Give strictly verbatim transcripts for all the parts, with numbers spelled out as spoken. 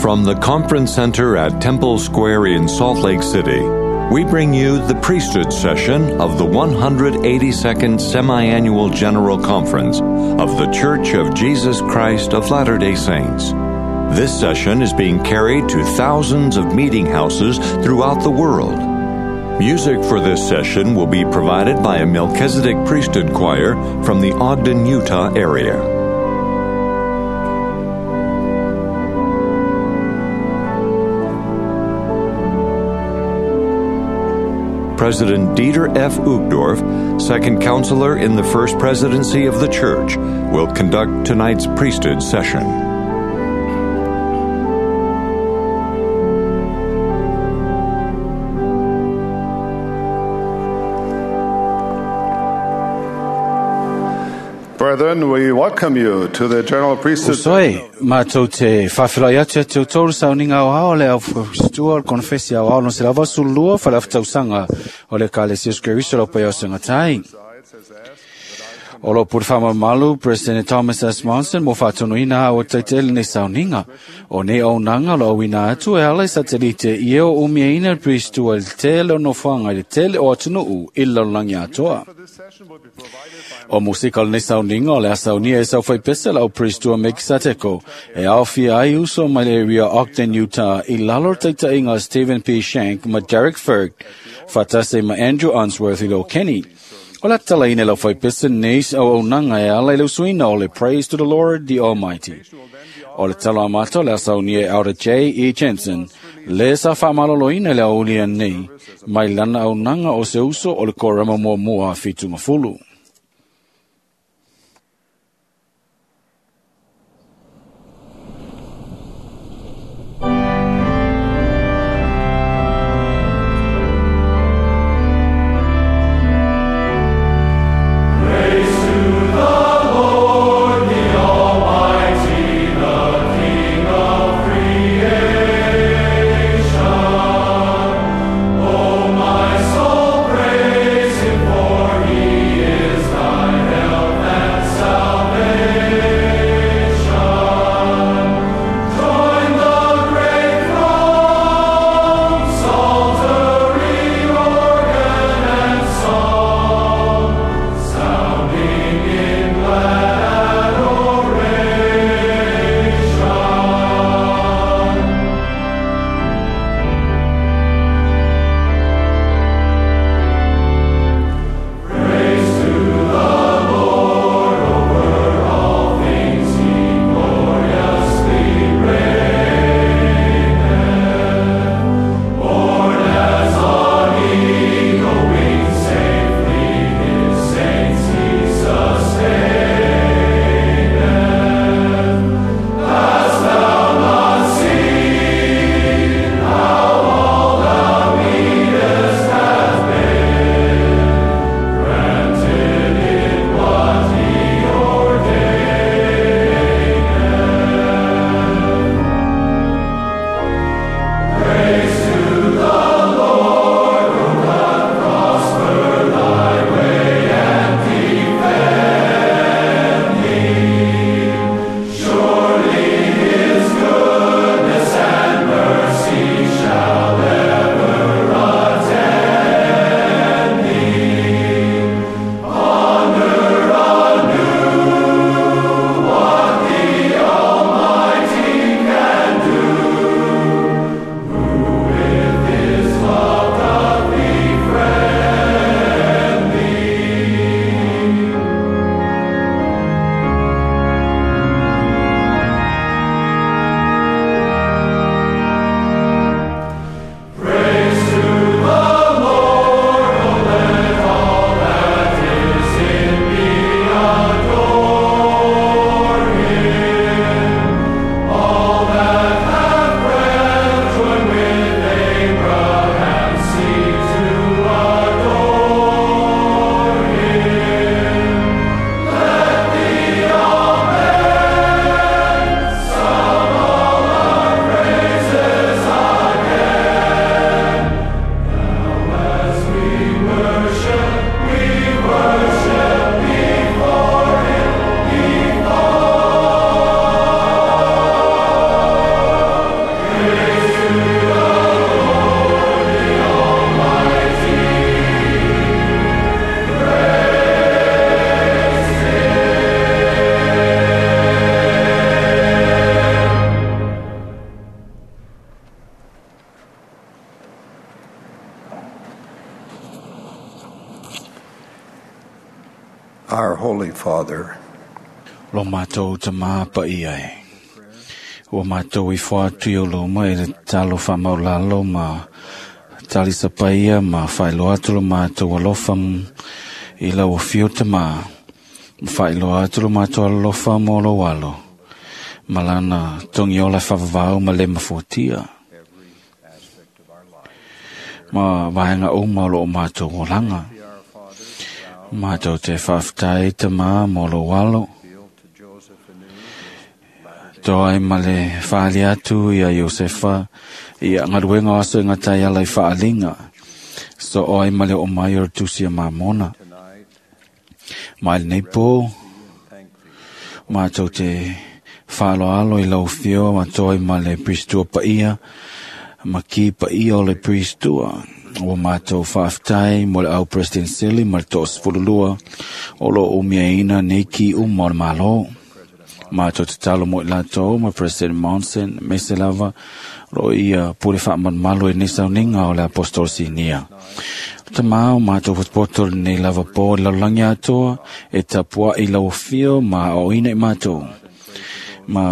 From the Conference Center at Temple Square in Salt Lake City, we bring you the priesthood session of the one hundred eighty-second Semi-Annual General Conference of The Church of Jesus Christ of Latter-day Saints. This session is being carried to thousands of meeting houses throughout the world. Music for this session will be provided by a Melchizedek Priesthood Choir from the Ogden, Utah area. President Dieter F. Uchtdorf, second counselor in the First Presidency of the Church, will conduct tonight's priesthood session. Brethren, we welcome you to the General Priesthood. Usoi, mātou te whawhilai atu atu tōru sauninga o hao le au whakastua o le konfesi au ao no se lava sulua whalawhitausanga o le Ekalesia Keriso lau pai o sengatai. O lo pur whamamalu, President Thomas S. Monson, mo whātonuina o teitele nei sauninga. O nei au nanga lo awina atu e ala i satelite i eo umiaina priestua le tele o nofoanga i le tele o atunuu i lalolagi atoa. O musika o lenei sauninga o le asaunia e saufai pese lau priestua Mekisateko e aofia ai uso mai le area Ogden, Utah i lalo taitaiga o Stephen P. Shank ma Derek Ferg, whatase ma Andrew Unsworth i lo Kenny. O la talaina lau whaipese neis au au nanga e ala i lau suina o le Praise to the Lord the Almighty. O le talo amato le asaunia e Aura J. E. Jensen, le sa whaamaloloina le aulia nei, mai lana au nanga o se uso o le korama mua mua whitunga fulu. Praise him, for he is Our Holy Father, Lo mātou ta māpa i ai. Ua mātou i whaatu i o loma e le talo whamaulalo ma talisa paia ma whailoa atu lo mātou alofa i lau whio ta mā. Whailoa atu lo mātou alofa mō lo alo. Malana tongi ola whawawau ma le mafuatia. Ma vaenga uma o lo mātou olanga. Mātou te whawhtai ta mā mō lo alo. Toa ma le whaali atu ia Iosefa ia ngaruenga aso i ngā tai ala i whaalinga. So oai ma le o mai o tusi a mamona. Mai nei pō, mātou te whaaloalo i lau whio ma toa ma le pristua paia, ma ki paia o le pristua. O mātou whaaftai mo le au President Sili ma le to'osefululua o lo umia ina nei ki uma o le malo. Mātou te talo mo i lātou ma President Monson me se lava ro ia pule whaamanmalo e nisa ninga o le apostol sinia. Ta māo mātou potopoto nei lava pō lalangi atoa e tapua i lau whio ma o ina i mātou. Ma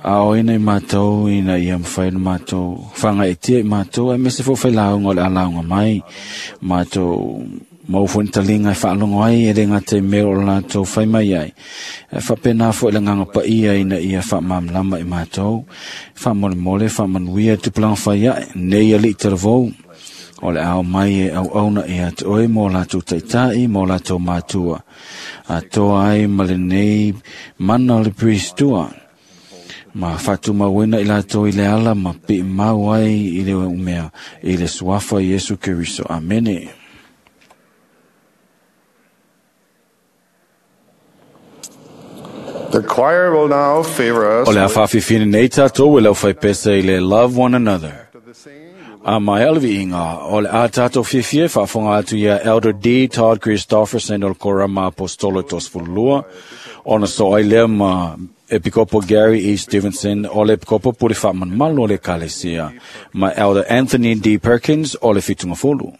ao ina i mātou ina ia mwhai na mātou whanga e tia i mātou e mese fo whai launga o le alaunga mai mātou mau fo talinga e whaalongo ai e renga te mea o lātou whai mai ai. E whapena fo i le nganga pa ia ina ia whaamamlama i mātou. Whaamole whaamanuia tupulanga whai ai, nei ali te ravou. O le ao mai e au auna i atu oe mō lātou taitai, mō lātou mātua. A toa ai ma le nei mana o le pristua. Ma whatu mauena i lātou i le ala ma pi mau ai i le umea i le suafa Iesu Keriso. Amene. The choir will now favor us O le awhawhiwhina nei tātou e lau whaipesa i le Love One Another. A mai alvi inga, o le a tātou whiwhie whaafonga atu ia Elder D. Todd Christofferson o le Korama Apostolo Tosfulua, ona so ai lea ma Epikopo Gary E. Stevenson o le Epikopo Puri Whaamanmalo o le Kalesia, ma Elder Anthony D. Perkins o le Fitungafulu.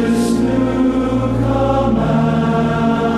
This new command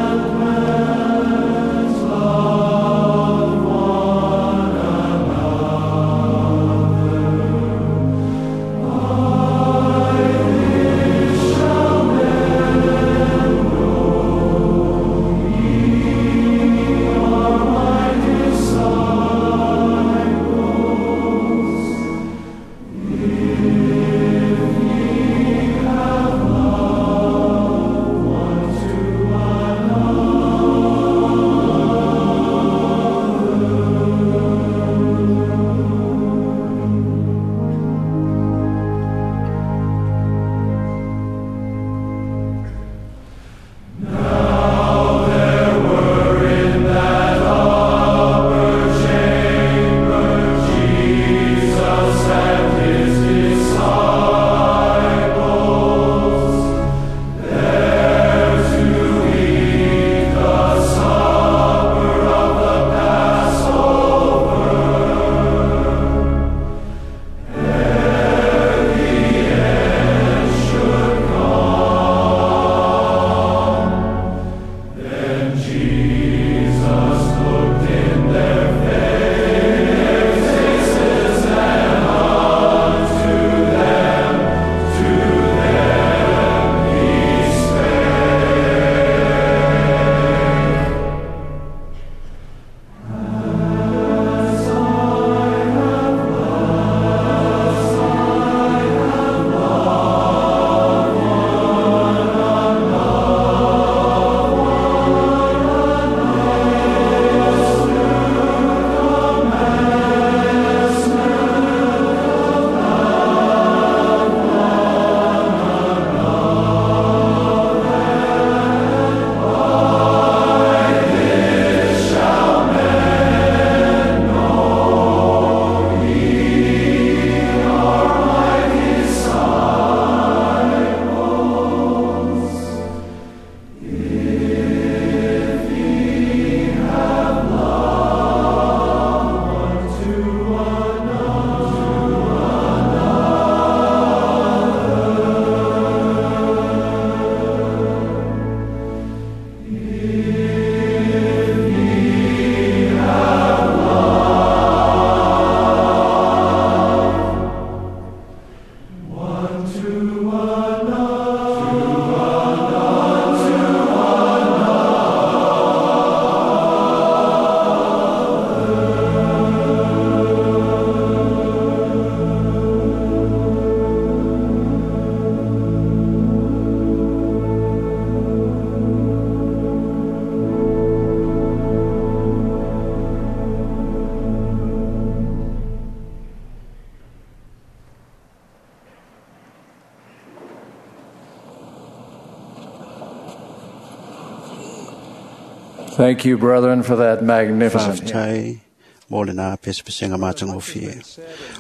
Thank you, brethren, for that magnificent hymn. Faafetai mo lena pesepesega matagofie.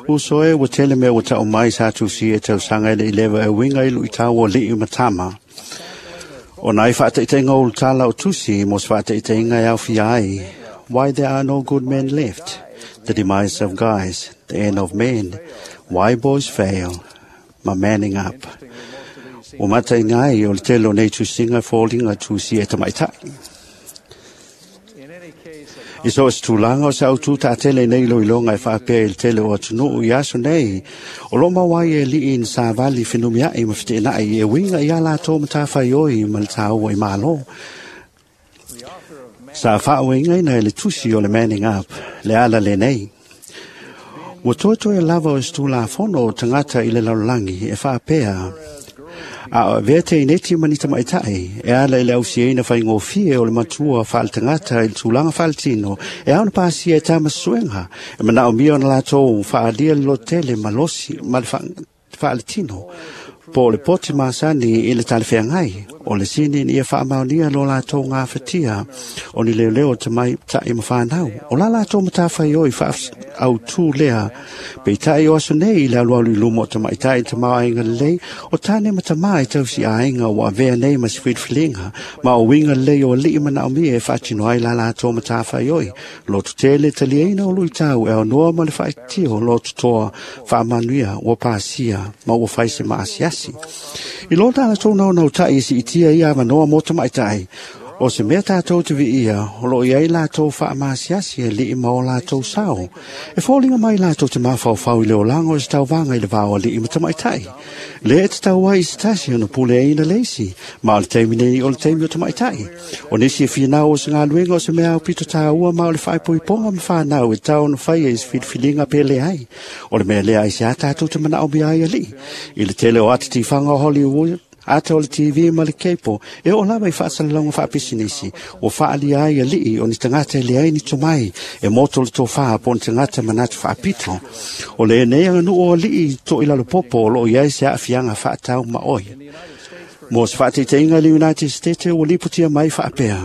Uso e ua tele mea ua ta'u mai sa tusia e tausaga e le ileva e uiga i lu'itau o ali'i ma tama. O nai fa'ataʻitaʻiga o ulutala o tusi mo se fa'ataʻitaʻiga e aofia ai Why There Are No Good Men Left, The Demise of Guys, The End of Men, Why Boys Fail, ma Manning Up. Ua mataʻiga ai o le tele o nei tusiga e foliga tusia e tamaʻitaʻi. I so o se tulaga o se autū taʻatele nei iloiloga e faapea i le tele o atunuu i aso nei, o loo mau ai e aliʻi ni savali fenumiaʻi ma feteenaʻi e uiga iā latou matafaioi ma le tāua i mālō. Sa faaoegaina e le tusi o le Manning Up le ala lenei. Ua toetoe lava o se tulafono o tagata i le lalolagi e faapea a o avea teineti ma ni tamaʻitaʻi e ala i le ausiaina faigofie o le matua faale-tagata i le tulaga faaletino e ao na pasia e tama suega e manaʻomia ona latou faaalia le lototele malosi ma le faaletino po o le pote masani i le talafeagai o le sini ina ia faamaonia lo latou gafatia o ni leoleo tamaitai ma fanau o la latou matafaioi faautū lea peitaʻi o aso nei i le alualu i luma o tamaʻitaʻi i tamaoaiga lelei o tane ma tamā e tausi aiga ua avea nei ma se filifiliga ma o uiga lelei o aliʻi manaʻomia e faatino ai la latou matafaioi lototele taliaina o luʻitau e aonoa ma le faaitio lototoa faamanuia ua pasia ma ua fai se maasiasi. I lo latou naunautai e siitia ia avanoa mo tamaʻitaʻi o se mea tatou te viia o loo iai latou faamasiasi e liʻi ma o latou sao. E foliga mai latou te mafaufau i le olaga o se tauvaga i le vao aliʻi ma tamaʻitaʻi. Lea e tatau ai i se tasi ona puleaina le isi, ma o le taimi nei o le taimi o tamaʻitaʻi. O nisi e finau o se galuega o se mea aupito tāua ma o le faaipoipoga ma fanau e tau ona faia i se filifiliga pe leai. O le mea lea ai se a tatou te manaʻomia ai aliʻi. I le tele o ata tifaga o Hollywood, ata o le T V ma le kepo, e o lava i faasalalauga faapisinisi, ua faaalia ai aliʻi o ni tagata e leai ni tomai, e moto le tofā po o ni tagata manatu faapito. O le nei aganuu o aliʻi toʻilalopopo o loo iai se aafiaga faatau maʻoi. Mo se faataitaiga i le United States ua lipotia mai faapea.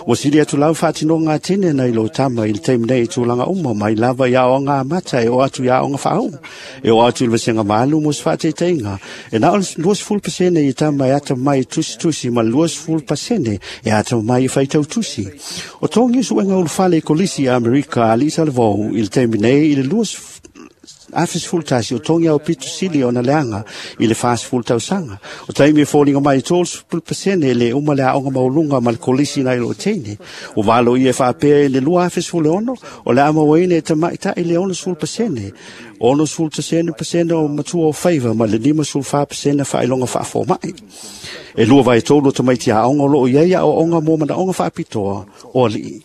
Ua sili atu lau faatinoga atene nai lo tama i le taimi nei i tulaga uma mai lava i aoga amata e o atu i aoga faauu. E o atu i le vasega malu mo se faataitaiga. E na o le luasefulu pasene i tama e ata mai tusitusi ma le luasefulu pasene e ata mai e faitau tusi. O togi suega ulufale i kolisi i Amerika a Lisa Levou i le taimi nei i le luasefulu afe sefulu tasi o togi au pitu sili ona leaga i le fasefulu tausaga. O taimi e foliga mai tolu pasene le uma le aoga mauluga ma le kolisi nai loo teine. O valo ia e faapea i le lua afe sefulu e ono o le amauaina e tamaʻitaʻi le ono sefulu pasene. Ono sefulu tasene pasene o matua o faiva ma le lima sefulu fa pasene faailoga faafomaʻi. E lua vaetolu o tamaiti aoga o loo iai aoaoga mo manaʻoga faapitoa o aliʻi.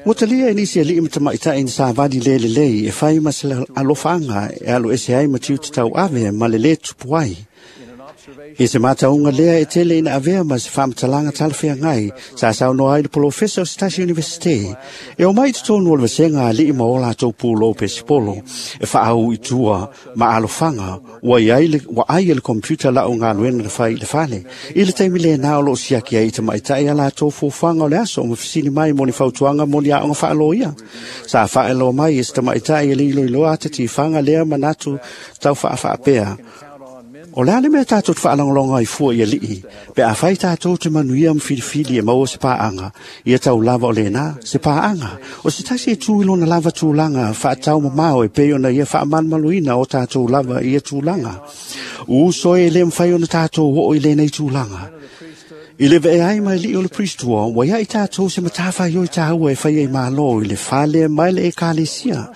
Ua talia e nisi aliʻi ma tamaʻitaʻi ni savali le lelei e fai ma se alofaga e alo ese ai ma tiute tauave ma le lē tupu ai. I se matauga lea e tele ina avea ma se faamatalaga talafeagai sa saunoa ai le polofesa o se tasi universite. E o mai totonu o le vasega aliʻi ma o latou pulou pesipolo e faaau i tua ma alofaga ua iai le, ua ai e le computer lau galuega na fai i le fale. I le taimi lenā o loo siaki ai i tamaʻitaʻi a latou fuafuaga o le aso ma fesili mai mo ni fautuaga mo ni aoga faaloia. Sa faaeloa mai e se tamaʻitaʻi e le iloiloa ata tifaga lea manatu tau faafaapea. O le a le mea tatou te faalagologa ai fua i aliʻi, pe a fai tatou te manuia ma filifili e maua se paaga, ia tau lava o lenā, se paaga. O se tasi e tu i lona lava tulaga faatau mamao e pei ona ia faamalumaluina o tatou lava ia tulaga. Uso e le mafai ona tatou oo i lenei tulaga. I le vee ai mai lii o le priestua, ua ia i tatou se matafaioi tāua e faia i mālō i le fale mai le ekalesia.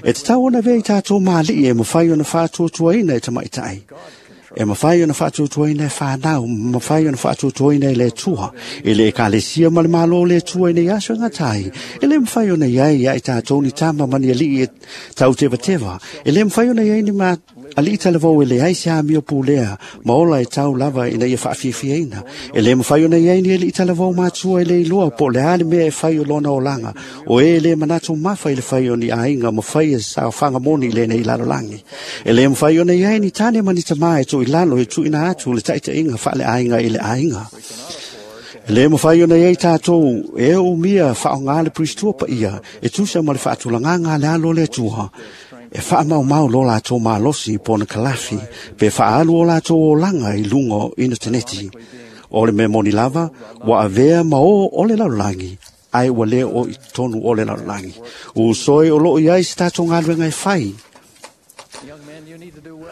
E tatau ona avea i tatou maaliʻi e mafai ona faatuatuaina e tamaʻitaʻi. E mafai ona faatuatuaina e fanau, mafai ona faatuatuaina e le Atua, i le ekalesia ma le mālō o le Atua i nei aso e gatai. E le mafai ona iai ia i tatou ni tama ma ni aliʻi e tautevateva. E le mafai ona iai ni ma aliʻi talavou e leai se amio pulea, ma ola e tau lava ina ia faafiafiaina. E le mafai ona iai ni aliʻi talavou matua e le iloa po o le a le mea e fai o lona olaga, o e le manatu mafa i le fai o ni aiga ma fai e saofaga moni i lenei lalolagi. E le mafai ona iai ni tane ma ni tamā e toʻilalo e tuuina atu le taʻitaʻiga faaleaiga i le aiga. Le mawhai ona iei tātou e o mia whaonga le pristua pa ia e tusa ma le whaatulanganga le alo le tua. E whaamau mau lo lātou malosi pona kalafi pe whaalu o lātou o langa i lungo inoteneti. O le me moni lava, wa avea ma o o le lalulangi, ai ua le o i tonu o le lalulangi. U soi o loo iai se tātou ngāluenga e whai.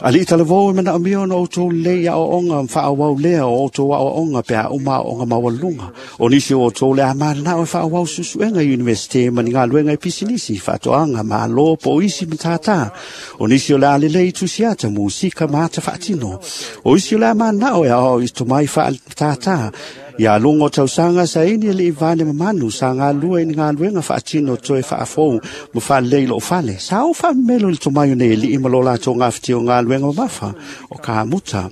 Ali i talavou e mana omia ona outou lei a o onga mwhaawau lea o outou a onga pe a uma o onga mawalunga. O nisi o outou le a manao e whaawau susuenga i universite ma ni ngāluenga i pisinisi, whaatoanga, maalo, po isi matata. O nisi o le a lelei tusiata, musika maata whaatino. O isi o le a manao e ao i tomai whaatata. Ia lungo tausanga sa ini le ivane mamanu sa ngā lua i ngā luenga whaatino toe whaafou ma whalei lo whale. Sa o whamelo le tomaio nei li ima lo lato ngā whitio ngā luenga mafa o ka muta.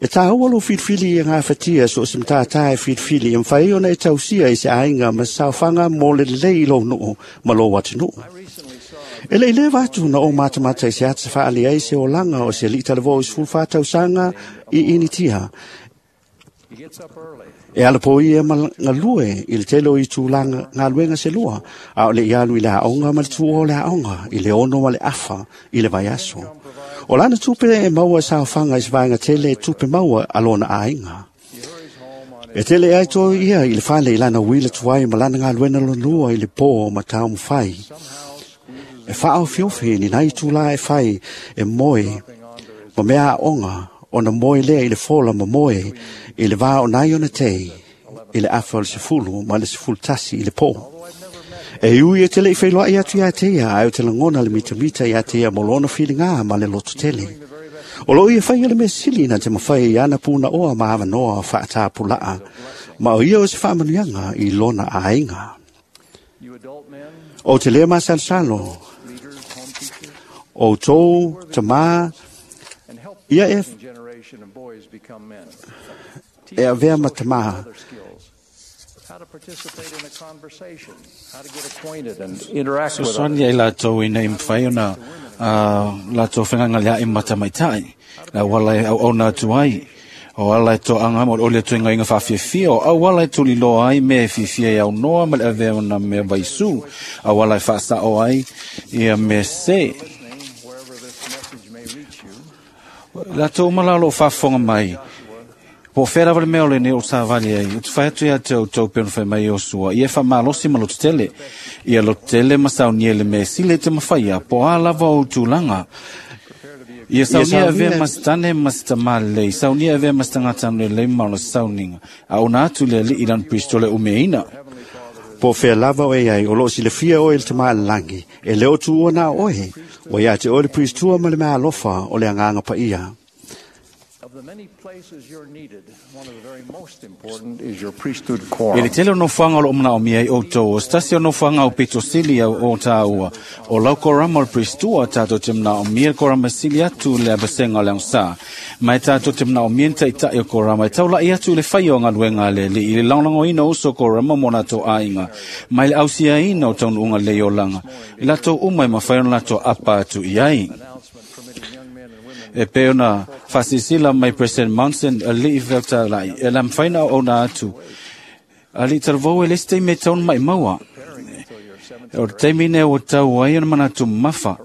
E tā ua lo whitwhili i ngā whatia so simtātā e whitwhili e mwhai ona e tausia i se ainga ma saofanga mō le lei lo noo ma lo watu noo. E le le watu na o matamata i se ata whaali ai se olanga o se li talavo i sfulfa tausanga i initia. E ala po ia ma ngalue i le telo i tūlanga ngaluenga se lua, a o le ialu i le aonga ma le tuo le aonga, i le ono ma le afa, i le vaiaso. O lana tupe e maua sa whanga i svaenga tele tupe maua alona ainga. E tele ai toi ia i le whale i lana wila tuai ma lana ngaluena lonua i le pō ma tau mwhai. E whaao fiofi ni nai tūla e whai e moe ma mea aonga ona moe lea i le fola ma moe i le vā o nai ona te i le afa o le sefulu ma le sefulu tasi i le pō. E ui e te lei whailoa i atu ia te ia, ai o te langona le mitamita i a te ia molona whiringa ma le loto tele. O lo ia whai o le mesili na te mawhai i ana pūna oa ma awanoa whaatāpulaa, ma o ia o se whaamanuianga i lona ainga. O te lea masalsalo, o tō, tamā, ia e e avea matama. So soni ai latou ina i mwhai ona latou whenganga lea i matamaitai. La wala e au ona atu ai. O ala e toanga mo ole tu inga inga whawhiawhia. O au ala e tuli loa ai me whiwhia i au noa ma le avea ona mea vaisu. Au ala e whaasa o ai ia me se. Latou malalo whawhonga mai. Po whera wale mea ole ne o tāwali ai. O te whai atu ia te au tau peno whai mai o sua. Ia wha malosi ma lotu tele. Ia lotu tele ma saunia le me sile te mawhaia. Po a lava o tūlanga. Ia saunia avea masitane masitamale. Saunia avea masitangatanu le leima o le sauninga. A ona atu le li ilan pristole umeina. Po whea lava o e ai, o loo silafia o e le tamaa langi, e leo tuua nā oe, o ia te oe le pristua ma le mea alofa o le anganga pa ia. E le tele o nofuanga o lo omana o mia i outou, o stasi o nofuanga o pito sili au o tāua, o lau korama o le pristua tātou te mna o mia korama sili atu le abasenga o le angsa. Mai tātou te mna o mia nta i o korama, e taula i atu le whai o ngaluenga le li, i le langlango ina uso korama mona tō ainga, mai le ausia ina o taunu unga le olanga, i latou uma e mawhai ona latou apa atu i ai. E pe ona whasisila mai President Monson a li i whelta lai. E la mwhaina o ona atu. A li taravou e leste me taun mai maua. O te mine o tau ai ona mana tu mafa.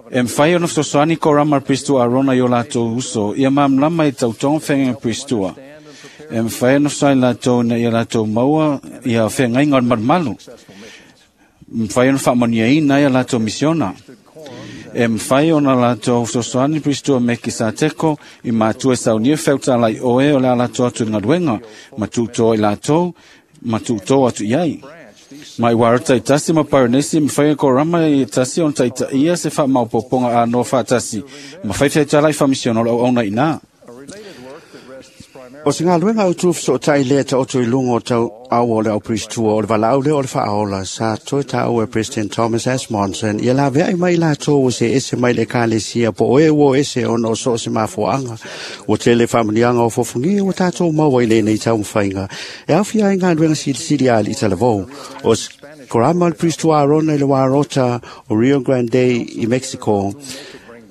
E mwhai ona whsosoani ko rama pristua arona i o latou uso. Ia mamlama i tau tong whenga pristua. E mwhai ona whsoani latou na ia latou maua ia whenga inga o marumalu. Mwhai ona whaamania ina ia latou misiona. E mwhai ona latou whsosoani pristua me ki sa teko i mātua saunia whelta lai oe o lea latou atu i ngaruenga. Ma tūtoa i latou, ma tūtoa atu iai. Mai warata i tasi ma paranesi, mwhai ko rama i tasi on taita ia se wha maupoponga a noa whaatasi. Ma whai whai lai whamisiona o auna ina. O se ngā luenga au tūf so tai lea ta oto i lungo o tau au o le au pristua o le valaau le o le whaaola sa toi ta au e President Thomas S. Monson ia la vea i mai la tō se ese mai le kalesia po oe o ese ono so se mafuanga o te le whamanianga o fofungi o tātou maua i le nei tau mwhainga e awhia i ngā luenga sili sili ali i talavou o korama le pristua arona i le warota o Rio Grande i Mexico.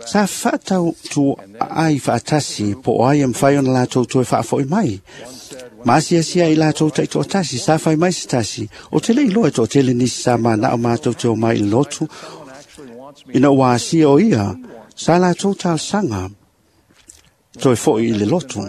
Sa whaatau tu ai whaatasi po o ai e mwhai ona lātou toe whaafoi mai. Masia sia i lātou tai toatasi, sa whai mai se tasi. O te lei loe to tele nisi sa mana o mātou te o mai i lotu. Ina ua asia o ia, sa lātou talsanga toe foi i le lotu.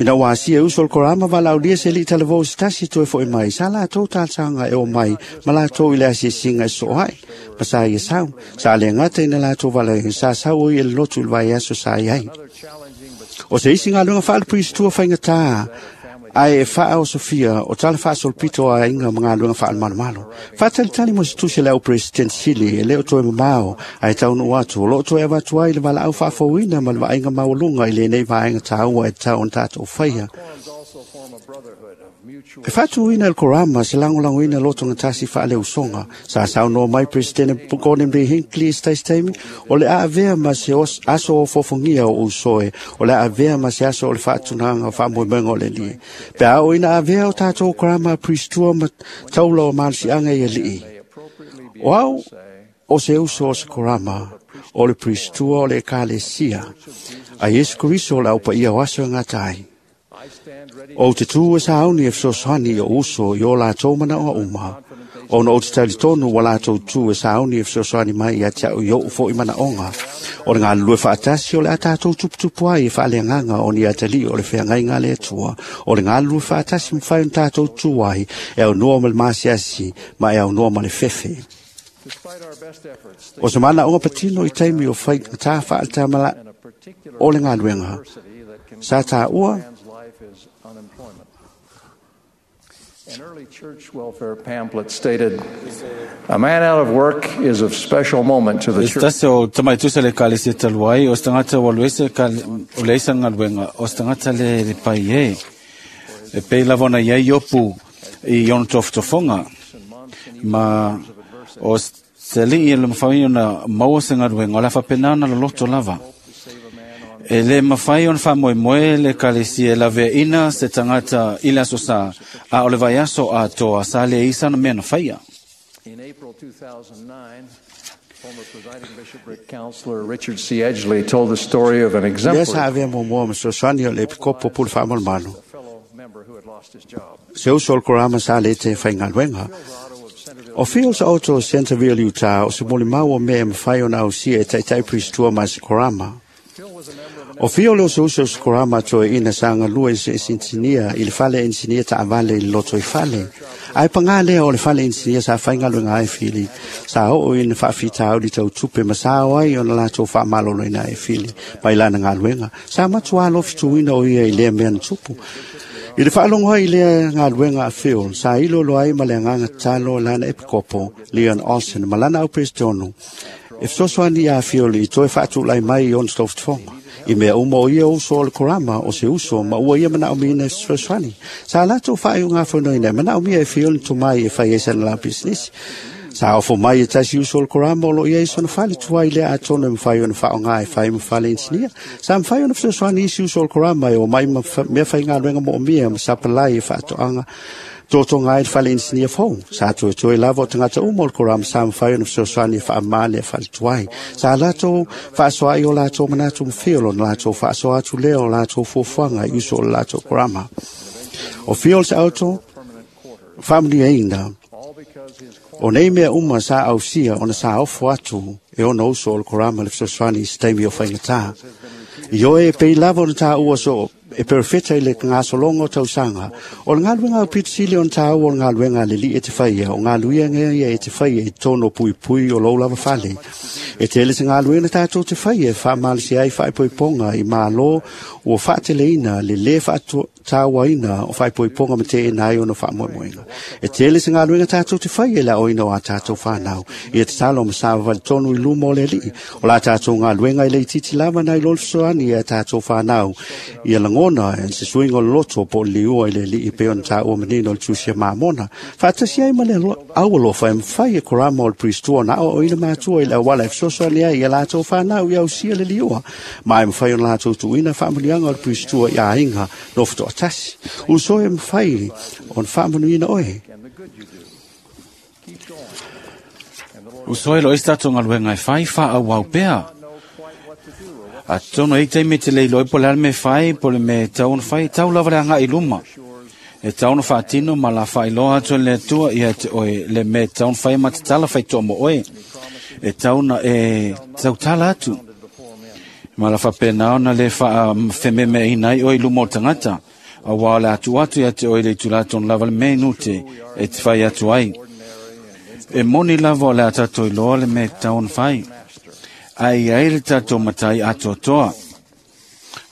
Ina ua asia uso o le korama walaulia se li talavou se tasi toe foi mai. Sa lātou talsanga e o mai, ma lātou i le asiasinga e so ai. Ma sa ia sau, sa le ngata ina lātou wala sa sau o i le lotu i le vai aso sa i ai. O se isi ngā lunga whaalapuisitua whaingatā, ai e whaa o Sofia, o tala whaasolpito a inga mga lunga whaalmalomalo. Whaatalitali mo se tusi leo President Sili, e leo toe mamao, ai taunu atu, o loo toe awatu ai le wala au whaafouina ma le vainga maulunga i le nei vaenga tāua e tau on tātou whaia. E whaatuina el korama se langolangoina loto ngatasi whaale usonga. Sa sau no mai President Gordon B. Hinckley stais taimi, o le aavea ma se os, aso o fofongia o usoe, o le aavea ma se aso o le whaatunanga o whaamoemenga o le lie. Pe ao ina aavea o tātou korama pristua ma taula o malisianga i alii. O au o se uso o se korama, o le pristua o le ekalesia, a Yesu Kristo o le aupa ia o aso ngā tai. O te tū e sāuni e fesoasoani o uso i o lātou mana o uma. O na o te talitonu wa lātou tū e sāuni e fesoasoani mai ia te au i o fo i mana onga. O ngā lue whaatasi o le a tātou tuputupu ai e whaaleanganga o ni atali o le wheangai ngā le atua. O le ngā lue whaatasi mwhai o tātou tū ai e au noa ma le maasiasi ma e au noa ma le fefe. O se mana onga patino i taimi o whai tā whaatamala o le ngā luenga. Sa tā ua, An early church welfare pamphlet stated, "A man out of work is of special moment to the church." Tase o tamaitusa le kalesia taluai, o stangata waluese o leisa ngaluenga, o stangata le le pai e. E pei lava ona iai iopu i ona tofotofoga, ma o se alii e le mafai ona maua se galuega, o le a faapena ona loloto lava. E le mafai ona faamoemoe le ekalesia e laveaina se tagata i le aso sa, a o le vaiaso atoa sa le isa na mea na faia. In April two thousand nine, former presiding bishopric counselor Richard C. Edgley told the story of an exemplary Lea sa avea muamua ma fesoasoani o le epikopo pule faamalomalo. Se uso o le korama sa le te faigaluega. O Fields Auto Centerville, Utah, o se molimau o mea e mafai ona ausia e taitai pristua ma se korama. O fio leo se uso o se korama toe ina sa ngalua i se insinia i le fale insinia taavale i le loto i fale. Ai pangā lea o le fale insinia sa faigaluega ai fili. Sa oo ina faafitauli tautupe ma sa o ai ona latou faamaloloina ai fili mai lana galuega. Sa matuā lofituina o ia i lea mea na tupu. I le faalogo ai i lea galuega a Phil, sa ilolo ai ma le agaga tatalo lana epikopo, Leon Olsen, ma lana aupesetonu. E fesoasoani ia Phil i toe faatulai mai i ona tofotofoga. I mea uma o ia uso o le korama o se uso ma ua ia manaomia e fesoasoani. Sa latou faaiugafonoina e manaomia e Phil ni tomai e fai ai sana la pisinisi. Sa ofo mai e tasi uso o le korama o loo iai sona fale tuai lea atonu e mafai ona faaoga e fai ma fale insinia. Sa mafai ona fesoasoani isi uso o le korama e omai ma mea faigaluega moomia ma sapalai e faatoaga totoga ai le fale insinia fou. Sa toetoe lava o tagata uma o le korama sa mafai ona fesoasoani e faamā lea fale tuai. Sa latou faasoaai o latou manatu ma Phil ona latou faasoa atu lea o latou fuafuaga i uso o le latou korama. O Fields Auto faamanuiaina o nei mea uma sa ausia ona sa ofo atu e ona uso o le korama le fesoasoani i se taimi o faigatā. I oe e pei lava ona tāua so e perfeta i le gasologa o tausaga. O le galuega o pitisili ona tāua o le galuega a le alii e te faia, o galuega ia e te faia i totonu o puipui o lou lava fale. E tele se galuega tātou te faia e faamalosi ai faaipoipoga i mālō ua faateleina le lē faatauaina o faaipoipoga ma teena ai ona faamoemoega. E tele se galuega tātou te faia i le aoina o a tātou whanau. Ia te talo ma sa tonu i luma o le alii. O la tātou galuega i le itiiti lava nai lo le fesoasoani ia tātou whanau. Ia lagona e se suiga o le loto po o le liua i le alii pei ona tāua manino o le tusi a Mamona. Faatasi ai ma le aualofa e mafai e korama o le pristua na aoaoina matua i le auala e fesoasoani ai ia latou whanau i ausia le liua. Ma e mafai ona latou tuuina faamanuiaga o le pristua i aiga nofo toatasi. Uso e mafai ona faamanuiina oe. Uso e lo isi tatou galuega e fai faaauau pea. A tono e taimi te le iloi po le alme fai, po le me tau ona fai, tau lava le anga i luma. E tau ona whaatino ma la whailoa atu le atua ia te oe le me tau ona fai ma te tala whai toa mo oe. E tau na e tau tala atu. Ma la whapena ona le wha whememe i nai oe luma o tangata. A wā le atu atu ia te oe le tulaton lava le me nute e te whai atu ai. E moni lava o le atato i loa le me tau ona fai. Ai ai le tatou matai atoatoa.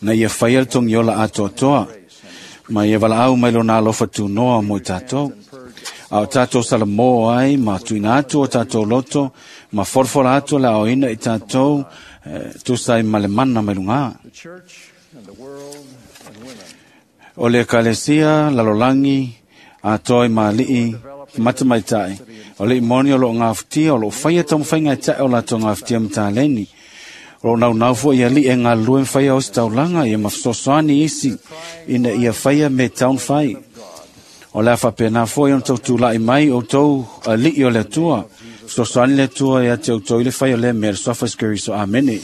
Na ia whai al tongi ola atoatoa. Ma ia wala au mai lo nā alofa tūnoa mo i tātou. A o tātou sala mō ai, ma tuina atu o tātou loto, ma forfora atu le aoina i tātou, eh, tūsai ma le mana mai lunga. O le kalesia, lalolangi, a toi ma lii, mata mai tai. O le imoni o lo ngā futia, o lo whaia tau mwhainga e tae o la tau ngā futia mtāleni. O lo nau nau fua ia li e ngā lue mwhaia o se taulanga, ia mawhasosoani isi, ina ia whaia me taun whai. O le awha nā fua i on tau tūlai mai o tau li o le atua. Sosoani le atua ia te o tau i le whai o le mea, sofa skiri so amene.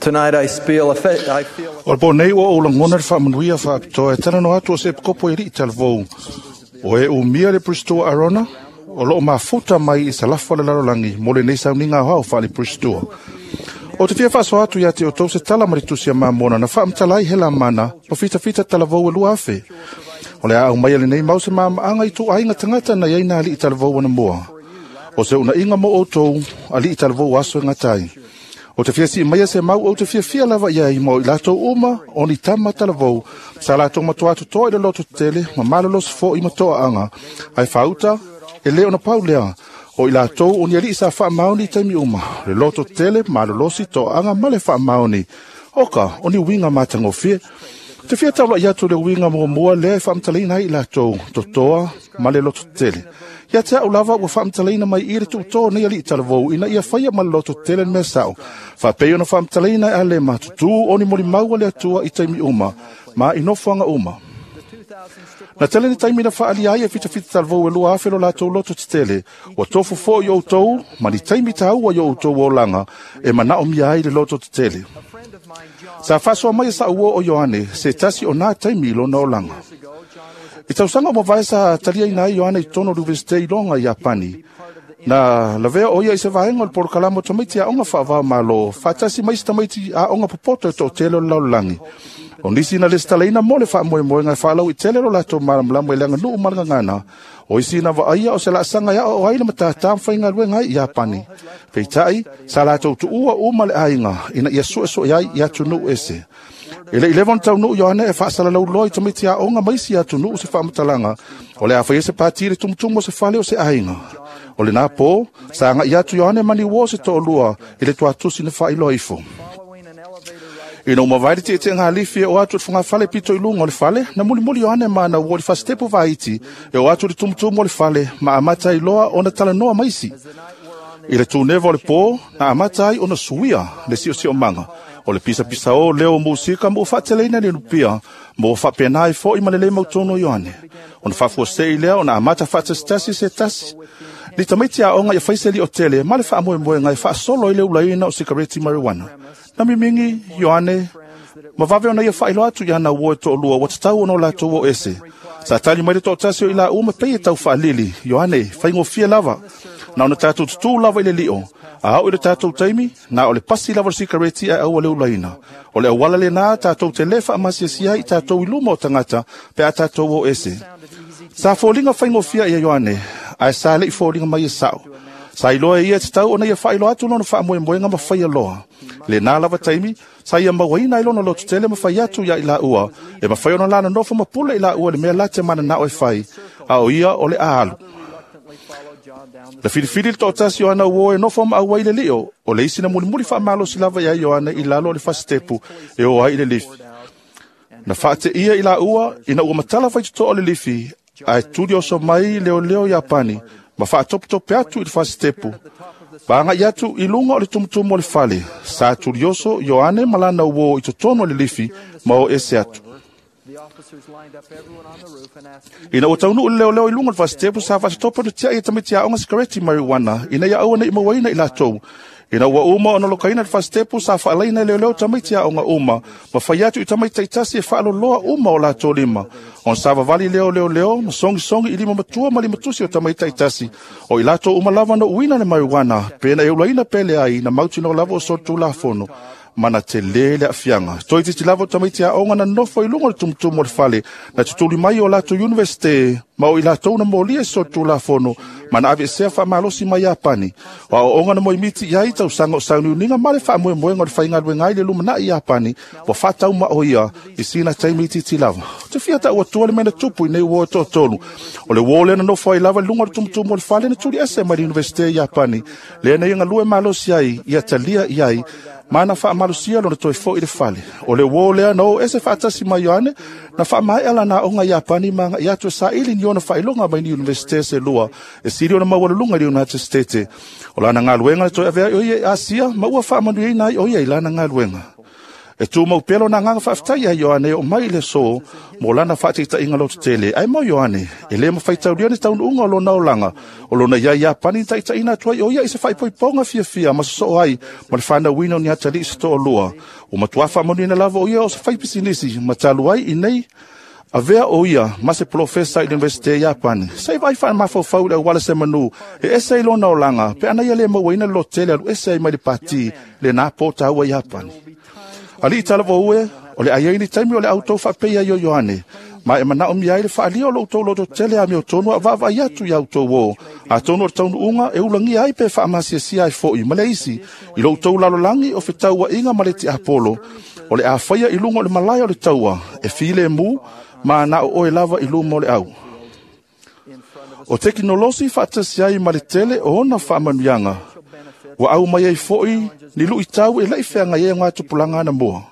Tonight I feel a fe- I feel O le pō nei ua ou lagona le faamanuia faapitoa e talanoa atu o se epikopo e li'i talavou. O e umia le Pristoa Arona, o loo mafuta mai i salafa o le lalolagi mo lenei sauniga aoao faale Pristoa. O te fia faasoa atu ia te outou se tala ma le tusi a Mamona na faamatala ai Helamana ma fitafita talavou e lua afe. O le a au mai a lenei mau se maamaaga i tuuaiga tagata na iai na ali'i talavou ana moa. O se unaiga mo outou ali'i talavou aso e gatai. O te fia sii maia se mau ou te fia fia lava ia i mo i latou uma o ni tama talavou. Sa latou matoa atu toa i le loto tele ma malolosi fo i matoa anga. Ai whauta e leo na pau lea. O i latou o ni ali sa wha maoni taimi uma. Le loto tele malolosi toa anga ma le wha maoni. Oka o ni winga matangofie. Te fia taula i atu le winga mua mua lea e whaamtalaina ai i latou. Totoa ma le loto tele. Ia te au lava ua whaamtalaina mai i le tuutoa nei ali i talavou ina ia whaia ma le loto tele mea sao. Whapei ona whaamtalaina e ale ma tutu o ni moli maua le atua i taimi uma, ma i nofoanga uma. Na tele ni taimi na whaali ai e fitafita talavou e lua afe lo latou loto te tele. Ua tofu fo i outou, ma ni taimi tāua i outou o langa, e manao mia ai le loto te tele. Sa whasoa mai sa uo o Ioane, se tasi o nā taimi i lona o langa. I tausanga o mavae sa talia ina ai Ioane i tono Universite i longa i Japani. Na lavea o ia i se vaenga o le porokalama o tamaiti a onga whaavao malo, whaatasi mai se tamaiti a onga popoto e tō tele o le laulalangi. O nisi na lesitalaina mo le faamoemoega e faalau i tele lo latou malamalama i le aganuu ma le gagana. O isi na vaaia o se laasaga ia o ai le matatā mafaigaluega ai i Iapani. Peitai, sa latou tuua uma le aiga ina ia suesu'e ai i atunuu ese. E le i leva ona taunuu Ioane e faasalalauloa i tamaiti aoga ma isi atunuu se faamatalaga. O le a faia se pati i le tumutumu o se fale o se aiga. O lenā pō, sa aga'i atu Ioane mani uō se to'alua i le tuatusi na faailoa ifo. Ina uma vai le tietieʻega alifi e o atu i le fogafale pito i luga o le fale, na mulimuli Ioane ma na ua o le fasitepu vaiti e o atu i le tumutumu o le fale ma amata ai loa ona talanoa maisi. I le tuneva o le pō, na amata ai ona suia le siosiomaga. O le pisapisa o leo musika mo faateleina le lupia, mo faapena ai fo'i ma le lē mautonu o Ioane. Ona faafuasei lea ona amata faatasitasi se tasi. Ni tamaiti aoga ia faise li'o tele ma le faamoemoega e faasolo ai le ulaina o sikareti marijuana. Na mimingi Ioane ma vave ona ia faailoa atu iana uo e to'alua ua tatau ona o latou o ese. Sa tali mai le to'atasi o i laua ma pei e tau faalili, Ioane, faigofie lava. Na ona tatou tutū lava i le li'o. A oo i le tatou taimi, na o le pasi lava o le sikareti ae aua le ulaina. O le auala lenā tatou te lē faamasiasia ai i tatou i luma o tagata pe a tatou o ese. Sa foliga faigofia ia Ioane, ae sa le'i foliga mai e sa'o. Sa iloa e ia tatau ona ia faailoa atu lona faamoemoega ma faia loa. Lenā lava taimi, sa ia mauaina ai lona lototele ma fai atu ia i laua, e mafai ona lana nofo ma pule i laua le mea late mananao e fai, a o ia o le aalu. Na filifili le to'atasi o ana uō e nofo ma auai le li'o, o le isi na mulimuli faamalosi lava iā Ioane i lalo o le fasitepu e o ai i le lifi. Na faate'ia i laua ina ua matala faitotoa o le lifi, ae tuli oso mai leoleo Iapani ma faatopetope atu i le fasitepu. Vaaga'i atu i luga o le tumutumu o le fale, sa tulioso Ioane ma lana uō i totonu o le lifi ma o ese atu. Ina ua taunuu le leoleo i luga o le fasitepu sa faasetopa ona tiai e tamaiti aoga sikareti marijuana ina ia aua nei mauaina i latou. Ina ua uma ona lokaina le fasitepu sa faalaina e leoleo tamaiti aoga uma ma fai atu i tamaiti taitasi e faaloloa uma o latou lima. Ona savavali lea o leoleo ma sogisogi i lima matua ma limatusi o tamaiti taitasi. O i latou uma lava na uina le marijuana pe na e ulaina pe leai na mautinoa lava o solitulafono. Mana te le le afianga. Toi titi lava o tamaiti aoga na nofo i luga o le tumutumu o le fale, na tutuli mai o latou universite, ma o i latou na molia i solitulafono, ma na aveesea faamalosi mai Iapani. O aoaoga na moemiti i ai tausaga o sauniuniga ma le faamoemoega o le faigaluega ai le lumanai i Iapani, ua faataumao ia i sina taimi itiiti lava. Ou te fia taua tua le mea na tupu i nei uo e toatolu. O le uo lea na nofo ai lava i luga o le tumutumu o le fale na tuli ese mai le universite i Iapani, lea na ia galue malosi ai, ia talia i ai, ma na faamalosia lona toe foi i le fale. O le uo lea na o ese faatasi mai Ioane, na faamaea lana aoga Iapani ma agai atu e saili ni ona faailoga mai ni universite se lua, e sili ona maualuluga i le United States. O lana galuega na toe avea ai o ia i Asia, ma ua faamanuiaina ai o ia i lana galuega. E tumau pea lona agaga faafetai ia Ioane e oo mai i le aso mo lana faataitaiga lototele. Ae mo Ioane, e le mafaitaulia ni taunuuga o lona olaga, o lona ia Iapani na taitaiina atu ai o ia i se faaipoipoga fiafia ma sosoo ai ma le fanauina o ni atalii se toalua. Ua matua faamanuiina lava o ia o se faipisinisi ma talu ai i nei avea o ia ma se polofesa i le Universite i Iapani. Se i vaai faamafaufau i le auala se manu e ese ai lona olaga pe ana ia le mauaina le lototele alu ese ai mai le pati lena po taua i Iapani. Alii talavou e, o le ai ai ni taimi o le autou faapei ai o Ioane, ma e manaomia ai le faalia o lo outou lototele amiotonu a vaavaai atu ia outou o, atonu o le taunuuga e ulagia ai pe faamasiasia ai foi ma le isi, i lo outou lalolagi o fetauaiga ma le tiapolo, o le a faia i luga o le malae o le taua, e filemu, ma na o oe lava i luma o le au. O tekinolosi faatasi ai ma le tele o ona faamanuiaga, ua au mai ai foi ni luitau e la'i feagai ai o gatupulaga anamua.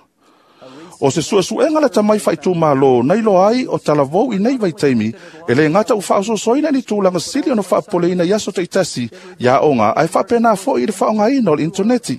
O se suesuega lata mai faaitumālō na iloa ai o talavou i nei vaitaimi, e lē gata ua faaososoina ni tulaga sili ona faapopoleina i aso taitasi i aoga, ae faapena foi i le faaaogaina o le initoneti.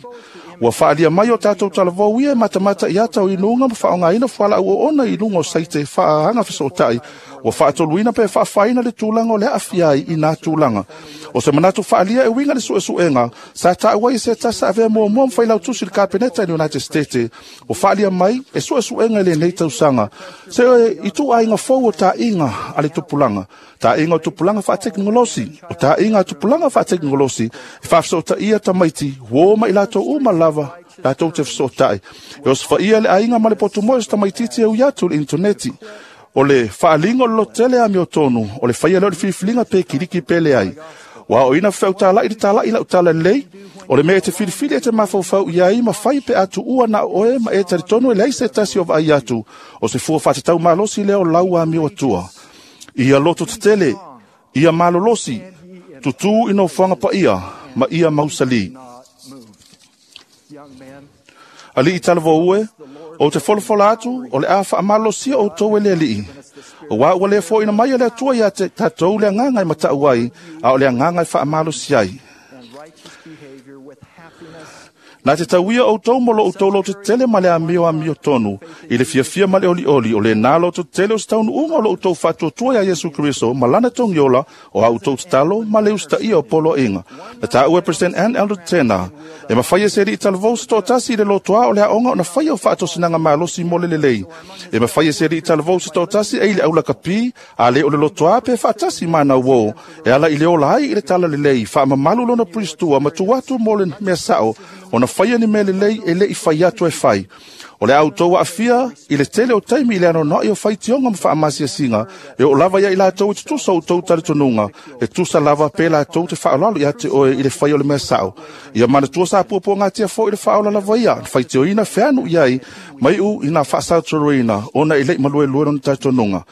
Ua faalia mai o tatou talavou ia e matamata i ata o inuga ma faaaogaina fualaau oona i luga o saite faaaga fesootai, ua faatoluina pe faafaina le tulaga o le aafia ai i nā tulaga. O se manatu faalia e uiga le suesuega, sa taua ai se tasi avea muamua ma failautusi i le Kapeneta i le United States, ua faalia mai e suesuega i lenei tausaga, se i ituaiga fou o taaiga a le tupulaga, taaiga o tupulaga faatekonolosi, o taaiga a tupulaga faatekonolosi, e faafesootaia tamaiti, uo ma i latou uma lava latou te fesootai. E osofaia le aiga ma le potumoe o se tamaitiiti e ui atu i le initoneti. O le faaliga o le lototele amiotonu, o le faia lea o le filifiliga pe kiliki pe leai. Ua aoina fefautala'i le tala'i lau talalelei, o le mea e te filifili e te mafaufau i ai ma fai pe a tuua na o oe ma e talitonu e leai se tasi o vaai atu, o se fua faatatau malosi lea o lau amio atua. Ia lototetele, ia malolosi, tutū i nofoaga paia ma ia mausalī. Alii talavou e, ou te folafola atu o le a faamalosia outou e le Alii. Auā ua le foaina mai e le Atua ia te tatou le agaga e matau ai, a o le agaga e faamalosi ai. Na te tauia outou mo lo outou lototetele ma le amio amiotonu, i le fiafia ma le olioli, o lenā lototetele o se taunuuga o lo outou faatuatua iā Iesu Keriso ma lana togiola o a outou tatalo ma le usitaia o poloaiga. Na taua e President Ann Elder Tena, e mafai e se alii talavou se toatasi i le lotoā o le aoga ona faia o faatosinaga malosi mo le lelei. E mafai e se alii talavou se toatasi e i le aulakapi, a le o le lotoā pe faatasi ma nauō, e ala i le ola ai i le talalelei, faamamalu lona pulistua ma tuu atu mo le mea sao, ona faia ni mea lelei e le'i fai atu e fai. O le a outou aafia i le tele o taimi i le anoanoai o faitioga ma faamasiasiga, e oo lava ia i latou e tutusa o outou talitonuga, e tusa lava pe latou te faaaloalo ia te oe i le fai o le mea sao. Ia manatua sa puapuagatia foi le faaola lava ia, na faitioina feanu i ai, maiu ina faasauturuina, ona e le'i maluelue lona talitonuga.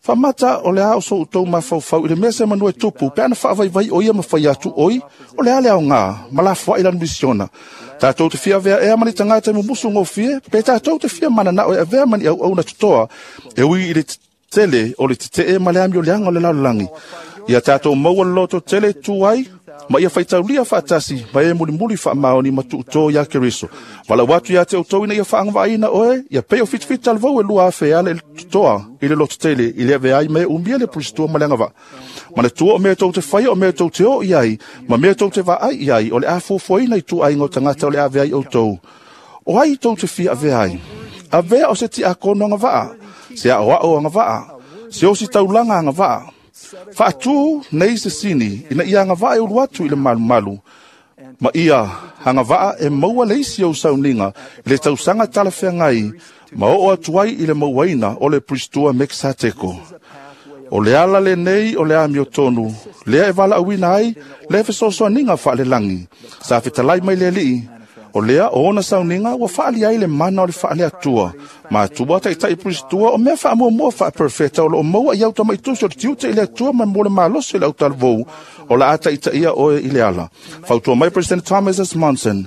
Faamata o le a o so outou mafaufau i le mea se manu e tupu, pe ana faavaivai o ia ma fai atu oi, o le a le aogā, ma lafoai lana misiona. Tatou te fia avea ea ma ni tagata e mumusu gofie, pe tatou te fia mananao e avea ma ni auauna totoa, e ui i le tele o le tetee ma le amioleaga o le lalolagi. Ia tatou maua le lototele e tu ai, Ma ia faitaulia faatasi ma e mulimuli faamaoni ma tuutō ia Keriso. Valaau atu ia te outou ina ia faagavaaina oe, ia pei o fitafita talavou e lua afe e ala i le totoa i le lototele i le avea ai ma e umia le pulistua ma le agavaa. Manatua o mea tou te faia o mea tou te o i ai, ma mea tou te vaai i ai, o le a fuafuaina i tuaiga o tagata o le a avea ai outou. O ai tou te fia avea ai? Avea o se tiakono agavaa, se aoao agavaa, se osi taulaga agavaa. Faatū nei se sini ina ia agavaa e ulu atu i le malumalu, ma ia agavaa e maua le isi ou sauniga i le tausaga talafeagai ma oo atu ai i le mauaina o le pulistua Mekisateko. O le ala lenei o le amiotonu, lea e valaauina ai le fesoasoaniga faalelagi. Sa fetalai mai le Alii, o lea o ona sauniga ua faali ai le mana o le faaleatua. Matua taitai pulistua o mea faamuamua faaperefeta o loo maua i au tamaitusi o le tiute i le Atua ma mo le malosi o le autalavou, o la a taitaia oe i le ala. Fautua mai President Thomas S. Monson,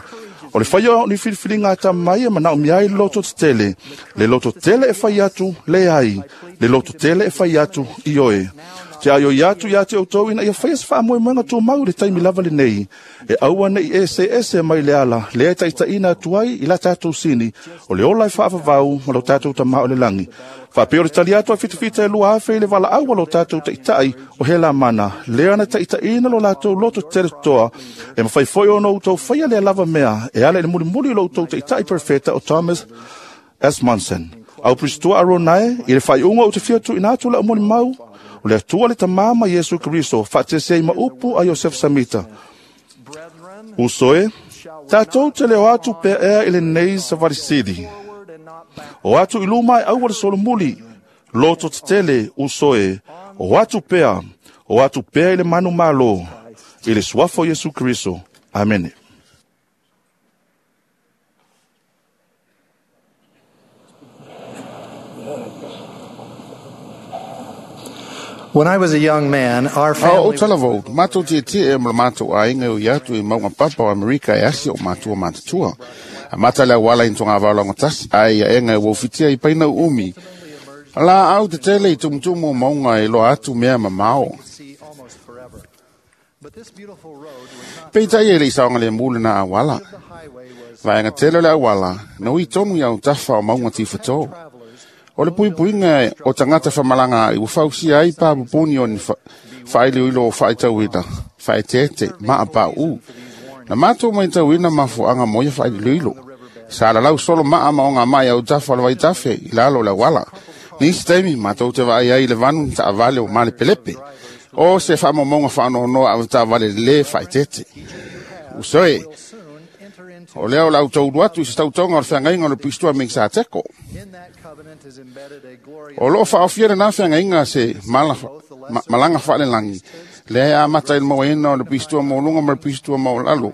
o le faia o ni filifiliga a mai e manaomia ai le loto tetele. Le loto tele e fai atu, le ai. Le loto tele e fai atu, i oe. Te aio i atu ia te outou ina ia faia se faamoemoega tumau i le taimi lava lenei. E aua nei ese ese mai le ala, lea e taitaiina atu ai i la tatou sini, o le ola e faavavau ma lo tatou tamā o le lagi. Faapea o le tali atu a fitafita e lua afe i le valaau a lo tatou taitai o Helamana, lea na taitaiina lo latou loto tetele totoa, e mafai foi ona outou faia lea lava mea, e ala i le mulimuli o lo outou taitai perfeta o Thomas S. Monson. Au pulistua Aronae, i le faaiuga ou te fia tuuina atu lau molimau, o le Atua le Tamā ma Iesu Keriso, faatasi ai ma upu a Iosefo Samita. Uso e, tatou te leo atu pea ea i lenei savalisili. O atu i luma e aua le solomuli, loto tetele uso e, o atu pea, o atu pea i le manu malo, i le suafa o Iesu Keriso. Amene. When I was a young man, our A o family talavou, mātou te te e ma mātou aiga o i atu i maunga papa o Amerika e asi o mātua mātatua. A mata le awala i tonga vaolanga tasi, ai ia enga e waufitia i paina umi. La au te tele i tumutumu o maunga e loa atu mea mamao. see almost forever. But this beautiful road was not Peitai e le isaonga le mule na awala. the highway was Vaenga tele le awala, na ui tonu i au tafa o maunga tiwhato. travelers O le puipuiga o tagata faamalagaai ua fausia ai papupuni o ni faailiuilo o faaitauina, faaeteete ma apauu. Na matou maitauina mafuaaga mo ia faailiuilo. Sa lalau solo maa ma ogamai autafa o le vaitafe i lalo o le auala. Nisi taimi matou te vaai ai i le vanu na taavale o malepelepe. O se faamaumauga faanoanoa avetaavale lē faaeteete. Usoe, soon enter into o lea o le autoulu atu i se tautoga o le feagaiga o le puisitua Mekisateko. in that covenant is embedded a glorious O loo faaofia lenā feagaiga se mala, ma, malaga faalelagi, lea e amata i le mauaina o le puisitua maualuga ma le puisitua maualalo.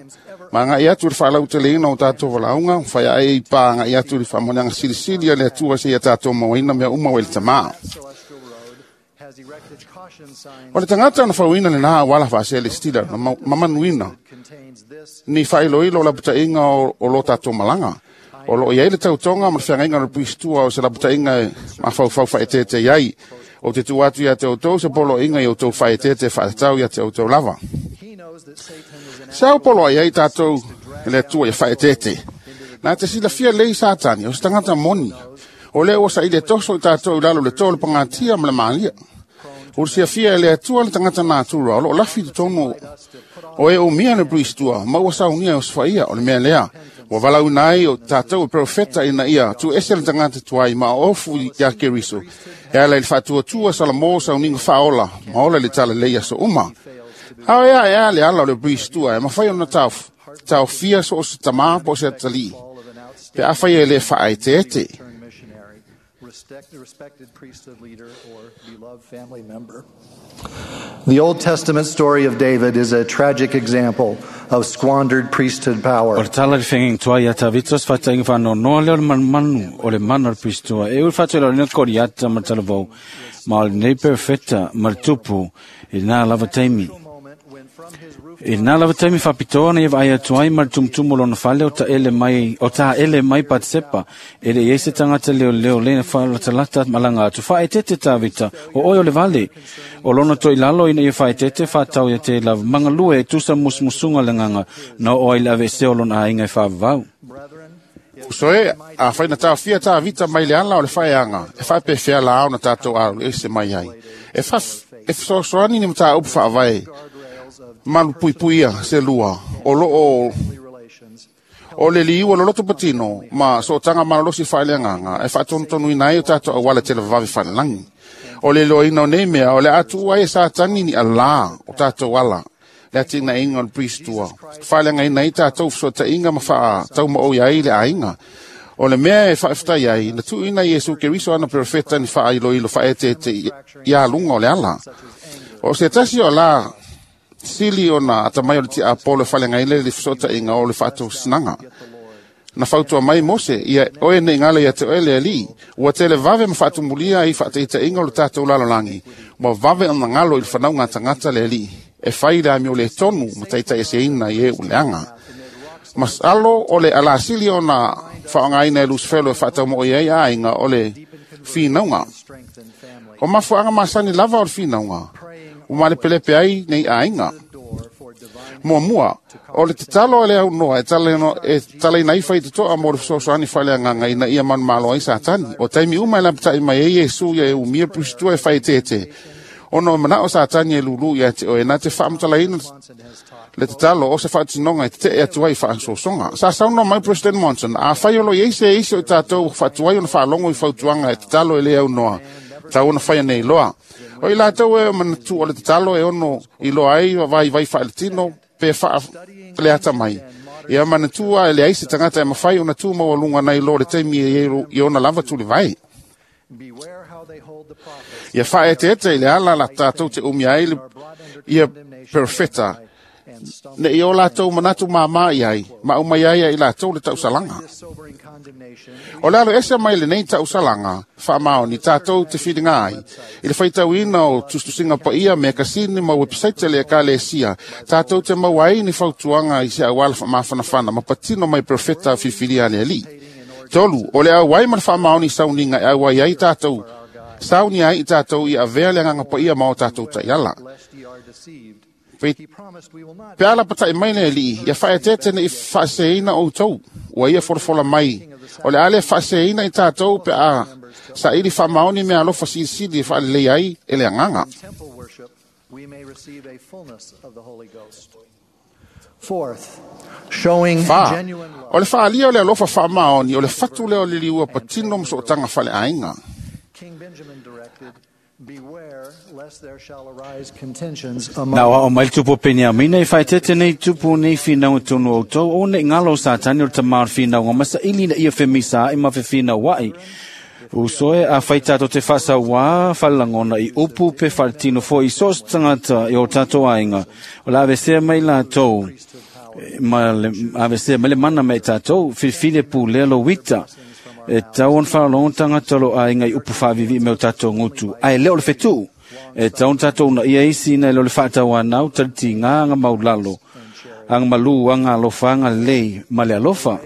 Ma agai atu i le faalauteleina o tatou valaauga, faiae i pā agai atu i le faamanuiaga silisili a le Atua seia tatou mauaina mea uma ua i le tamā. celestial road has erected caution signs O le tagata na fauina lenā auala faaselestila na mau- mamanuina contains this ni faailoilo o lapataiga o, o lo tatou malaga. O loo iai le tautoga ma le feagaiga o le puisitua o se lapataiga e mafaufau faaeteete ai. O te tuu atu ia te outou se poloaiga i outou faaeteete faatatau ia te outou lava. he knows that Satan is an Se au poloai ai tatou e le Atua ia faaeteete. Na te silafia lei Satani, o se tagata moni. O lea ua saili e toso i tatou i lalo le tō o le pagatia ma le malia. O le siafia e le Atua le tagata natura, o loo lafi totonu o e umia le puisitua, ma ua saunia o sofaia o le mea lea. Ua valaauina ai o tatou e profeta ina ia tu ese le tagata tuai ma ofu ia Keriso. E ala i le faatuatua Salamo sauniga faaola, ma ola le tala lei aso uma. Ao ea e a le ala o le puisitua e mafai ona taof, taofia so o se tamā po o se atalii. fall of an outstanding Pe afai e le faaeteete. turned missionary, respect, respected priesthood leader, or beloved family member. The Old Testament story of David is a tragic example of squandered priesthood O power. le tala le fengeng tua ia Tavitos fatainga whanonoa leo le manumanu o le mana o le puisitua. E ul whatu ila lina koriata ma talavou, ma o le nei perfecta ma le tupu i nā lava taimi. Moment when from his roof I nā lava taimi whapitoa na ia vai atu ai ma le tumutumu lona fale o ta ele mai, o tā ele mai Patsepa. E le iei se tangata leo leo le na whaalatalata malanga atu. Whaetete Tavita, o oi o le vale. O lona toi lalo ina ia whaetete whatau ia te lava. Mangalue e tusa musmusunga le nganga na o ai le ave se o lona ainga e whaavau. So e, a whaina tāwhia tā vita mai le ala o le whaeanga, e whaepewhea la au na tātou alo e se mai ai. E wha, e whasoani ni mata upu whaavae, malu pui puia se lua, o lo o, o le liua lo loto patino, ma so tanga malolosi whaele nganga, e whaatontonu ina e o tātou awala te lavavi whaelangi. O le loina o nei mea, o le atu ai e sātani ni ala o tātou ala. Le ati na inga o le pristua. Whaele ngai nei tātou whasota inga ma whaa tau ma o iai le ainga. O le mea e whaewhtai ai, na tu ina Iesu Keriso ana perfeta ni whaa ilo ilo whaete te ia lunga o le ala. O se tasi o la sili o na atamai o le tia Apollo whaele ngai le le whasota inga o le whaatou sinanga. Na whautua mai Mose, ia oe nei ngala ia te oe le ali. Ua tele vave ma whaatumulia i whaateita inga o le tātou lalolangi. Ua vave ana ngalo i le whanau ngā tangata le ali. E whai le amio le tonu ma taita e se ina i e uleanga. Mas alo o le alasili o na whaangaina e Lucifero e whaatau mo i ai ainga o le whinaunga. O mafuanga masani lava o le whinaunga. O male pelepe ai nei ainga. Mua mua, o le te talo e le au noa, e tale no, e tale ina iwha i te toa mo le whasoasoani whaele nganga ina ia manu malo ai sātani. O taimi uma e lapatai mai e Iesu ia e umia pristua e whai tete. Ono mana o sātani e lulu ia te oe nā te whaamutalaina le te talo o se whaatinonga e te te e atu ai whaasosonga. Sa sauno mai President Monson, a whaiolo i eise eise o tātou whaatuai ona whaalongo i whautuanga e te talo e le au noa. Tau ona whaia nei loa. O i lātou e o manatu o le te talo e ono i loa ai vai vai whaeletino pe wha le ata mai. Ia manatua e le aise tangata e mawhai ona tū maua lunga nei loa le teimi e i ona lava tuli vai. Ia whaete ete i le ala la tātou te umia ai le ia perfeta. Ne i o lātou manatu māmā i ai, ma umai ai i lātou le tausalanga. O le alo ese mai le nei tausalanga, whaamao ni tātou te whiringa ai. I le whaitauina o tustusinga pa ia me kasini ma website le ka le sia, tātou te mau ai ni whautuanga i se awala whaamawhanawhana, ma patino mai perfeta whiwhiria le ali. Tolu, o le au ai ma le whaamao ni sauninga e au ai ai tātou, sauni ai i tātou i avea le nganga pa ia ma o tātou taiala. Pe ala patai mai le li, ia whaetete ne i whaaseina o tau, ua ia folafola mai. O le ale whaaseina i tātou pe a sa ili whaamaoni mea alofa silisili e whaalelei ai e le anganga. Wha, o le whaalia o le alofa whaamaoni, o le whatu leo le liua patino msootanga whale ainga. Nā o mai tupu Peniamina i whaetete nei tupu nei whinau tonu o tau o nei ngalo sātani o te tamar whinau ngā masa ili na ia whemisa i ma whiwhinau wai. Usoe a whaitato te whasawa whalangona i upu pe whaletino fo i sos tangata i o tātou ainga. O la avesea mai la tau, ma le, avesea mai le mana mai tātou, whiwhile pū lelo wita. E tau on whalong tangata lo ainga i upu whavivi me o tātou ngutu. Ai leo le whetu. E tau on tātou na ia isi na leo le whaatau anau taliti ngā anga maulalo. Anga malu, anga alofa, anga lei, ma le alofa.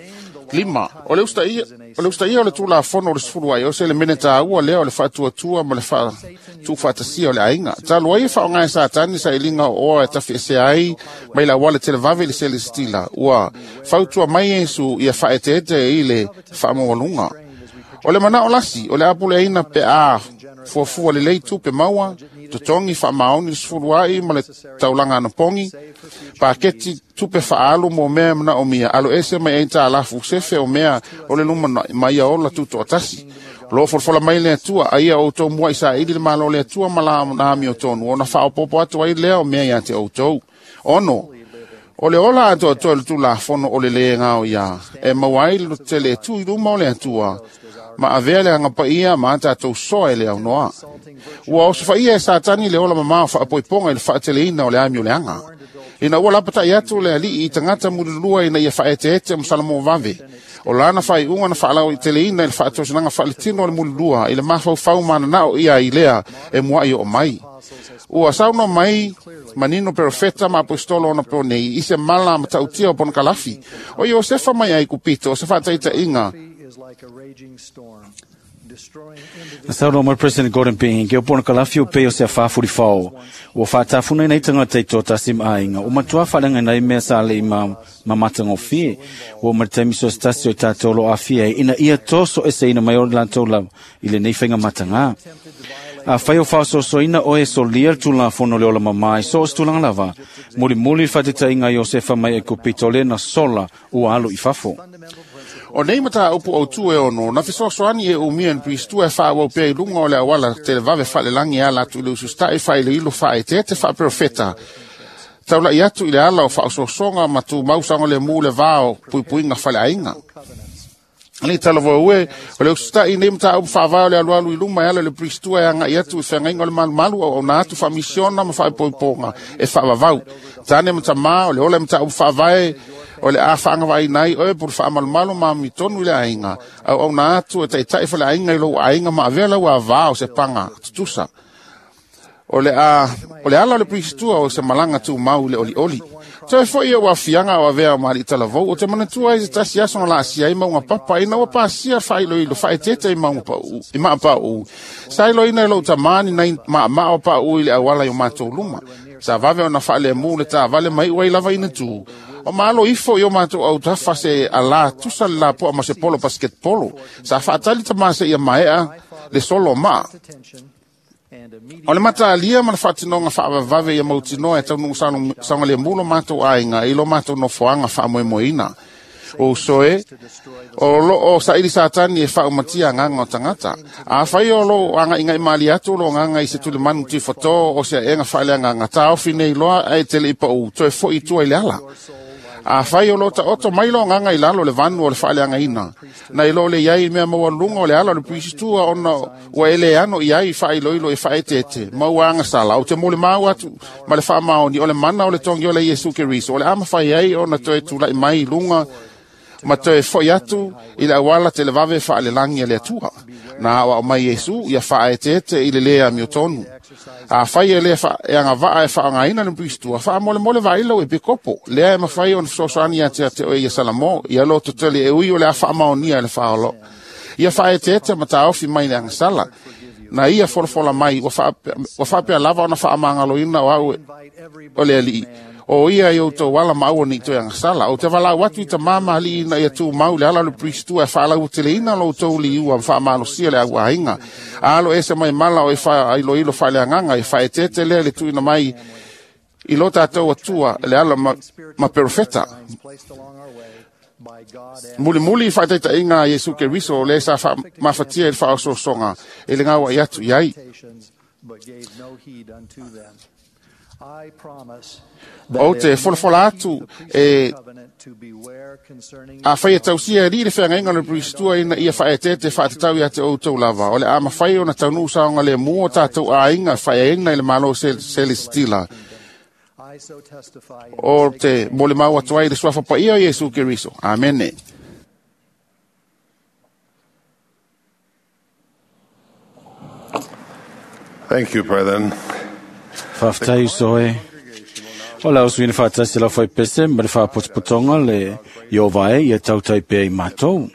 Lima, o le usta ia, o le usta ia o le tūla fono o le sefulu ai, o se le mene tāua lea o le whaatuatua ma le whaatuwhatasia o le ainga. Tālua ia whaonga e sātani sa ilinga o oa e tawhi e se ai, mai la wale tele vave le sele stila. Ua whautua mai Yesu ia whaeteete i le whaamawalunga. O le mana o lasi, o le apule aina pe a fuafua le lei tupe maua, totongi whaamaoni le sefulu ai ma le taulanga anapongi, paketi tupe whaalu mo mea mana o mia, alo ese mai ei tā lafu sefe o mea o le luma mai a ola tuto atasi. Lo folafola mai le atua, aia o tau mua i sa ili le malo le atua ma la nami o tonu, ona whaopopo atu ai lea o mea ia te o tau. Ono, o le ola atu atu le tū la fono o le le ngao ia, e mauai le tele tu i luma o le atua, ma avea le anga paia ma tātou soa e le au noa. Ua o sofa ia e sātani le ola mamao whaapoiponga i le whaateleina o le ami o le anga. Ina ua lapatai atu le alii i tangata mulilua ina ia whaeteete mo vave. O lana whai unga na whaalau i teleina i le whaatosinanga whaaletino o le mulilua i le mawhau whau mana nao ia i lea e mua i o mai. Ua saunoa mai manino perofeta ma apostolo ona po nei i se mala matautia o ponokalafi. O Iosefa mai Aikupito o se faataitaiga. Na saunoa mai President Gordon B. Hinckley o ponokalafi o pei o se afafulifao. Ua faatafuna ina i tagata i toatasi ma aiga. Ua matua faaleagaina ai mea sa alii ma mamatagofie. Ua ma le taimi so se tasi o i tatou o lo o aafia ai ina ia tosoeseina mai o latou lava i lenei faigamatagā. Afai o faasoasoaina oe e solia le tulafono le ola mamā i so o se tulaga lava, mulimuli le faataitaiga a Iosefa mai Aikupito lea na sola ua alu i fafo. O nei mataupu autū e ono, na fesoasoani e umia ni Pristua e faaauau pea i luga o le auala televave faalelagi e ala atu i le ususta'i faailoilo faaeteete faaperofeta. Taula'i atu i le ala o faaosoasoga ma tumau saogalemu le va o puipuiga faleaiga. Alii talavou e, o le ususta'i nei mataupu faavae o le alualu i luma e ala i le Pristua e aga'i atu i feagaiga o le malumalu auauna atu faamisiona ma faaipoipoga e faavavau. Tane ma tamā o le ola e mataupu faavae o le a faagavaaina ai oe po le faamalumalu ma amitonu i le aiga, auauna atu e taita'i faleaiga i lou aiga ma avea lau avā o se paga tutusa. O le, a, o le ala o le Pristua o se malaga tumau i le olioli. Toe fo'i e aafiaga o avea o maali'i talavou, o te manatua ai se tasi aso na laasia ai mauga papa ina ua pasia faailoilo faaeteete i mauga pa'u i maapauu. Sa iloina e lou tamā ni nai maamaa o pauu i le auala i o matou luma. Sa vave ona faalemū le taavale ma i'u ai lava ina tū. O malo ifo i o matou autafa se alā tusa le lapoa ma se polo basketbolo. Sa faatali tamā seia maea le solo o maa. O le mataalia ma le faatinoga faavavave ia mautinoa e taunuu saogalemu lo matou aiga i lo matou nofoaga faamoemoeina. O uso e, o loo saili Satani e faaumatia agaga o tagata. Afai o lou agaigai malie atu lo agaga i se tulimanu tifatō o se aega faaleagaga, taofi nei loa ae te le'i paʻu toe fo'i i tua i le ala. Afai o lo taoto mai lo agaga i lalo o le vanu o le faaleagaina, na i lo le iai mea maualuga o le ala o le Pristua ona ua e le ano i ai faailoilo e faaeteete ma ua agasala, ou te molimau atu ma le faamaoni o le mana o le togi o le Iesu Keriso, o le a mafai ai ona toe tula'i mai i luga ma toe fo'i atu i le auala televave faalelagi a le Atua. Na aoao mai Iesu ia faaeteete i le lē amiotonu. Afai e lē e agavaa e faaaogaina le Pristua, faamolemole vaai lau epikopo, lea e mafai ona fesoasoani ia te ate oe ia Salamo, ia lototele e ui o le a faamaonia e le faaolo. Ia faaeteete ma taofi mai le agasala. Na ia folafola mai, ua faapea lava ona faamagaloina o au o le alii. O ia i outou ala ma aua nei toe agasala. Ou te valaau atu i tamā ma alii ina ia tumau le ala o le Pristua e faalauateleina lo outou liua ma faamalosia le auaiga. Alo ese mai mala o e faailoilo faaleagaga e faaeteete lea le tuuina mai i lo tatou Atua le ala ma, ma perofeta. Mulimuli i faataitaiga a Iesu Keriso o le sa mafatia i le faaosoasoga e le gaua'i atu i ai. Ou te folafola atu e afai e tausia e alii le feagaiga o le Pristua ina ia faaeteete faatatau ia te outou lava, o le a mafai ona taunuu saogalemu o tatou aiga faeaina i le Malo Selestila. O te molimau atu ai le suafa paia o Iesu Keriso. Amene. Thank you, brethren. Faafetai uso e. O le ausuina faatasi lau faipese ma le faapotopotoga le Ieova e ia tautai pea i matou.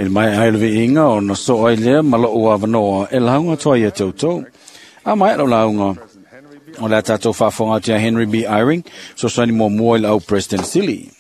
I le maea ai o le viiga ona soo ai lea ma lou avanoa e lauga atu ai ia te outou. A maea lau lauga, o le a tatou faafofoga atu ia Henry B. Eyring, fesoasoani muamua i le au President Sili.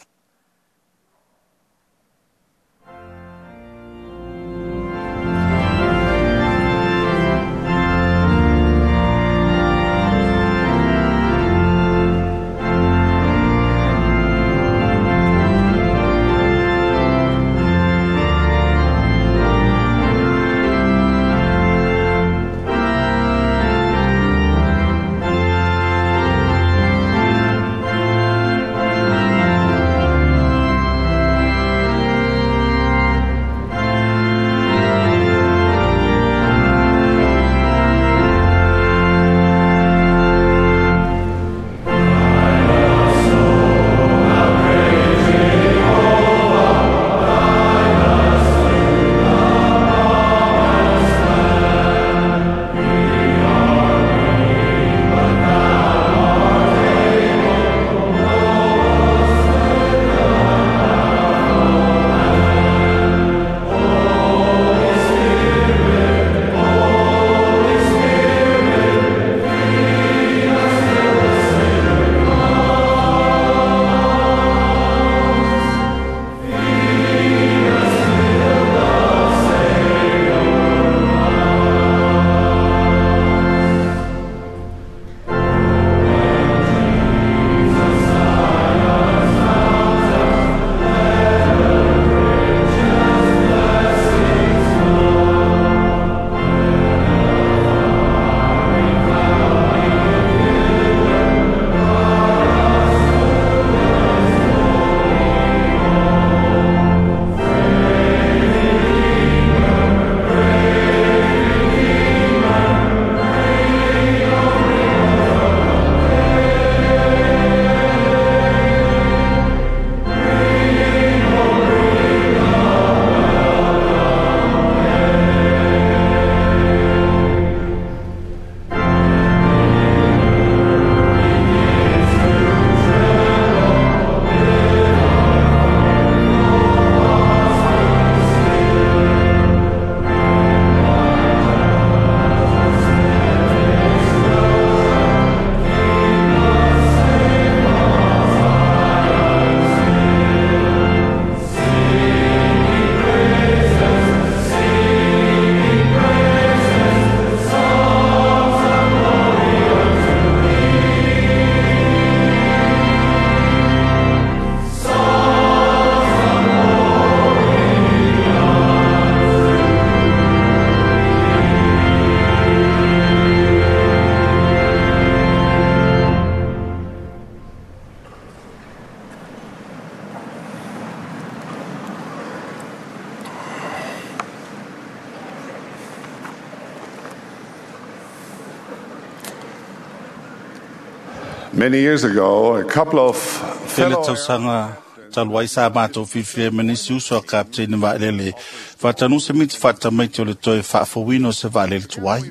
Many years ago, a couple of Tele fellow tausaga talu ai sa matou filifili ma nisi uso a kapiteina vaalele faatanu se miti faatamaiti o le toe faafouina o se vaalele tuai.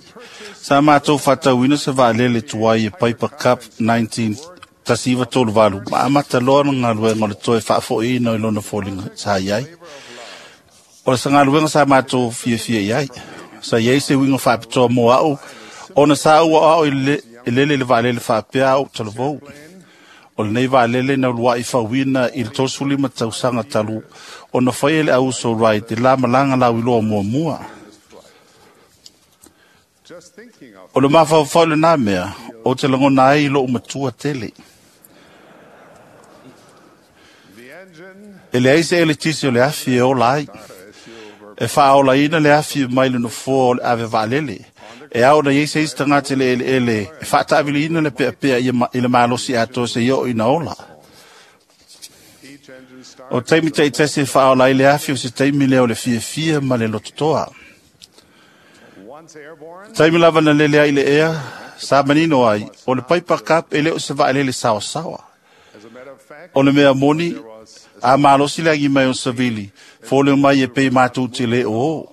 Sa matou faatauina se vaalele tuai e Piper Cub nineteen tasi tolu valu ma amata loa na galuega o le toe faafoiina i lona foliga sa i ai. O le sagaluega sa matou fiafia i ai. Sa i ai se uiga faapitoa mo au, ona sa ua ao i le lele le vaalele faapea au talavou. O lenei vaalele na uluai fauina i le tolusefulu lima tausaga talu ona faia le auso Wright i la malaga lauiloa muamua. O le mafaufau lenā mea, o te lagona ai lou matua tele. E leai se eletisi o le afi e ola ai. E faaolaina le afi mai le nofoa o le ave vaalele. E ao na iai se isi tagata le eleele e faataaviliina le peapea i le malosi atoa se i oo ina ola. O taimi taitasi e faaola ai le afi o se taimi lea o le fiafia ma le lototoa. Taimi lava na lele ai le ea, sa manino ai, o le Piper Cub e le o se vaalele saosaoa. O le mea moni, a malosi le agi mai o savili, fole mai e pei matou te le o.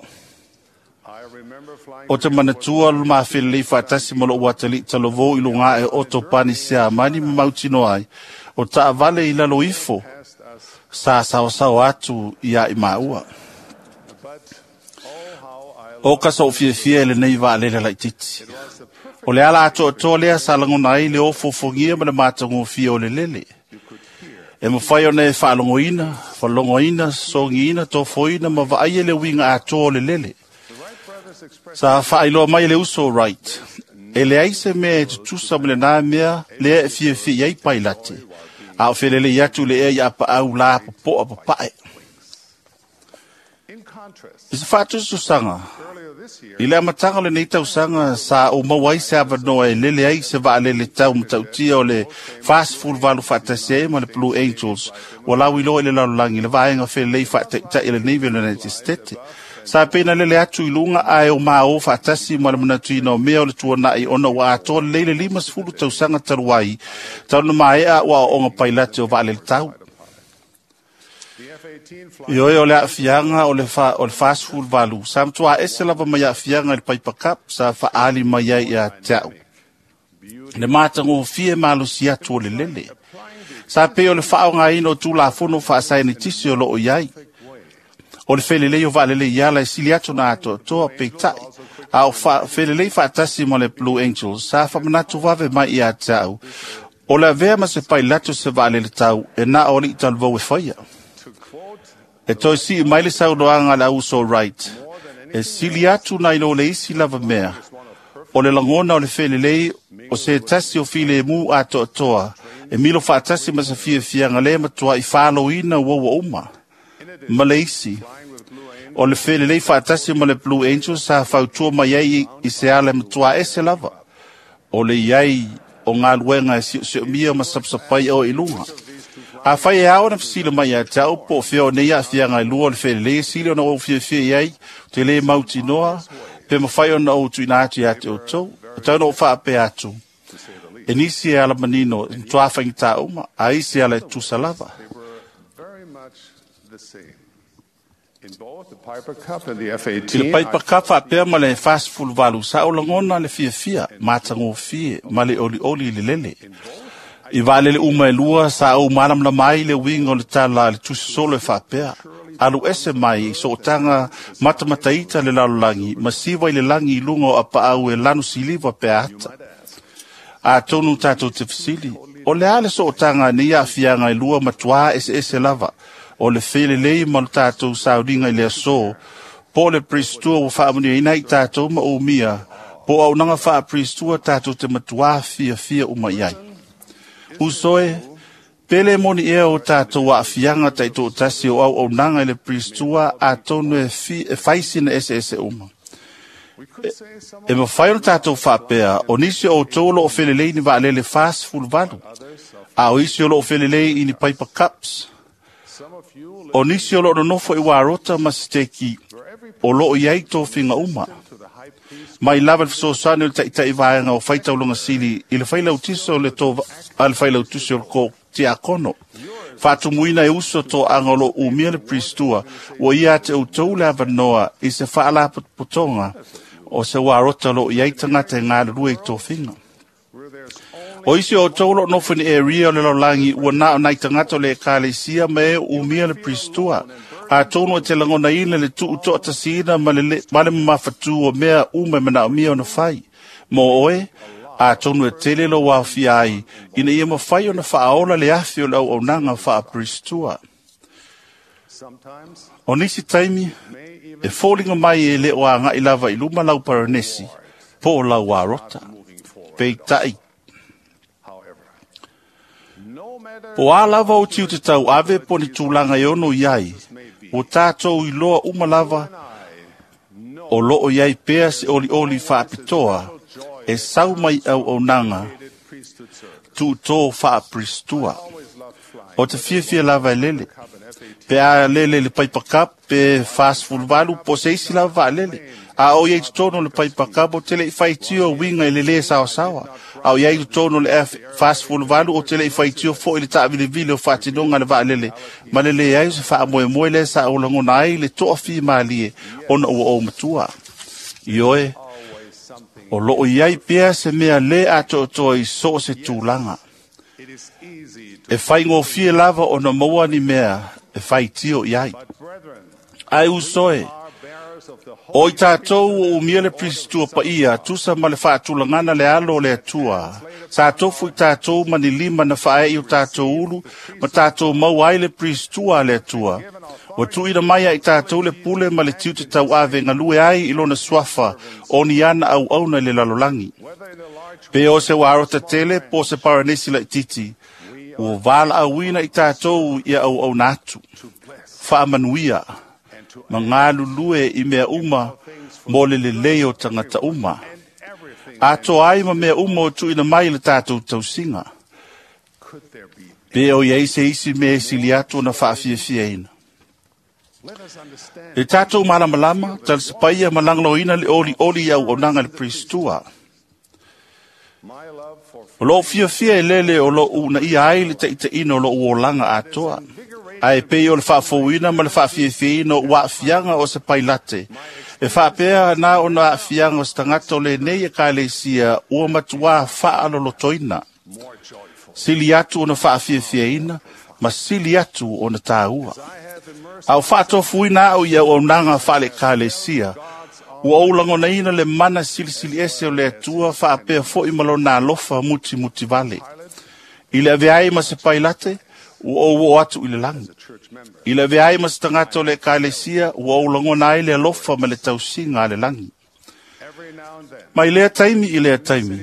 O te manatua le mafelelei faatasi ma lou atalii talavou i luga e oto pani siamani ma mautino ai, o taavale i lalo ifo, sa saosaoa atu ia i maua. O ka sou fiafia i lenei vaalele laititi. O le ala atoatoa lea sa lagona ai le ofofogia ma le matagofie o le lele. E mafai ona e faalogoina, faalogoina, sogiina, tofoina ma vaaia le uiga atoa o le lele. Sa faailoa mai le uso Wright. E leai se mea e tutusa ma lenā mea lea e fiafia i ai pailate. A o felelei atu le ea i apaau la popoa papae. I se faatususaga, i le amataga o lenei tausaga sa ou maua ai se avanoa e lele ai se vaalele tau matautia o le fasefulu valu faatasi ai ma le Blue Angels ua lauiloa i le lalolagi le vaega felelei faataitai lenei United States. Sa pena lele atu i luga ae o mao faatasi ma le manatuina o mea o le tuanai ona ua atoa lelei le limasefulu tausaga talu ai talu na maea ua aoaoga pailate o vaalele tau. I oe o le aafiaga o le fa, o le fasefulu valu, sa matuā ese lava mai aafiaga i le Piper Cub sa faaali mai ai ia te au. Le matagofie malosi atu o le lele. Sa pei o le faaogaina o tulafono faasaenitisi o loo i ai. O le felelei o vaalele i ala e sili atu na atoatoa peitai. A o fa, felelei faatasi ma le Blue Angels sa faamanatu vave mai ia te au. O le avea ma se pailato se vaalele tau e na o alii talavou e faia. E toe sii mai le saunoaga a le auso Wright. E sili atu nai lo le isi lava mea. O le lagona o le felelei o se tasi o filemu atoatoa. E milo faatasi ma se fiafiaga le matua i faaloina ua ua uma. Ma le isi. O le felelei faatasi ma le Blue Angels sa fautua mai ai i se ala matua ese lava. O le iai o galuega e sioosiomia ma sapasapai o i luga. A fai e ao na fesili mai ia te au po o fea o nei aafiaga i lua o le felelei e sili ona ou fiafia i ai, te le mautinoa, pe mafai ona ou tuuina atu ia te outou. O tau na ou faapea atu, e nisi e ala manino, e matuā faigata uma, a isi ala e tusa lava. I le Piper Cub faapea ma le fasefulu valu, sa ou lagona le fiafia, matagofie, ma le olioli i le lele. I vaalele uma e lua, sa ou malamalama ai le uiga o le tala a le tusi solo e faapea. Alu ese mai i sootaga matamataita le lalolagi, ma siva i le lagi i luga o apaau e lanu siliva pe ata. Atonu tatou te fesili, o le a le sootaga nei aafiaga e lua matuā eseese lava, o le felelei ma le tatou sauniga i le aso, po o le Priestua ua faamanuiaina ai tatou ma umia, po o auaunaga faa-Priestua tatou te matuā fiafia uma i ai. Usoe, pele moni ea o tatou aafiaga taitoatasi o auaunaga i le Priestua atonu e, fi, e faisina eseese uma. E, e mafai ona tatou faapea, o nisi o outou o loo felelei ni vaalele fasefulu valu, a o isi o loo felelei i ni Piper Cubs. O nisi o loo nonofo i Warota ma Siteki o loo i ai tofiga uma. Mai lava le fesoasoani o le taʻitaʻi vaega o faitaulaga sili i le failautusi o le to a le failautusi o le ko tiakono. Faatumuina e uso toaga o loo umia le Pristua, ua ia te outou le avanoa i se faalapotopotoga o se uarota o loo i ai tagata e galulue i tofiga. O isi o outou o loo nofo i ni area o le lalolagi ua na o nai tagata o le ekalesia ma e umia le Pristua. Atonu e te lagonaina le tuutoʻatasiina ma le, ma le mamafatū o mea uma e manaomia ona fai. Mo oe, atonu e tele lou aofia ai, ina ia mafai ona faaola le afi o le auaunaga faaperistua. O nisi taimi, e foliga mai e le o agaʻi lava i luma lau paranesi, po o lau arota. Peitaʻi, po a lava o tiu te tau ave po ni tulaga e ono i ai, ua tatou iloa uma lava o loo i ai pea se olioli faapitoa e sau mai auaunaga tuutō faaperistua. O te fiafia lava e lele, pe a lele i le paipakapu pe fasefuluvalu po o se isi lava vaalele. A o iai totonu o le paipakapu o te leʻi faitio uiga i le lē saosaoa. A o iai totonu o le F fasefuluvalu o te leʻi faitio foʻi le taʻavilivili o faatinoga a le vaalele ma le leai o se faamoemoe lea sa ou lagona ai le toafimalie ona ua ou matua. Ioe, o loo i ai pea se mea lē atoatoa i so o se tulaga. E faigofie lava ona maua ni mea e faitio i ai. Ae usoe, o i tatou o umia le Pristua paia, tusa ma le faatulagana le alo o le Atua. Sa tofu i tatou ma ni lima na faaeʻi o tatou ulu, ma tatou maua ai le Pristua a le Atua. Ua tuuina mai ai tatou le pule ma le tiute tauave galue ai i lona suafa o ni ana auauna i le lalolagi. Pe o se uarota tele po o se paranesi laititi, ua valaauina i tatou ia auauna atu. Faamanuia ma galulue i mea uma mo le lelei o tagata uma. Atoa ai ma mea uma o tuuina mai i le tatou tausiga. Pe o iai se isi mea e sili atu ona faafiafiaina. E tatou malamalama, talisapaia ma lagolagoina le olioli i auaunaga le Pristua. O loo fiafia e lele o loo uunaia ai le taʻitaʻina o loo olaga atoa. Ae pei o le faafouina ma le faafiafiaina o ua aafiaga o se pailate. E faapea na ona aafiaga o se tagata o lenei ekalesia ua matuā faalolotoina. Sili atu ona faafiafiaina ma sili atu ona tāua. A o faatofuina au i auaunaga faale-ekalesia, ua ou lagonaina le mana silisili ese o le Atua faapea foʻi ma lona alofa mutimutivale. I le avea ai ma se pailate, ua ou oo atu i le lagi. I le avea ai ma se tagata o le ekalesia, ua ou lagona ai le alofa ma le tausiga a le lagi. Mai lea taimi i lea taimi,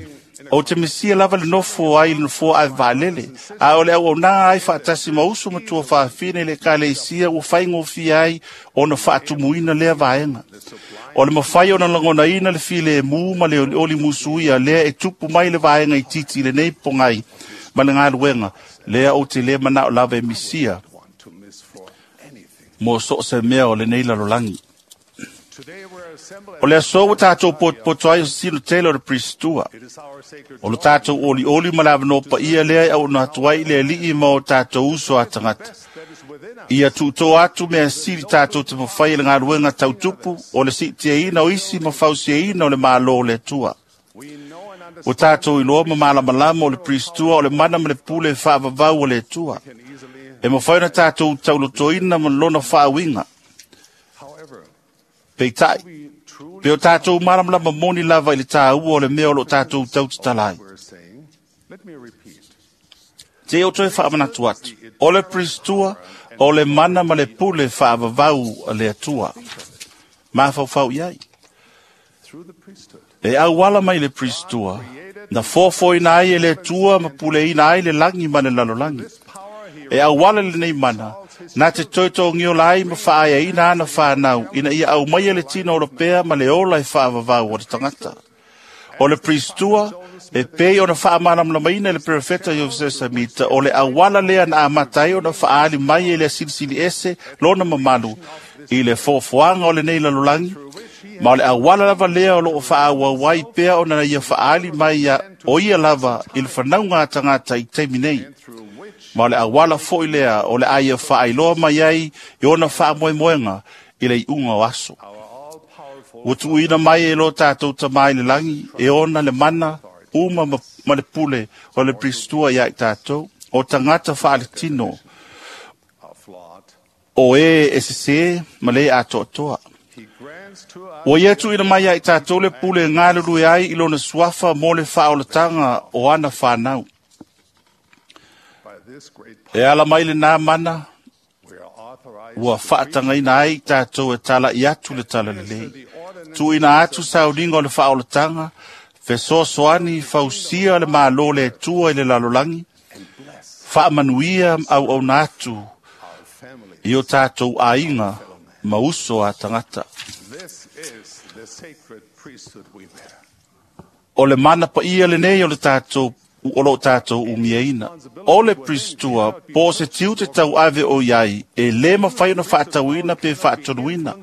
ou te misia lava le nofo ai i le nofoa ave vaalele, a o le auaunaga ai faatasi ma uso ma tuafafine i le ekalesia ua faigofie ai ona faatumuina lea vaega. O le mafai ona lagonaina le filemu ma le olioli musuia lea e tupu mai le vaega itiiti i lenei pogai ma le galuega, lea ou te lē manaʻo lava e misia mo so o se mea o lenei lalolagi. O le aso ua tatou potopoto ai o sesino tele o le Pristua. O le tatou olioli ma le avanoa paia lea e auona atu ai i le Alii ma o tatou uso a tagata. Ia tuutoa atu mea sili tatou te mafai e le galuega tautupu o le siitiaina o isi ma fausiaina o le Malo o le Atua. Ua tatou iloa ma malamalama o le Pristua o le mana ma le pule faavavau o le Atua. E mafai ona tatou taulotoina ma lona faauiga. Peitaʻi, pe o tatou malamalama moni lava i le tāua o le mea o loo tatou tautatala ai. Te o toe faamanatu atu, o le Pristua o le mana ma le pule faavavau a le Atua. Mafaufau i ai. E auala mai le Pristua, na foafoaina ai e le Atua ma puleina ai le lagi ma le lalolagi. E auala lenei mana, na te toetogiola ai ma faaeaina ana whānau, ina ia au mai le tino o pea ma le ola e whaavavau o le tangata. O le Pristua, e pei ona faamalamalamaina e le perofeta Iosef Samita, o le auala lea na amata ai ona faaali mai e le silisili ese lona mamalu i le foafoaga o lenei lalolagi, Ma o le auala lava lea o loo faaauau ai pea ona ia faaali mai ia o ia lava i le fanauga a tagata i taimi nei. Ma o le auala foi lea o le a ia faailoa mai ai i ona faamoemoega i le iuga o aso. Ua tuuina mai e lo tatou Tamā i le lagi e ona le mana uma ma, ma le pule o le Pristua ia i tatou, o tagata faaletino, o e e sesē ma le atoatoa. Ua ia tuuina mai ia i tatou le pule e galulue ai i lona suafa mo le faaolataga o ana fanau. E ala mai lenā mana ua faatagaina ai i tatou e tala'i atu le talalelei. Tuuina atu sauniga o le faaolataga, fesoasoani fausia le Malo le Atua i le lalolagi, faamanuia ma auauna atu i o tatou aiga ma uso a tagata. O le mana paia lenei o le tatou o loo tatou umiaina. O le Pristua, po o se tiute tauave o iai, e lē mafai ona faatauina pe faatonuina.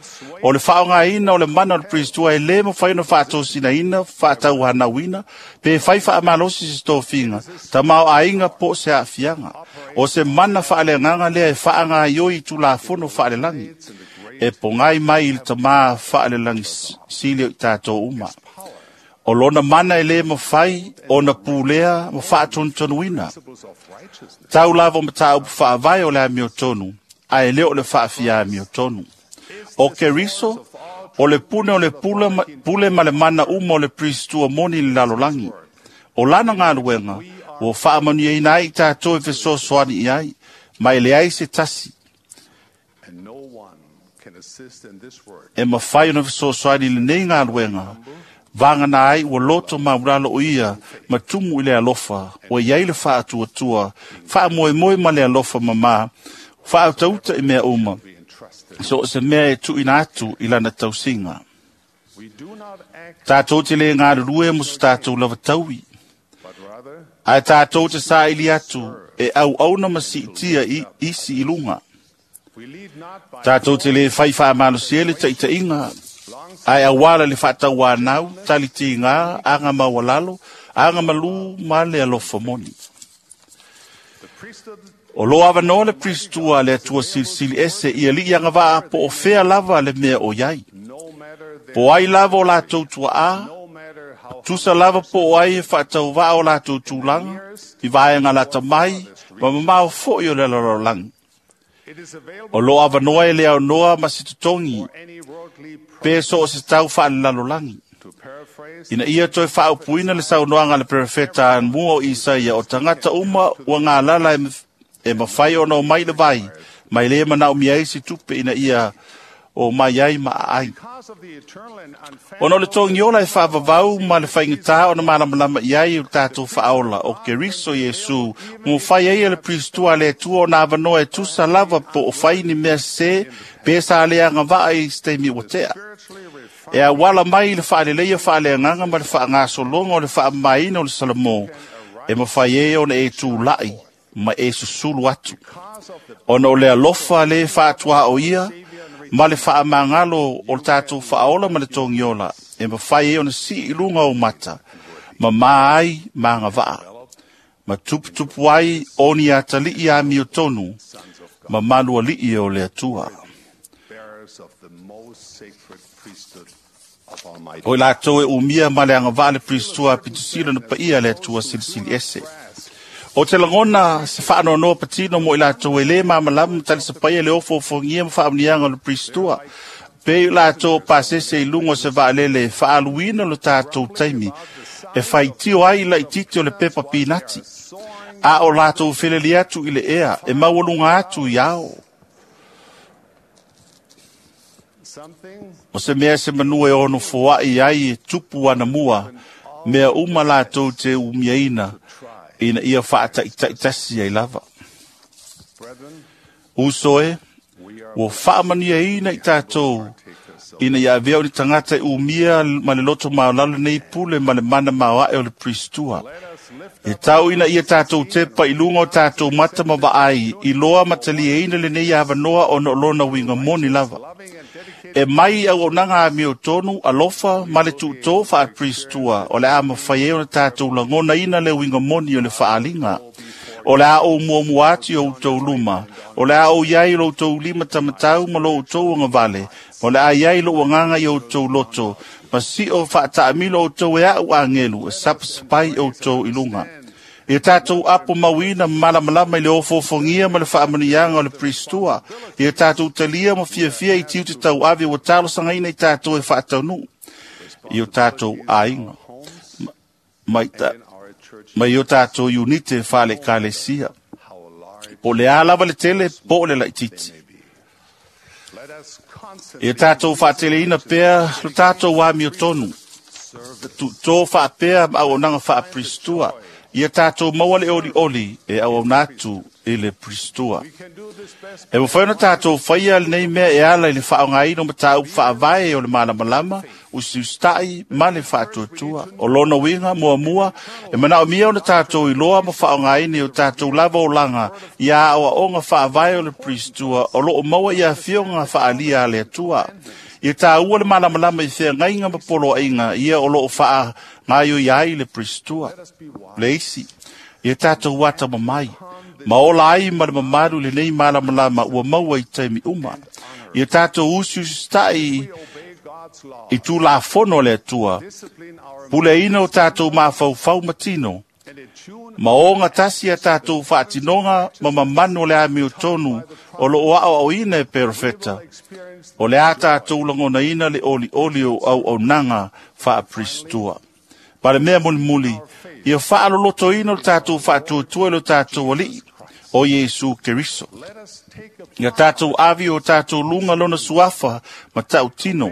O le faaaogaina o le mana o le Pristua e lē mafai ona faatosinaina, faatauhanauina, pe fai faamalosi se tofiga, tamaoaiga po o se aafiaga. O se mana faaleagaga lea e faagaioi i tulafono faalelagi, e pogai mai i le Tamā faalelagi sili o i tatou uma. O lona mana e lē mafai ona pulea ma faatonutonuina. Tau lava o mataupu faavae o le amiotonu, ae le o le faafia amiotonu. O Keriso, o le pune o le pule ma, pule ma le mana uma o le Pristua moni i le lalolagi. O lana galuega, ua faamanuiaina ai i tatou e fesoasoani i ai, ma e leai se tasi e mafai ona fesoasoani i lenei galuega, vagana ai ua loto maulalo o ia ma tumu i le alofa, ua iai le faatuatua, faamoemoe ma le alofa mamā, faautauta i mea uma, so o se mea e tuuina atu i lana tausiga. Tatou te lē galulue mo so tatou lava taui, ae tatou te saili atu e auauna ma siitia i isi i luga. Tatou te lē fai faamalosia le taʻitaʻiga, ae auala le faatauanau, talitigā, aga maualalo, aga malū ma le alofa moni. O loo avanoa le Pristua a le Atua Silisili Ese i alii agavaa po o fea lava le mea o iai. Po ai lava o latou tuaā, tusa lava po o ai e faatauvaa o latou tulaga, i vaega lata mai, ma mamao foi o le lalolagi. O loo avanoa e le aonoa ma se totogi, pe so o se tau faalelalolagi. Ina ia toe faaupuina le saunoaga a le perofeta anamua o Isaia, o tagata uma ua galala e, e mafai ona omai le vai, mai lē manaomia ai se tupe ina ia o mai ai ma aai. Ona o le togiola e faavavau ma le faigatā ona malamalama i ai o le tatou faaola o Keriso Iesu, ua fai ai e le Pristua a le Atua ona avanoa e tusa lava po o fai ni mea sesē pe sa le agavaa i se taimi ua tea. E auala mai i le faaleleia faaleagaga ma le faagasologa o le faamamaina o le Salamo, e mafai ai ona e tula'i ma e susulu atu. Ona o le alofa lē faatuaoia ma le faamagalo o le tatou faaola ma le togiola, e mafai ai ona sii i luga o mata, ma mā ai ma agavaa, ma tuputupu ai o ni atalii amiotonu, ma malualii o le Atua. O i latou e umia ma le agavaa le Pristua a pitusila na paia le Atua Silisili Ese. O te lagona se faanoanoa patino mo i latou e lē malamalama ma talisapaia le ofoofogia ma faamuniaga o le Pristua, pe i latou pasese i luga o se vaalele e faaaluina lo tatou taimi, e faitio ai laititi o le pepa pinati, a o latou feleli atu i le ea e maualuga atu i ao. O se mea se manua e ono foaʻi ai e tupu anamua, mea uma latou te umiaina, ina ia faataʻitaʻitasi ai lava. Uso e, ua faamaniaina i tatou, ina ia avea o ni tagata e umia ma le loto maolalo nei pule ma le mana maoaʻe o le Pristua. E tau ina ia tātou tepa i lunga o tātou mata ma vaai, i loa matalieina lenei avanoa ona o lona uiga moni lava. E mai au auaunaga amiotonu, alofa ma le tuutō faaperistua, o le a mafai ai ona tātou lagonaina le uiga moni o le faaliga. O le a ou muamua atu i outou luma, o le a ou iai i lo outou lima tamatau ma lo outou agavale, ma o le a iai lou agaga i outou loto, ma sio faataamilo outou e au agelu, e sapasapai outou i luga. Ia tātou apo mauina malamalama i le ofofogia ma le faamanuiaga o le Pristua. Ia tātou talia ma fiafia i tiute tauave ua talosagaina i tātou e faataunuu i o tātou aiga. Mai ta, mai o tātou iunite faale-ekalesia. Po o le a lava le tele, po o le laitiiti. Ia tātou faateleina pea lo tātou amiotonu. Tuutō faapea ma auaunaga faapristua. Ia tātou maua le olioli e auauna atu i le Pristua. E mafai ona tātou faia lenei mea e ala i le faaaogaina o mataupu faavae o le malamalama, usiusitai ma le faatuatua. O lona uiga muamua, e manaomia ona tātou iloa ma faaaogaina i o tātou lava olaga ia aoaoga faavae o le Pristua o loo maua i afioga faaalia a le Atua. Ia tāua le malamalama i feagaiga ma poloaiga ia o loo faagaioi ai le Pristua. Le isi, ia tātou ata mamai, ma ola ai ma le mamalu lenei malamalama ua maua i taimi uma. Ia tātou usiusitai i tulafono o le Atua, puleina o tātou mafaufau ma tino, ma oga tasi a tātou faatinoga ma mamanu o le amiotonu o loo aoaoina e perofeta. O le a tātou lagonaina le olioli o auaunaga faapristua. Ma le mea mulimuli, ia faalolotoina o le tātou faatuatua i lo tātou alii, o Iesu Keriso. Ia tātou avi o tātou luga lona suafa ma tautino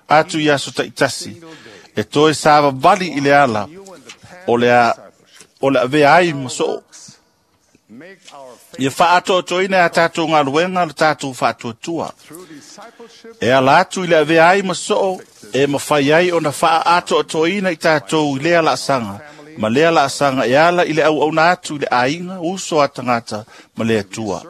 atu i aso taitasi, e toe savavali i le ala o le a, o le avea ai ma soo. Ia faatoatoina a tātou galuega le tātou faatuatua. E ala atu i le avea ai ma soo, e mafai ai ona faaatoatoina i tātou i lea laasaga, ma lea laasaga e ala i le auauna atu i le aiga, uso a tagata ma le Atua.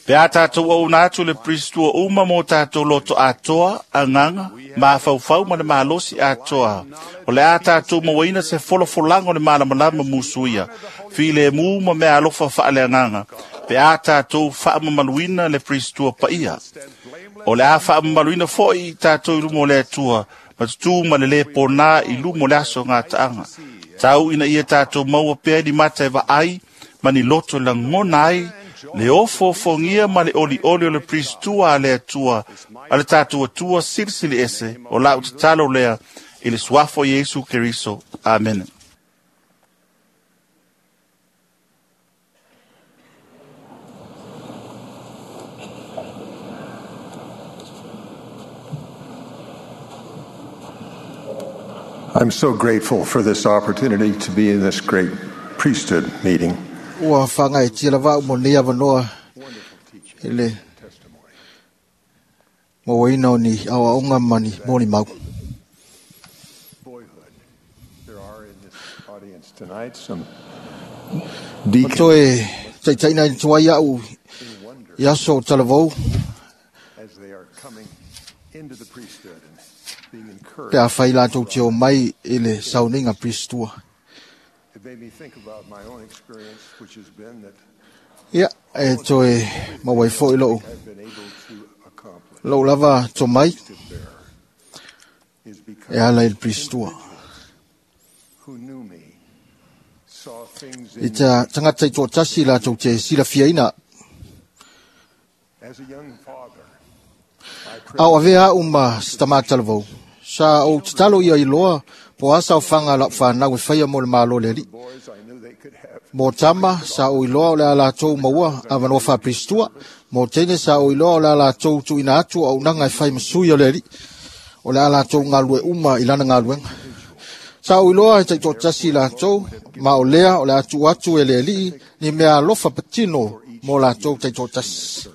Pe a tātou auauna atu le Pristua uma mo tātou loto atoa, agaga, mafaufau ma le malosi atoa. O le a tātou mauaina se folafolaga o le malamalama musuia, filemu ma mea alofa faaleagaga, pe a tātou faamamaluina le Pristua paia. O le a faamamaluina foi i tātou i luma o le Atua, ma tutū ma le lē ponā i luma o le aso gataaga. Tau ina ia tātou maua pea ni mata e vaai, ma ni loto e lagona ai, le ofofogia ma le olioli o le Pristua a le Atua, a le tātou Atua silisili ese, o lau tatalo lea i le suafa o Iesu Keriso. Amene. I'm so grateful for this opportunity to be in this great priesthood meeting. Ua whangai lava mo nei avanoa i le mauaina o ni aoaoga ma ni moni mau. There are in this audience tonight some O deacons toe taitaina i tuai au i aso o talavou as they are coming into the priesthood and being pe encouraged. a whai lātou te o mai i le sauniga Pristua. It made me think about my own experience, which has been that Ia, e toe mauai foi lou. I've been able to accomplish Lou lava to mai is e because ala i le Pristua. who knew me saw things I in ta tangata i tōtasi lātou te silafiaina. as a young father. Au avea au ma si tamatalavou. Sa o tatalo ia i loa po asa o whanga lau whanau e whaia mo le malo le ali. Boys, I knew they could have Mo tama sa o iloa o le ala tou maua avanoa faapristua. Mo teine sa o iloa o le ala tou tuuina atu au auaunaga e fai masui o le alii. O le ala tou galue uma i lana galuega. Sa o iloa e taitoatasi latou, ma o lea o le a tuu atu e le alii ni mea alofa patino mo latou taitoatasi.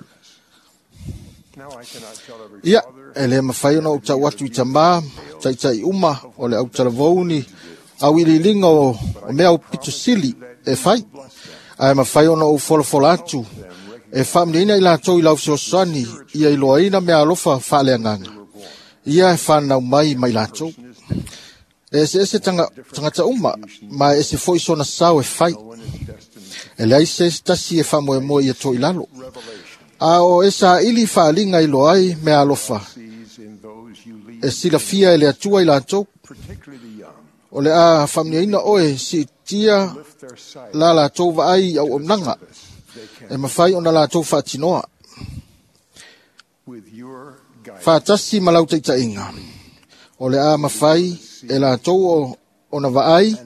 Now I cannot tell every Ia, father e le mawhai ona o tau atu i tamā, taitai uma o le autalavou ni Auiliiliga o, o mea aupito sili e fai, ae mafai ona ou folafola atu e faamanuiaina i latou i lau fesoasoani ia iloaina mea alofa faaleagaga ia e fanau mai ma i latou. E eseese tagata uma, ma e ese foi sona sao e fai. E leai se isi tasi e faamoemoe ia to i lalo. A o e saili faaliga iloa ai mea alofa e silafia e le Atua i latou. O le a faamanuiaina oe siitia la latou vaai i auaunaga e mafai ona latou faatinoa. Faatasi ma lau taitaiga, o le a mafai e latou ona vaai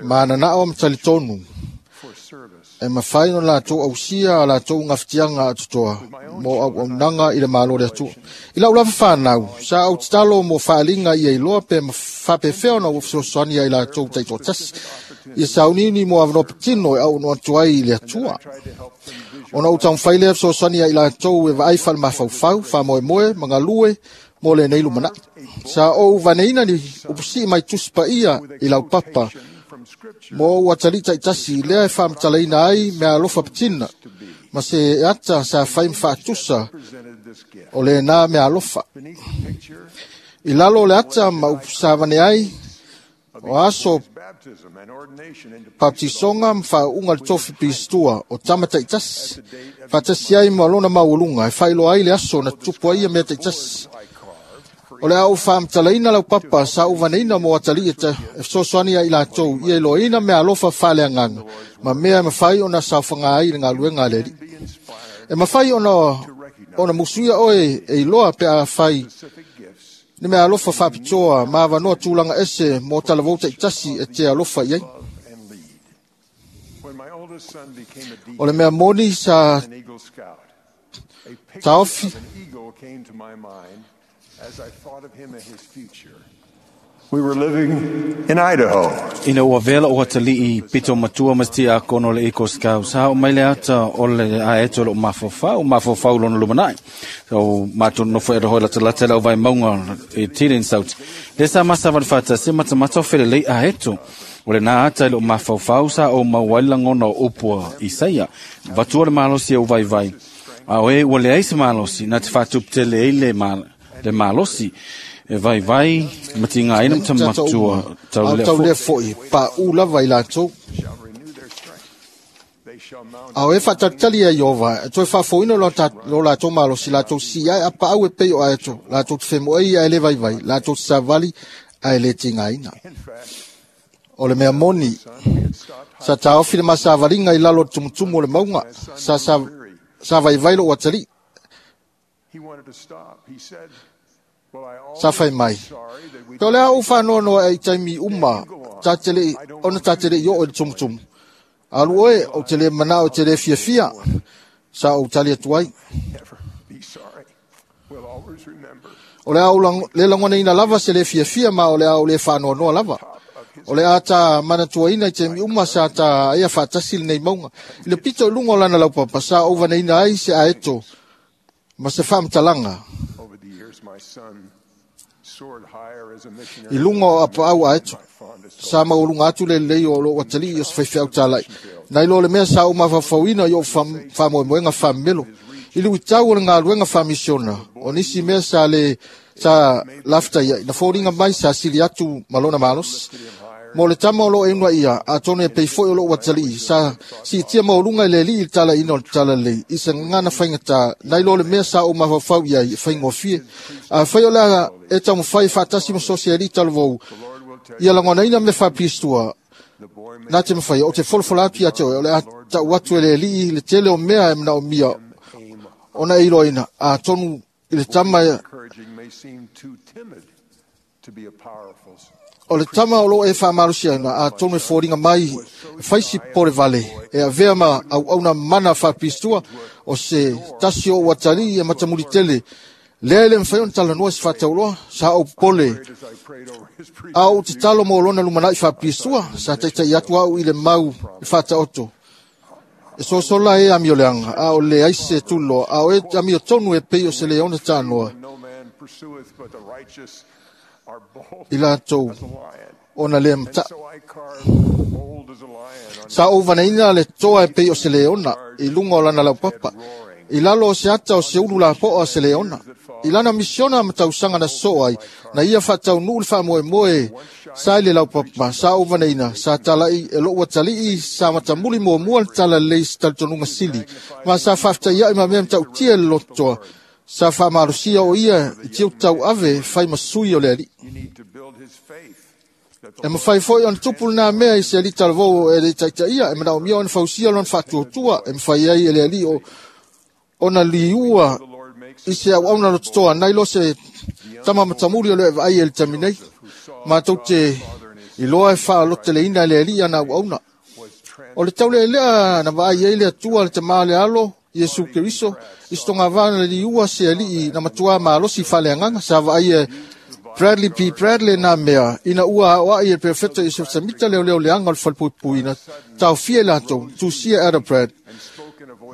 ma nanao ma talitonu e mafai ona latou ausia a latou gafatiaga atotoa mo auaunaga i le Malo o le Atua. I lau lava fanau, sa ou tatalo mo faaliga ia iloa pe faapefea ona ua fesoasoani ai latou taitoatasi ia sauniuni mo avanoa patino e auaunaga atu ai i le Atua. Ona ou taumafai lea fesoasoani ai latou e vaai faale-mafaufau, faamoemoe ma galue mo lenei lumanai. Sa ou vaneina ni upusii mai tusi paia i lau papa mo ou atalii taitasi lea e faamatalaina ai mea alofa patina ma se ata sa fai ma faatusa o lena mea alofa. I lalo o le ata ma upu sa vane ai o aso baptisoga ma faauuga le tofi pistua o tama taitasi faatasi ai ma lona maualuga e faailoa ai le aso na tupu ai ia mea taitasi. O le a ou faamatalaina lau papa sa ou vaneina mo atalii e fesoasoani ai i latou ia iloaina mea alofa faaleagaga ma mea e mafai ona saofaga ai i le galuega a le Alii. E mafai ona, ona musuia oe e iloa pe a fai ni mea alofa faapitoa ma avanoa tulaga ese mo talavou taitasi e te alofa i ai. O le mea moni sa taofi We were living in Idaho. Ina ua vela o atalii pito matua ma tia kono le Eagle Scouts. Ha o mai le ata o le aeto lo mafofau, mafofau lona lumanai. So mātou nofo e rohoi lata lata lau vai maunga e Tirin South. Le sa masa vanfata se matamata o fele lei aeto. O le nā ata i lo mafofau sa o mauai langona o upua Isaia. Vatua le malosi o vai vai. A oe ua le aisa malosi, nā te whātuputele ei le, ma, le malosi. E vai vai, matinga aina matamatua tau lea foi. Foi, pa u lava i latou. A o e faatalitali ai Iova, e toe faafoina lo latou malosi, latou si ai a paau e pei o aeto, latou te femoei ae le vaivai, latou te savali ae le tigaina. O le mea moni, sa taofi le masavaliga i lalo o le tumutumu o le mauga, sa, sa, sa vaivai lou atalii. Sa fai mai. Pe o le a ou faanoanoa e i taimi uma, ta te le, ona ta te le i oo i le tumutumu. Alu oe, ou te le manao te le fiafia, sa ou tali atu ai. O le a ou le lagonaina lava se le fiafia ma o le a ou le faanoanoa lava. O le a ta manatuaina i taimi uma sa ta aia faatasi lenei mauga. I le pito i luga o lana laupapa, sa ou vaneina ai se aeto ma se faamatalaga. I luga o apaau aeto, sa maualuga atu le lelei o lou atalii o se faifeau talai. Nai lo le mea sa ou mafaufauina i ou faamoemoega faamemelo. I luitau o le galuega faamisiona, o nisi mea sa le sa lafutai ai, na foliga mai sa sili atu ma lona malosi. Mo le tama o loo e unaia, atonu e pei foi o lou atalii, sa siitia maualuga i le alii i le talaina o le talalelei, i se gagana faigata, nai lo le mea sa ou mafaufau i ai e faigofie. A fai o le a e taumafai faatasi ma sosi alii talavou, ia lagonaina mea faapilistua, na te mafai, ou te folafola atu ia te oe, o le a tau atu e le alii le tele o mea e manaomia ona e iloaina, atonu i le tama o le tama o loo e faamalosi-aina, atonu e foliga mai e faisi pole vale e avea ma auauna mana faapistua o se tasi o ou atalii e matamuli tele lea e le mafai ona talanoa se faatauloa sa ou pole a ou tatalo mo lona lumanai faapistua sa taitai atu au i le mau e faataoto e sosola e amioleaga a o leai se tuliloa a o e amiotonu e pei o se leona tanoa. I latou ona le mataʻu. Sa ou vaneina le toa e pei o se leona i luga o lana laupapa, i lalo o se ata o se ulu lapoa o se leona. I lana misiona ma tausaga na soo ai, na ia faataunuu le faamoemoe sa i le laupapa, sa ou vaneina, sa tala'i e lo'u atalii sa matamuli muamua le talalelei i se talitonuga sili, ma sa faafetaia'i ma mea matautia i le lotoa, sa faamalosia o ia i tiute tauave fai ma sui o le alii. E mafai foi ona tupu lenā mea i se alii talavou e le taitaia, e manaomia ona fausia lona faatuatua, e mafai ai e le alii o ona liua i se auauna lototoa nai lo se tama matamuli o le vaai e le taimi nei. Matou te iloa e faaloteleina e le alii ana auauna. O le taulealea na vaai ai le Atua le Tamā le Alo, Iesu Keriso, i se togavana le liua se alii na matuā malosi faaleagaga, sa vaai e Bradley P. Bradley nā mea, ina ua aoai e Perfeta Iosef Samita leoleo leaga o le falepuipuiina, taofia i latou, tusia Ada Brad.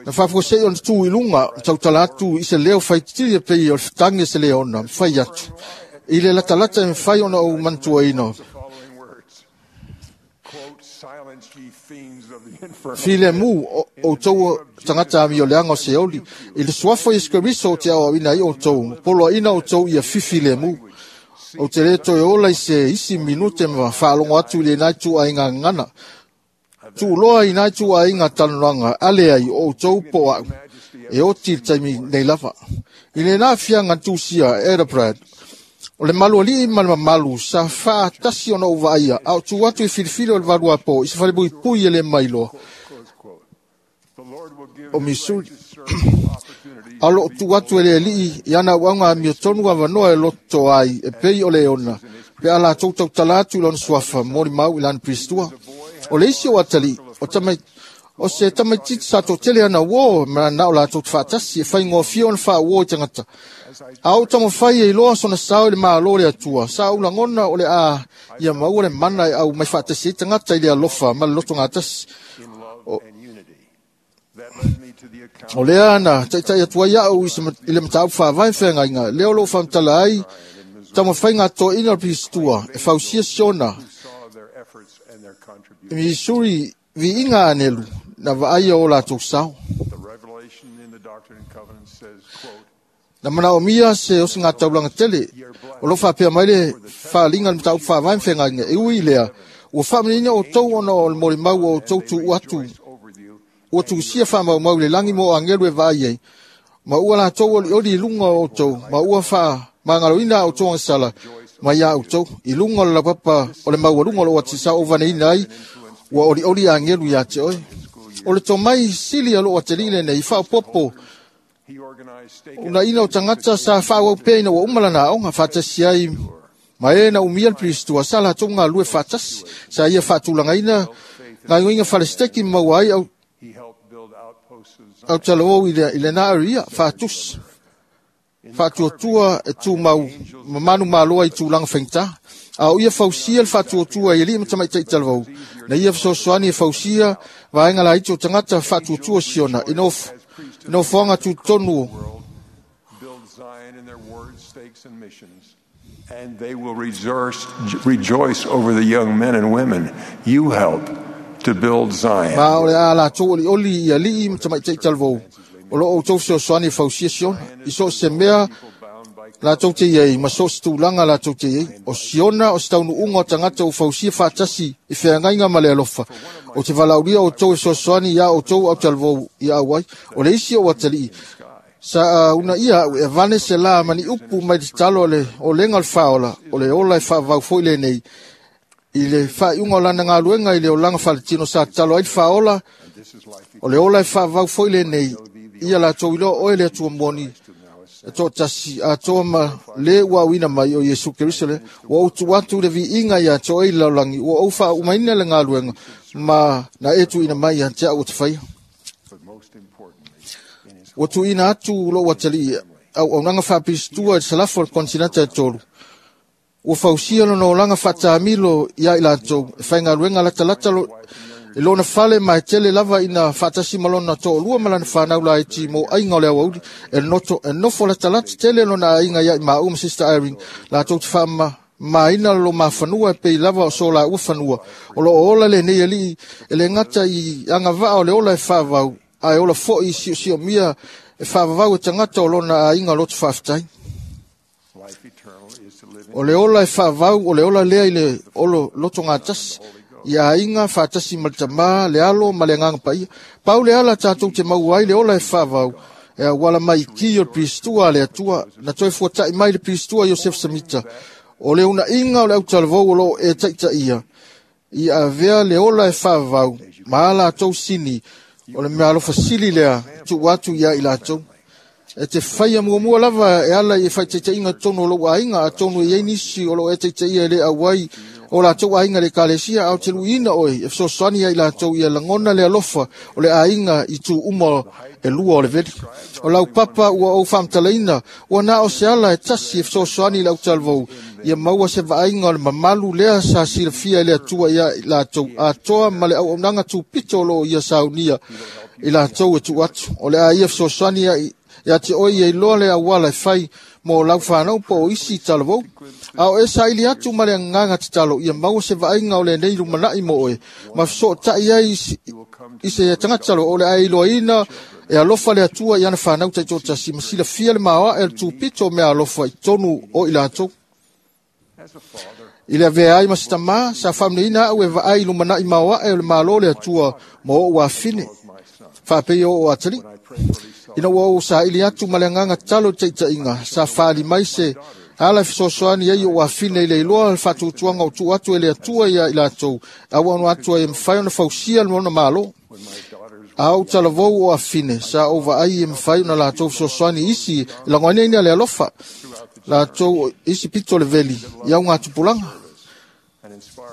Na faafuasei ona tu i luga, tautala atu i se leo faititili e pei o le fetagi e se leona, mafai atu. I le latalata e mafai ona ou manatuaina. Filemu o outou tagata amioleaga o Seoli, i le suafa o Iesu Keriso o te aoaoina ai outou, poloaina outou ia fifilemu. Ou te le toe ola i se isi minute ma faalogo atu i lenā ituaiga gagana. Tuuloa i nā ituaiga talanoaga, ale ai o outou po o a'u, e oti i le taimi nei lava. I lenā afiaga tusia, Edabrad, o le malualii ma le mamalu sa faatasi ona ou vaaia, a o tu atu i filifili o le valuapo i se falepuipui e le mailoa o Missouri. A o loo tu atu e le alii i ana auauga amiotonu avanoa e loto ai e pei o leona, pe a latou tautala atu i lona suafa molimau i lana Piristua. O le isi o atalii, o tamai o se tamaititi sa toatele ana uō ma na o latou te faatasi e faigofie ona faauō i tagata. A ou taumafai e iloa sona sao i le Malo o le Atua, sa ou lagona o le a ia maua le mana e au mai faatasi ai tagata i le alofa ma le lotogatasi. O, o lea na taitai atu ai a'u i le mataupu faavae feagaiga, lea o loo faamatala ai taumafaiga atoaina o le Piristua e fausia siona i Missouri viiga anelu na vaaia o latou sao. Na manaomia se osigataulaga tele o loo faapea mai le faaliga le mataupu faavae ma feagaiga, e ui i lea ua faamanino outou ona o le molimau o outou tuuu atu ua tusia faamaumau i le lagi mo agelu e vaai ai, ma ua latou olioli i luga o outou, ma ua faamagaloina a outou agasala mai iā outou i luga o le laupapa o le maualuga o loo atisa ou vaneina ai ua olioli agelu iā te oe. O le tomai sili a loo atalii lenei faaopopo unaina o tagata sa faaauau pea ina ua uma lana aoga faatasi ai ma e na umia le Piristua sa latou galulue faatasi, sa ia faatulagaina gaoioiga falesteki ma maua ai au autalavou i lenā aria faatusi faatuatua e tumau ma manumaloa i tulaga faigata. A o ia fausia le faatuatua i alii ma tamaitai talavou, na ia fesoasoani e fausia vaega laiti o tagata faatuatua siona i nofoaga tutotonu. And they will rejoice, rejoice over the young men and women you help to build Zion. Ma o le a latou olioli i alii ma tamaitai talavou, o loo outou fesoasoani e fausia siona, i so o se mea latou te iai ma so o se tulaga latou te iai. O siona o se taunuuga o tagata ua fausia faatasi i feagaiga ma le alofa. O te valaaulia outou e fesoasoani iā outou autalavou ia auai. O le isi o atalii sa una ia a'u e avane se lā ma ni upu mai le tatalo a le olega o le faaola, o le ola e faavavau foi lenei i le faaiuga o lana galuega i le olaga faletino sa tatalo ai le faaola, o le ola e faavavau foi lenei ia latou iloa oe le Atua moni e toatasi atoa ma le ua auina mai o Iesu Keriso le ua ou tuu atu le viiga iā te oe i le lalolagi, ua ou faaumaina le galuega ma na e tuuina mai ia te a'u o te faia. Ua tuuina atu lou atalii auaunaga faapilistua i le salafo o le kontinenta e tolu. Ua fausia lona olaga faatamilo iā i latou e faigaluega latalata lo, i lona fale ma e tele lava ina faatasi ma lona toalua ma lana fanau laiti mo aiga o le aoauli e noto e nofo latalata tele lona aiga iā i maua ma Sister Irene latou te faama maina lo mafanua e pei lava o so la ua fanua. O lo ola le nei ali e le ngata i agavaa o le ola e faavau, ae ola fo'i i siosiomia e faavavau e tagata o lona aiga loto faafetai. O le ola e faavau, o le ola lea i le olo loto gatasi, i aiga faatasi ma le tamā, le alo ma le agaga paia. Pau le ala tatou te maua ai le ola e faavau, e auala mai i ki o le Piristua a le Atua, na toe fuata'i mai le Piristua Iosefa Samita. O le una'iga o le autalavou o loo e taitaia, i avea le ola e faavavau, ma a latou sini, o le mea alofa sili lea, tuu atu ia i latou. E te faia muamua lava e ala i e faitaitaiga tonu o lou aiga, atonu e iai nisi o loo e taitaia e le auai o latou aiga le ekalesia, a o te luiina oe e fesoasoani ai latou ia lagona le alofa o le aiga i tu uma e lua o le veli. O lau papa ua ou faamatalaina, ua na o se ala e tasi e fesoasoani i le autalavou, ia maua se vaaiga o le mamalu lea sa silafia e le Atua ia i latou atoa ma le auaunaga tupito o loo ia saunia i latou e tuu atu. O le a ia fesoasoani ai ia te oe ia iloa le auala e fai mo lau whanau po o isi talavou. A o e saili atu ma le agaga tatalo ia maua se vaaiga o lenei lumanai mo oe, ma fesootai ai i se tagata o le a iloaina e alofa le Atua i ana whanau taitoatasi, ma silafia le maoae o le tupito o mea alofa i tonu o i latou. I le avea ai ma se tamā, sa faamanuiaina au e vaai lumanai maoae o le malo le Atua mo ou afine, faapei o o atali. Ina ua ou saili atu ma le agaga tatalo i le taitaiga, sa faali mai se ala e fesoasoani ai o afine i le iloa le faatuatuaga o tuu atu e le Atua ia i latou, auauno atu ai e mafai ona fausia le ona malo. A ou talavou o afine, sa ou vaai e mafai ona latou fesoasoani isi e lagoaina le alofa, latou isi pito le veli i au gatupulaga.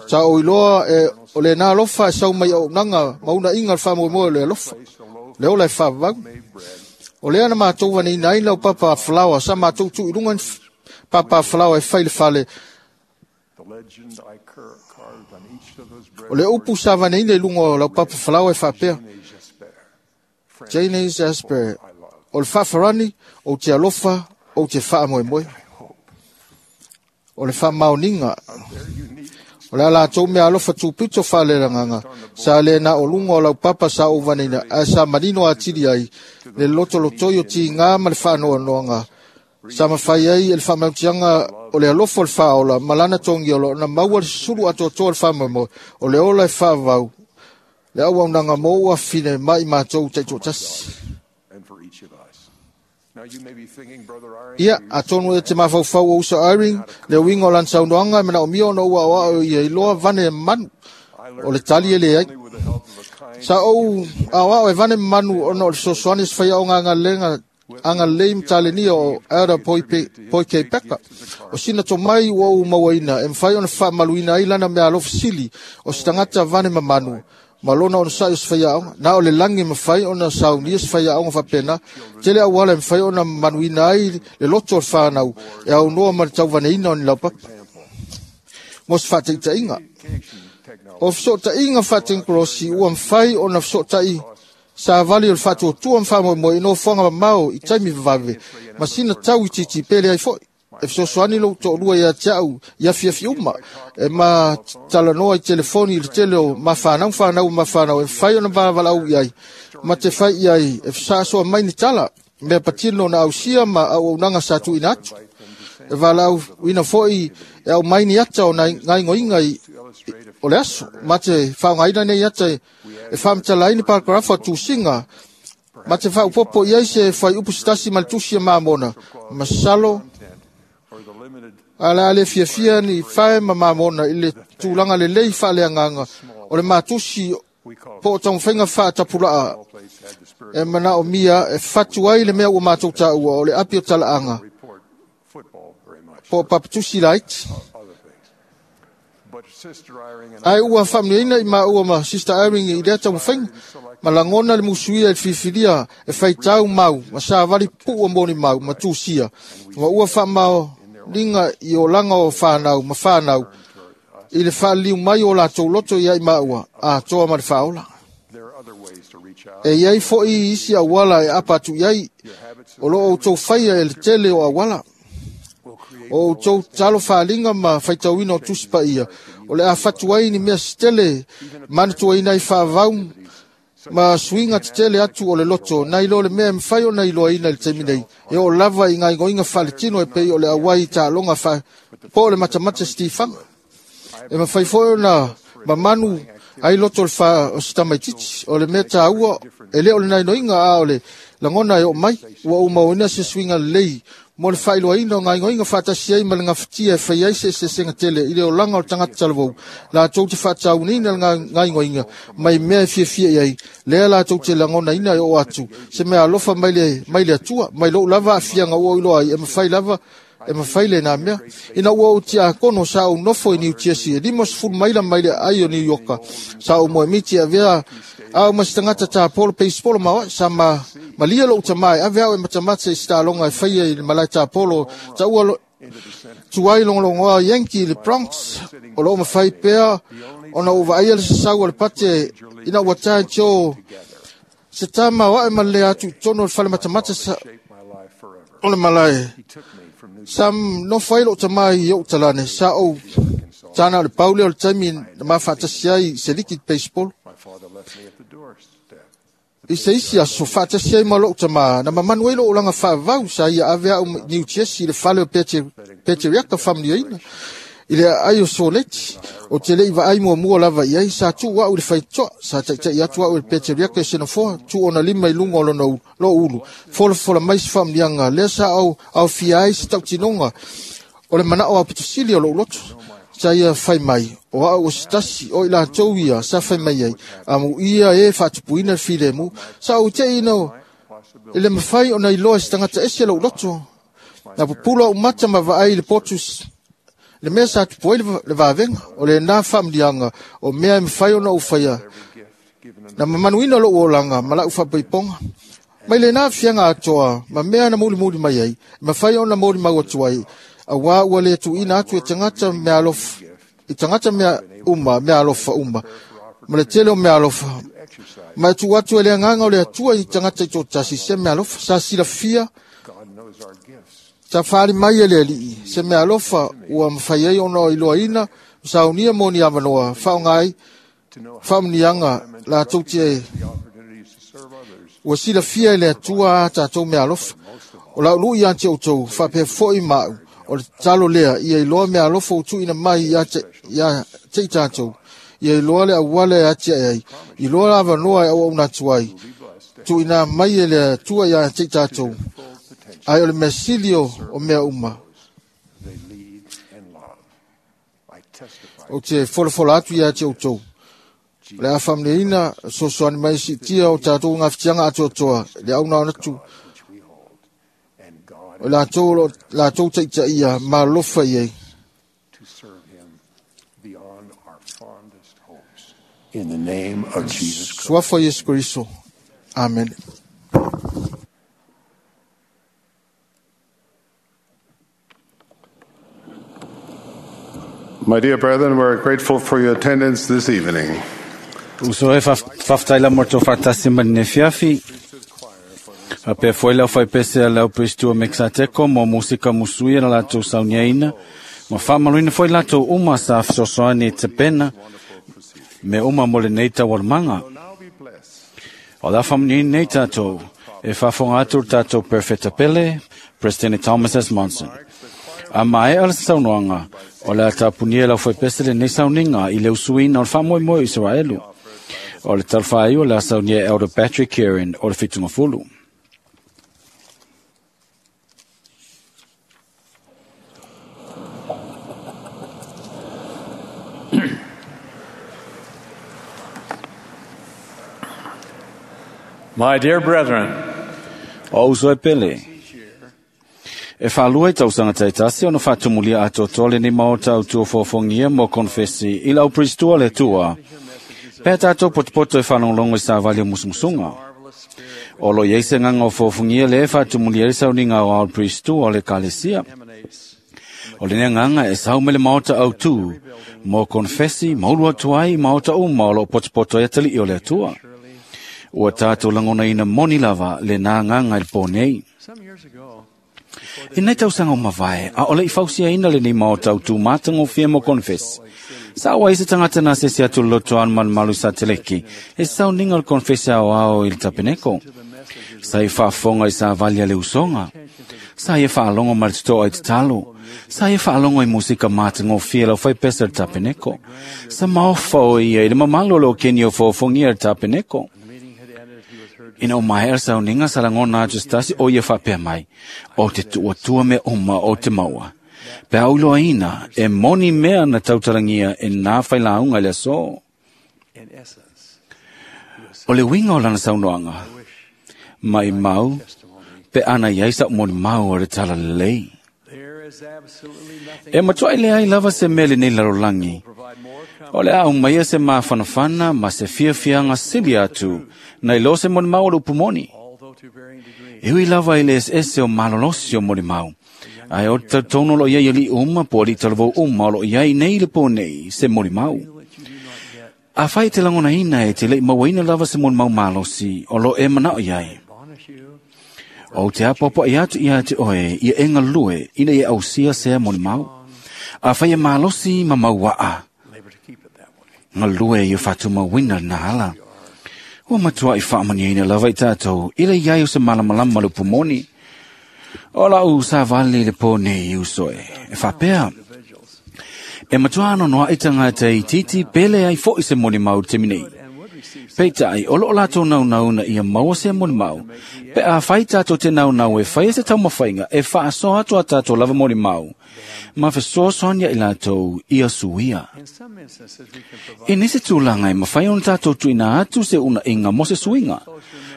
Sa ou iloa e o le nā alofa e sau mai auaunaga ma unaiga le faamoemoe o le alofa, le ola e faavavau. O lea na matou vaneina ai lau papa falaoa, sa matou tuu i luga ni papa falaoa e fai le fale. O le upu sa vaneina i luga o lau papa falaoa e faapea, Jane Jasper, o le faafarani, ou te alofa, ou te faamoemoe. O le faamaoniga, o le latou mea alofa tupito faalelagaga, sa le na o luga o lau papa sa ou vaneina, ae sa manino atili ai le lotolotoi o tigā ma le faanoanoaga, sa mafai ai e le faamautiaga o le alofa o le faaola ma lana togiolo na maua le susulu atoatoa le faamoemoe, o le ola e faavavau, le auaunaga mo ou afine ma i matou taitoatasi. Ia, atonu e te mafaufau o uso Irene, le uiga o lana saunoaga e manaomia ona ua aoao ia iloa vane manu, o le tali e leai. Sa ou aoao e vane manu ona o le fesoasoani se faiaoga agalega agalelei ma talenia o Elder Poike Peka. O sina tomai ua ou mauaina e mafai ona faamaluina ai lana mea alofa sili o se tagata vane mamanu, ma lona ona sa'i o se faiaoga. Na o le lagi mafai ona saunia se faiaoga faapena, tele auala e mafai ona manuina ai le loto o le whanau e aunoa ma le tauvaneina o ni laupapa. Mo se faataitaiga, o fesootaiga faatekonolosi ua mafai ona fesootai savali o le faatuatua ma faamoemoe i nofoaga mamao i taimi vavave, ma sina tau itiiti pele ai fo'i. E fesoasoani lou toalua ia te au i afiafi uma, e ma talanoa i telefoni i le tele o mafanau fanau mafanau e mafai ona valaau i ai, ma te fai i ai e fesaasoa mai ni tala, mea patino na ausia ma auaunaga sa tuuina atu. E valaauina fo'i e aumai ni ata o naigoiga i o le aso, ma te faaaogaina nei ata e faamatala ai ni paragrafa o tusiga, ma te faaupopo i ai se faiupu se tasi ma le tusi e mamona, masalo ala le fiafia ni fae ma mamona i le tulaga lelei faaleagaga o le matusi po o taumafaiga faatapulaa e manaomia e fatu ai le mea ua matou taua o le api o talaaga po o papatusi laiti. Ae ua faamanuiaina i maua ma Sister Irene i lea taumafaiga, ma lagona le musuia i le filifilia e faitau mau ma savali pua moni mau ma tusia, ma ua faamaoniga i olaga o whanau ma whanau i le whaaliliu mai o latou loto ia i maua atoa ma le faaola. E iai fo'i isi auala e apa atu i ai, o loo outou faia e le tele o auala. O outou talo faaliga ma faitauina o tusi paia o le a fatu ai ni mea setele manatuaina ai faavau ma suiga tetele atu o le loto nai lo le mea e mafai ona iloaina i le taimi nei e oo lava i gaoioiga faaletino e pei o le auai i taaloga fa po o le matamata sitifaga e mafai foi ona mamanu ai loto o le fa o se tamaitiiti o le mea taua e le o le nainoiga a o le lagona e oo mai ua ou mauaina se suiga lelei mo le faailoaina o gaoioiga faatasi ai ma le gafatia e fai ai se eseesega tele i le olaga o le tagata talavou latou te faatauinaina le gaoioiga mai mea e fiafia i ai lea latou te lagonaina e oo atu se mea alofa mai le, mai le Atua mai lou lava aafiaga ua ou iloa ai e mafai lava e mafai lenā mea. Ina ua ou tiakono sa ou nofo i Niu Tiesi e lima sefulu maila mai le aai o Niu Ioka. Sa ou moemiti e avea au ma se tagata tapolo peisipolo ma oe sa ma, malia lou tamā e ave au e matamata i se taaloga e faia i le malae tapolo taua lo, tuai logologoa Yankee i le Bronx. O loo mafai pea ona ou vaaia le sasau o le pate ina ua tae tio se tama o ae ma le atu i totonu o le fale matamata sa, o le malae. Sa nofo ai lou tamā i ou talane, sa ou tāna o le paule o le taimi na mafaatasi ai i se liki baseball. I se isi aso faatasi ai ma lou tamā, na mamanu ai lou olaga faavau sa ia ave au i New Jersey i le fale o Peteriaka faamanuiaina i le aai o Soleti. O te lei vaai muamua lava i ai, sa tuu au i le faitoa, sa taitai atu au i le Peteriaka i Senofoa, tuu ona lima i luga o lona lou ulu, folafola mai se faamanuiaga, lea sa au aofia ai se tautinoga o le manao aupitosili o lou loto. Sa ia fai mai, o au o se tasi, o i latou ia, sa fai mai ai, amuia e faatupuina le filemu, sa ou te ina i le mafai ona iloa se tagata ese lou loto. Na pupula au mata ma vaai i le potu le mea sa tupu ai le vavega, o lenā faamanuiaga o mea e mafai ona ou faia. Na mamanuina lou olaga ma lau faapaipoga. Mai lenā fiaga atoa ma mea na mulimuli mai ai, e mafai ona molimau atu ai, auā ua le tuuina atu e tagata mea alofa, i tagata mea uma, mea alofa uma, ma le tele o mea alofa. Ma e tuu atu e le agaga o le Atua i tagata i toatasi se mea alofa, sa silafia sa faali mai e le Alii, se mea alofa ua mafai ai ona iloaina, saunia mo ni avanoa, faaaoga ai faamanuiaga latou te ua silafia e le Atua a tatou mea alofa. O lau lui ia te outou, faapea foi ma au, o le tatalo lea, ia iloa mea alofa ua tuuina mai ia te, ia te i tatou, ia iloa le auala e atiae ai, iloa le avanoa e auauna atu ai, tuuina mai e le Atua ia te i tatou, ai o le mea sili o, o mea uma. Ou te folafola atu ia te outou. O le a faamanuiaina sosoani mai siitia o tatou gafatiaga atoatoa, le auna ona atu o latou o latou taitaia ma alofa i ai. In the name of Jesus Christ. Suafa Iesu Kriso. Amen. My dear brethren, we're grateful for your attendance this evening. Uso e faafetai la mo le faatasi mai lenei afiafi. Faapea foi le aufaipese a le aupriestua Mekisateko mo musika musuia na latou sauniaina, ma faamanuina foi latou uma sa fesoasoani i tapena me uma mo lenei taualumaga. O le a faamanuiaina nei tatou e faafofoga atu le tatou Perfeta Pele, President Thomas S. Monson. A maea le saunoaga, o le a tapunia e le aufaipese lenei sauniga i le usuina o le faamoemoe o Isaraelu. O le talafāiu o le a saunia e Elder Patrick Kearon o le Fitugafulu. My dear brethren, O uso e pele, e whālua i tausaga taitasi ona whātumulia atoatoa lenei maota au tuafoafogia mo konfesi i lau pristua le tua. Pea tātou potopoto e whanonglongo i sāvali o musumusunga. O lo iei se nganga o fōfungia le e whātumulia i sauninga o au pristua o le kalesia. O le nganga e sau mele maota au tū, mo konfesi maulu atu ai maota uma o lo potopoto e atali i o le atua. Ua tātou langona ina moni lava le nā nganga i le pō nei. I nei tausaga o mavae, a o le i fausiaina lenei maota o tūmatagofie mo konfesi. Sa ua i se tagata na sese atu le lotoa malumalu sa teleki, e sauniga o le konfesi aoao i le tapeneko. Sa i faafofoga i savali a le usoga. Sa ia faalogo ma le totoa i tatalo. Sa ia faalogo i musika matagofie lau faipesa le tapeneko. Sa maofa o ia i le mamalu o le okeni o foofogia le tapeneko. Ina o maea le sauniga sa lagona atu se tasi o ia faapea mai, o te tuuatua mea uma o te maua. Pe a uiloaina e moni mea na tautalagia e nā failauga i le aso. O le uiga o lana saunoaga, mai mau, pe ana iai sa moni mau o le tala lelei. E matuai leai lava se mea lenei lalolagi. O le a umaia se mafanafana ma se fiafiaga sili atu, nai lo se molimau o le upu moni. E ui lava i le eseese o malolosi o molimau. Ae o te tautono o lo iai ali'i uma po o ali'i talavou uma o lo iai nei le pō nei se molimau. A fai te lagonaina e te le'i mauaina lava se molimau malosi o lo e manao iai. O te apoapoai atu ia te oe ia e galue ina ia ausia sea molimau. A fai e malosi ma mauaa. Galue ia whatumauina na ala. Ua matua i whaamaniaina lava i tātou i le iai o se malamalama le upumoni. O lau sa vale le pō nei i usoe. E whapea. E matua ano noa i tangata i titi pele ai fo i se molimau te minei. Peitai, o loo lātou naunau na ia maua se molimau. Pe a whai tātou te naunau e whai e se taumawhainga e whaasoa atu a tātou lava molimau. Ma fesoasoani i lātou ia suia. I nisi tūlanga e mawhai ona tātou tuina atu se una inga mo se suinga.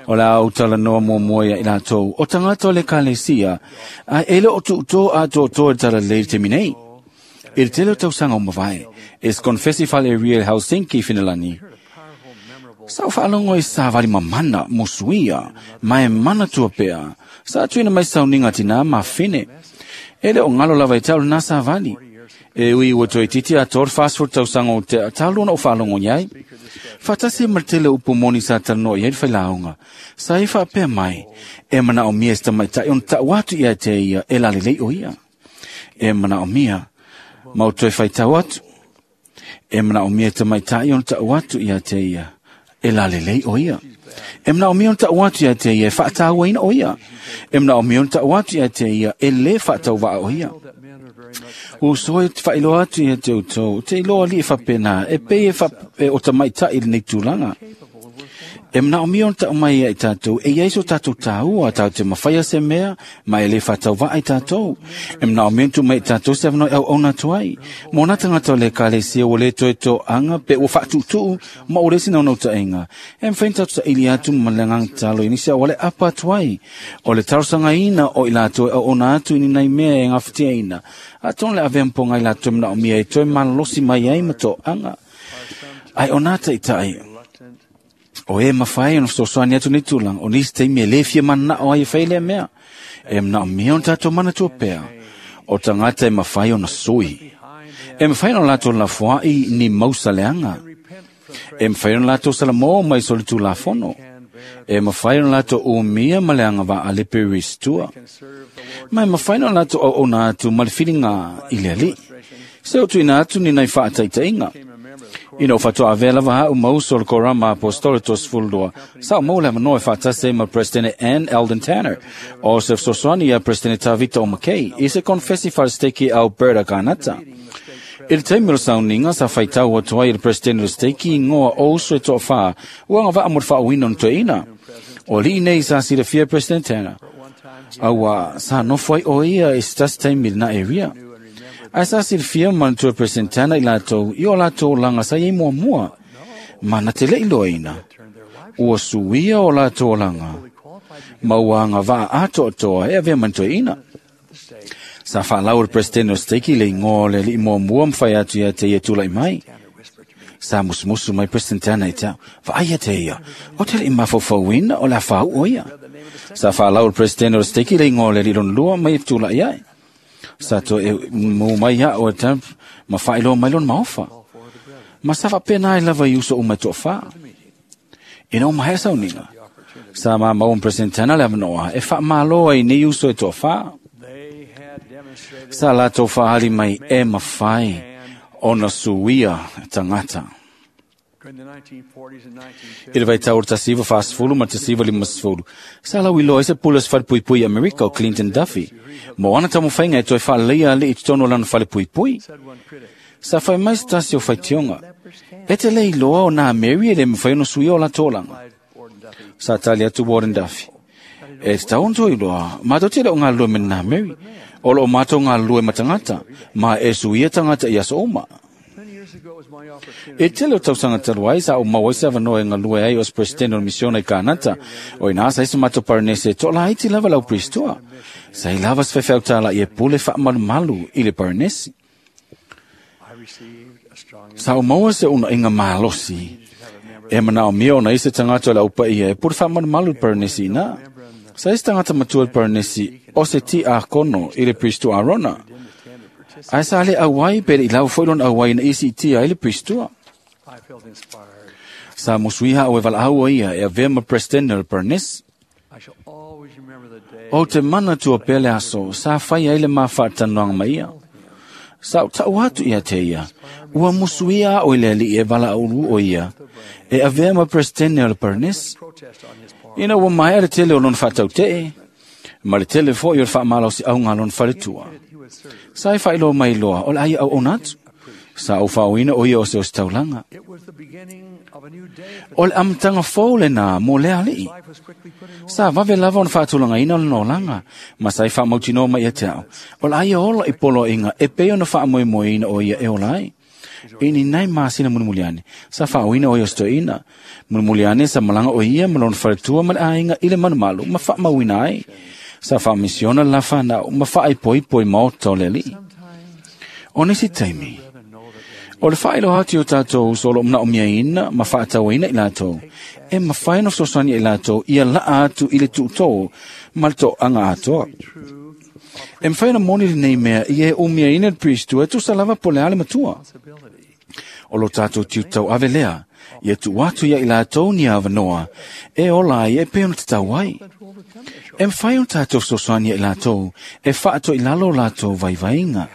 O la au talanoa muamua ia i lātou o tangata o le kalesia a e le o tuuto a tō e tala lei te minei. I le tele o tausaga o mavae, e se konfesi fale real Helsinki Finelani. Sa o whaalongo i sa vali mamana mo suia, ma e mana tua pea. Sa tuina mai sauninga tina ma whine. E le o ngalo lava i tau nā sa vali. E ui ua toi titi a tōr fast tausaga o te talona o whaalongo iai. Whatasi martele upu moni sa talanoa iai whailaunga. Sa i whaapea mai, e mana o mia sta mai tai on tau atu ia te ia e lalelei o ia. E mana o mia, mau toi whaitau atu. E mana o mia ta mai tai on tau atu ia te ia. E lalelei o ia. E mna o mia on tau atu ia te ia e whaatau ina o ia. E mna o mia on tau atu ia te ia e le whaatau waa o ia. O soe te whailoa atu ia te utou, te iloa li e whapena, e pe e whape o tamaitai le nei tūlanga. E mna o mia on tau mai ia i tātou, e iai so tātou tāua, tātou te mawhaia se mea, ma e le whatau waa i tātou. E mna o mia on tu mai i tātou se awanoi au ona tuai. Mō nā tangata o le kalesia o le toi tō anga, pe o whaatutu, ma o resi naunau taenga. E mwhain tātou sa ili atu ma le ngang talo i nisi au le apa tuai. O le tarosanga ina o i lātou e au ona atu i ni nei mea e ngawhitia ina. A tōn le avea mponga i lātou mna o mia e toi malolosi mai ai ma tō anga. Ai o nā taitai. O e mawhai ono fesoasoani atu nei tūlanga, o nisi teimi e le fia mana o ai e whailea mea. E mna o mea ona tātou mana tua pea. O tangata e mawhai ona sui. E mawhai ona lātou lafoai ni mausa leanga. E mawhai ona lātou salamō mai so le tūlafono. E mawhai ona lātou umia ma leanga wa a le peristua. Ma e mawhai ona lātou au ona atu ma le whiringa i le ali. Se o tuina atu ni nei whaataitainga. Ina o whatua avea lava hau mauso le korama apostolo tos fulua. Sa o maule manoa e whaatase ma President Ann Eldon Tanner. O se fesoasoani ia President Tavita o McKay. I se konfesi wharasteki Alberta Kanata. I le taimi o le sauninga sa whaitau atu ai le President o le steki i ngoa o uso e toa wha. Ua ngā vaa mo le whaawina no toeina. O lii nei sa silafia President Tanner. Aua sa nofo ai o ia i se tasi taimi le na area. Ai sa silafia manatua President Tanner i lātou, i o lātou langa sa iei muamua. Mana te lei loaina. Ua suia o lātou langa. Ma ua ngā vaa atoatoa e avea manatua ina. Sa whaalau le President o steki le ingoa le li muamua mwhai atu ia te ia tūlai mai. Sa musumusu mai President Tanner i tau, vaai ia te ia, o te lei mawhauwhauina o la whau o ia. Sa whaalau le President o steki le ingoa le li lua mai e tūlai ai. Sa to e mō mai ia o te ma whaeloa mai lona maofa. Ma sa whapena ai lava i uso o mai toa wha. Ina o mahea sauninga. Sa ma maua President Tanner le awanoa e wha maloa i nei uso e toa wha. Sa latou faali mai e mafai ona suia tagata. I le vaitau o le tasi iva fasefulu ma le tasi iva lima sefulu, sa lauiloa ai se pule o se falepuipui i Amerika o Clinton Duffy, mo ana taumafaiga e toe faaleleia ali'i i totonu o lana falepuipui. Sa fai mai se tasi o faitioga, e te le iloa o nā Mary e le mafai ona suia o latou olaga. Sa tali atu Warden Duffy, e tatau ona toe iloa, matou te le o galulue ma nā Mary, o loo matou galulue ma tagata, ma e suia tagata i aso uma. E tele o tausaga talu ai sa ou maua ai se avanoa e galue ai o se presidente o le misiona i Kanata. O ina sa ai se matou paranese e toalaiti lava lau pristoa. Sa i lava se faifeau e pule faamalumalu i le paranesi. Sa ou maua se unaiga malosi e manaomia ona i se tagata o le aupaia e pule faamalumalu i le paranesi ina. Sa ai se tagata matua i le paranesi o se ti akono i le pristoa Arona. Ae sa le auai pe le i lau foi lona auai na isi i tia ai le pristoa. Sa musuiha au e valaau o ia e avea ma presidente o le paranesi. O te mana tua pea le aso, sa fai ai le mafaatanoaga ma ia. Sa o tau atu ia te ia, ua musuia o i le alii e valaau o ia, e avea ma presidente o le paranesi. Ina ua maea le tele o lona faatautee, ma le tele foi o le faamalosiau au lona faletua. Sa e faailoa mai loa o le ai au ona atu. Sa ou faaoina o ia o se o se taulaga. O le amataga fou lena mo le alii. Sa vave lava ona faatulagaina o lona olaga, ma sa i faamautinoa mai ia te au. O le ai ola i poloaiga e pei ona faamoemoeina o ia e ola ai. I ni nai masina mulimuliane, sa faaoina o ia o se toeaina. Mulimuliane sa malaga o ia ma lona faletua ma le aiga i le malumalu ma faamauina ai. Sa faamisiona le lafanau ma faaipoipo i maota o le alii. O nisi taimi, o le faailoa atu i o tatou uso o loo manaomiaina ma faatauaina i latou, e mafai ona fesoasoani i latou ia laa atu i le tuutoo ma le toaga atoa. E mafai ona moni lenei mea ia e umiaina le pristoa e tusa lava po o le a le matua. O lo tatou tiutau ave lea, ia tuu atu ia i latou ni avanoa e ola ai e pei ona tatau ai. E mafai ona tatou fesoasoani ia i latou e faatoilalo o latou vaivaiga.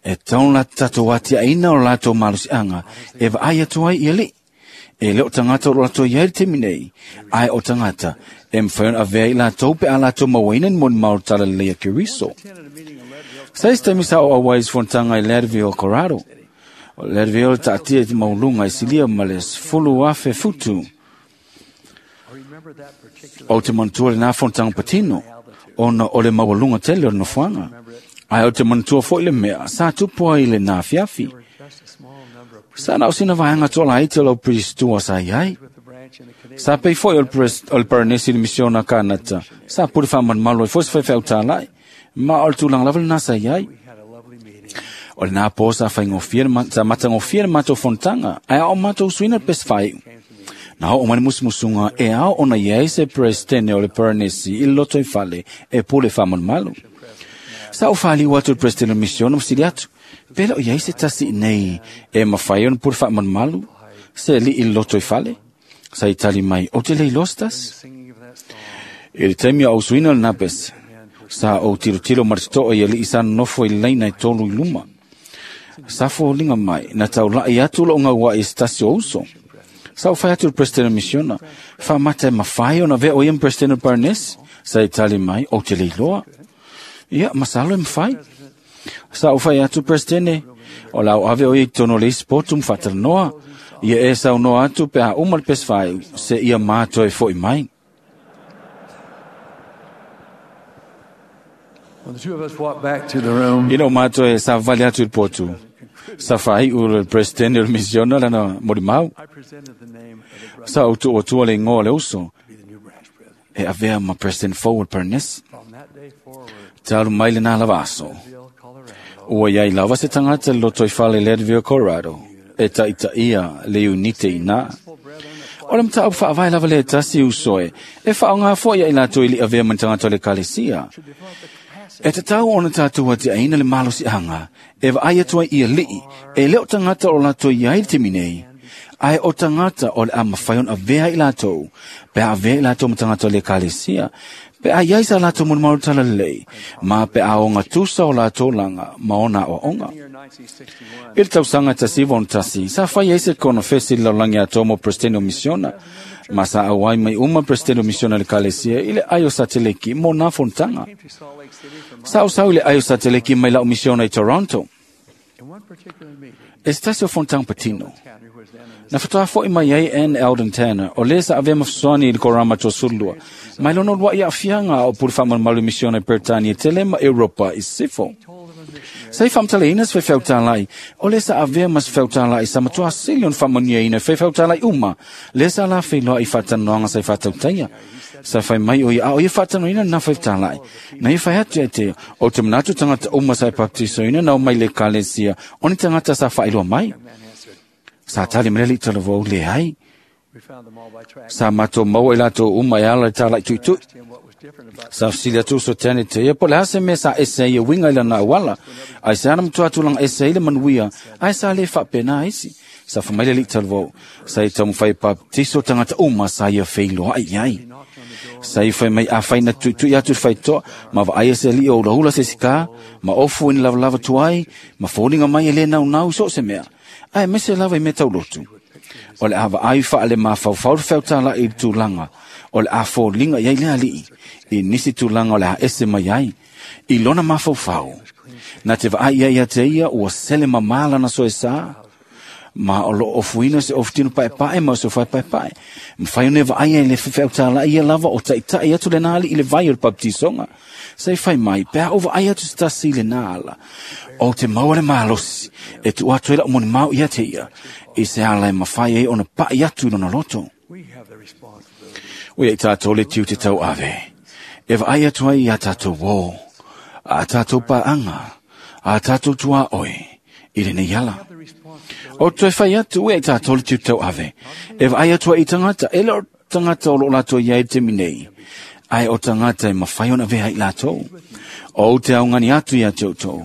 E tau la tatou atiaina o latou malosiaga e vaai atu ai i alii. E le o tagata o lo latou iai le taimi nei, ae o tagata e mafai ona avea i latou pe a latou mauaina ni molimau o le talalelei a Keriso. Sa isi taimi sa o auai i se fonotaga i Leadville, Colorado. O Leadville taatia i te mauluga i silia ma le sefulu afe futu. O te manatua lena fonotaga patino, ona o le maualuga tele o le nofoaga. Ae o te manatua foi le mea sa tupu ai le nā fiafi. Sa na o sina vaega toalaiti o lau pristoa sa iai. Sa pei foi o le paranesi i le misiona Kanata. Sa pule faamalumalu ai foi se faifeau tālai. Ma o le tulaga lava lena sa iai. O lena po sa faigofie sa matagofie le matou fonotaga, ae ao matou suina le pese faaiu. Na oo mai le musumusuga e ao ona iai se presidente o le paranesi i le loto i fale e pule faamalumalu. Sa ou faaliu atu i le presidente o le misiona ma sili atu, pe le o iai se tasi nei e mafai ona pule faamalumalu se alii i le loto i fale. Sa i tali mai, o te le iloa se tasi. I le taimi o au suina lena pese, sa ou tilotilo ma le totoa i alii sa nonofo i le laina e tolu i luma. Sa foliga mai, na taulai atu lou gauai i se tasi o uso. Sa ou fai atu i le presidente o le misiona, faamata e mafai ona avea o ia ma presidente o le paranesi. Sa i tali mai, ou te le iloa. Ia, masalo e mafai. Sa ou fai atu presidente, o la o ave o ia i totonu o le isi potu ma faatalanoa. Ia e saunoa atu pe a uma le pese faaiu, se ia matou e foi mai. Ina o matou e savavali atu i le potu, sa faaiu le presidente o le misiona lana molimau. Sa ou tuuatua le igoa o le uso, e avea ma president fou o le paranesi. Talu mai lena lava aso. Ua iai lava se tagata i le loto i fale i Leadville, Colorado, e taitaia le iunite ina. O le mataupu faavae lava le tasi uso e, e faaaoga foi ia i latou i li'i avea ma ni tagata o le ekalesia. E tatau ona tatou atiaina le malosiaga e vaai atu ai i alii, e le o tagata o latou iai le taimi nei, Ai o tangata o le a mawhai on avea i lātou, pe a avea i lātou ma tangata o le ekalesia, pe a iai sa lātou molimau talalelei, ma pe a o ngatusa o lātou langa, ma ona o onga. I le tausaga tasi iva tasi, sa fai ai se konofesi le lalolagi atoa mo Presidente o Misiona, ma sa auai mai uma Presidente o Misiona le ekalesia i le ai o Sateleki mo nā fonotaga. Sa osau i le ai o Sateleki mai lau misiona i Toronto. E se tasi o fonotaga patino. Na whatoa foi mai ai Ann Eldon Tanner, o le sa avea mafsoani i le korama tosulua, mai lono lua i afianga o puri whaamalumalu misiona i Peretania tele ma Europa i Sifo. Sa i whamtaleina se whewhautālai, o le sa avea mas whewhautālai sa matua sili on whamonia ina whewhautālai uma, le sa la whenua i whatanoanga sa i whatautaia. Sa whai mai o ia o ia whatanoina na whewhautālai. Na i whai atu e te, o te manatu tangata uma sa i baptisoina na o mai le kalesia, o ni tangata sa whailua mai. Sa tali meleli talavou le ai. Sa mato maua i latou uma e ala i tālai tuitui. Sa fisili atu so tane te ia, po le hase me sa ese ia winga i lana awala. Ai se ana mtua tulanga ese i le manuia, ai sa le whapena isi. Sa whamaile li talavou. Sa i tamu whai baptiso tangata uma sa ia wheiloa ai ai. Sa i whai mai a whai na tuitui atu whai toa, ma wa ai se li o hula hula se sika, ma ofu ini lava lava tuai, ma fōlinga mai e le nau nau so se mea. Ai mese lava i me taulotu. O le awa ai wha ale mawhau whau i tūlanga. O le a fōlinga iai le alii. I nisi tūlanga o le a ese mai ai. I lona mawhau. Na te vaai ia ia te ia ua sele mamala na soe sa. Ma o lo ofuina se ofutino pae pae ma o se whai pae pae. Mwhai one vaai ai le whiwhau tāla ia lava o taitai atu le nāli i le vai o le baptisonga. Sa i whai mai, pea o vaai atu se tasi le nāla. O te maua le malosi, e tu atu ela o moni mau ia te ia. I se ala e mawhai ai ona pai atu i lona loto. Ua i tātou le tiu te tau ave. E vaai atu ai ia tātou wō, a tātou paanga, a tātou tua oe, i le nei ala. O toe whai atu ua i tātou le tiu tau ave. E vaai atu ai i tangata, e le o tangata o lo lātou ia i te minei. Ai o tangata e mawhai ona vea i lātou. O te au ngani atu ia te outou.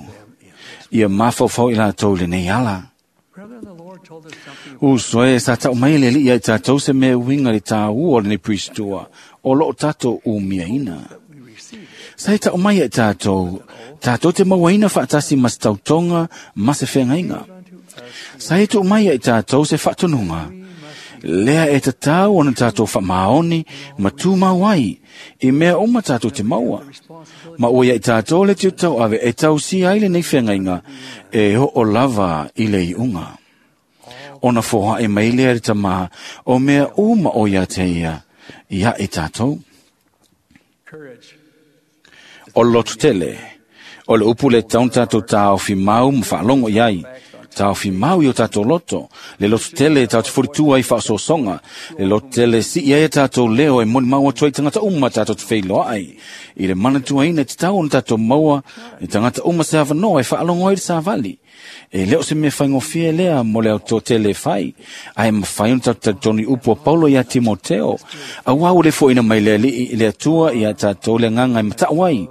Ia mawhauwhau i lātou le nei ala. U soe sa tau mai le li ia i tātou se mea winga le tā ua le nei pristua o lo tātou u miaina. Sa i tau mai i tātou, tātou te mauaina whaatasi mas tautonga ma se whengainga. Sa i tau mai i tātou se whaatununga. Lea e tatau ona tātou whamaoni ma tūmau ai, i mea uma tātou te maua. Ma ua ia i tātou le tiu tau ave e tau si ai le nei whengainga e ho o lava i le iunga. Ona foha e mai lea le tamā o mea uma o ia te ia, ia e tātou. O lotu tele, o le upu le taun tātou tāofi mau ma whaalongo iai, tāofi mau i o tātou loto, le lotu tele tātou te furitua i whaasosonga, le lotu tele si ia e tātou leo e moni maua tua i tangata uma tātou te wheiloa ai, i le manatua ina te tau ona tātou maua, i tangata uma se awanoa e whaalongo ai le sāvali. E leo se mea whaingofia lea mo le auto tele whai, ai mawhai ona tātou toni upu a Paulo ia Timoteo, a wau le foina mai le li i le atua i a tātou le nganga i matau ai,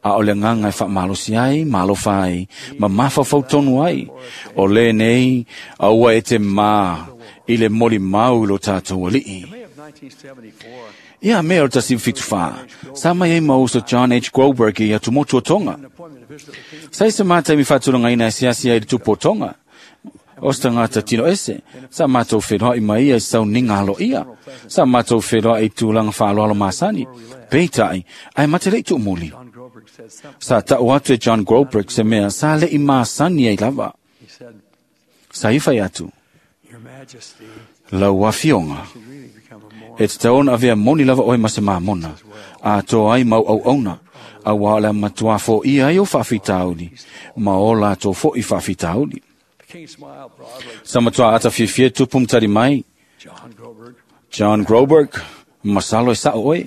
a o le nganga i whaamalosi ai, malofa ai, ma mawhawhau tonu ai, o le nei, a ua e te mā, i le moli mau lo tātou alii. Ia mea o tasi whitu whā, sa mai e mauso John H. Groberg i atu motu o Tonga. Sa i se mātai mi whātulanga ina e siasi ai le tupu o Tonga. O se tangata tino ese, sa mātou whenua i mai ia i sau ninga halo ia. Sa mātou whenua i tūlanga whaaloalo māsani. Peitai, ai mate lei tuumuli. Sa tau atu e John Groberg se mea sa le i māsani ai lava. Sa i whai atu. Lau wafionga. E te taona avea moni lava oe ma se māmona. A tō ai mau au auna. A wā le matua fo ia ai o whawhitauli. Ma o la tō fo i whawhitauli. Sa matua ata fiafia tupu mtari mai. John Groberg, masalo e sao oe.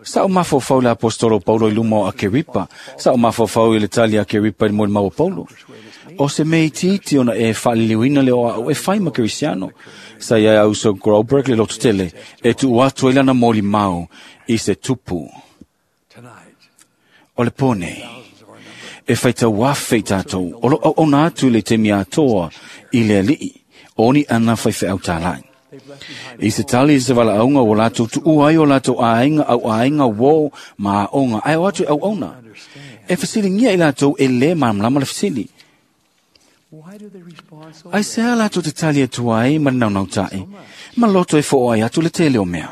Sa o mawhawhau le apostolo Paulo i luma o Akeripa. Sa o mawhawhau i le tali Akeripa i moe mau o Paulo. O se mei titi ona e whaliliwina le oa o e whai ma Kerisiano. Sa ia auso Groberg le lotu tele e tu atu e lana moli mau i se tupu. O le pone, e whai tau wawhei tātou, o lo au ona atu le te mea toa i le alii, O ni ana faifeau tālai. I se tali se wala aunga o lātou tu uai o lātou āinga au āinga wō ma onga ai o atu au auna. E whasilingia i lātou e le māmlama le whasili. Ai se a lātou te tali atu ai ma naunau tae, ma loto e fo ai atu le tele o mea.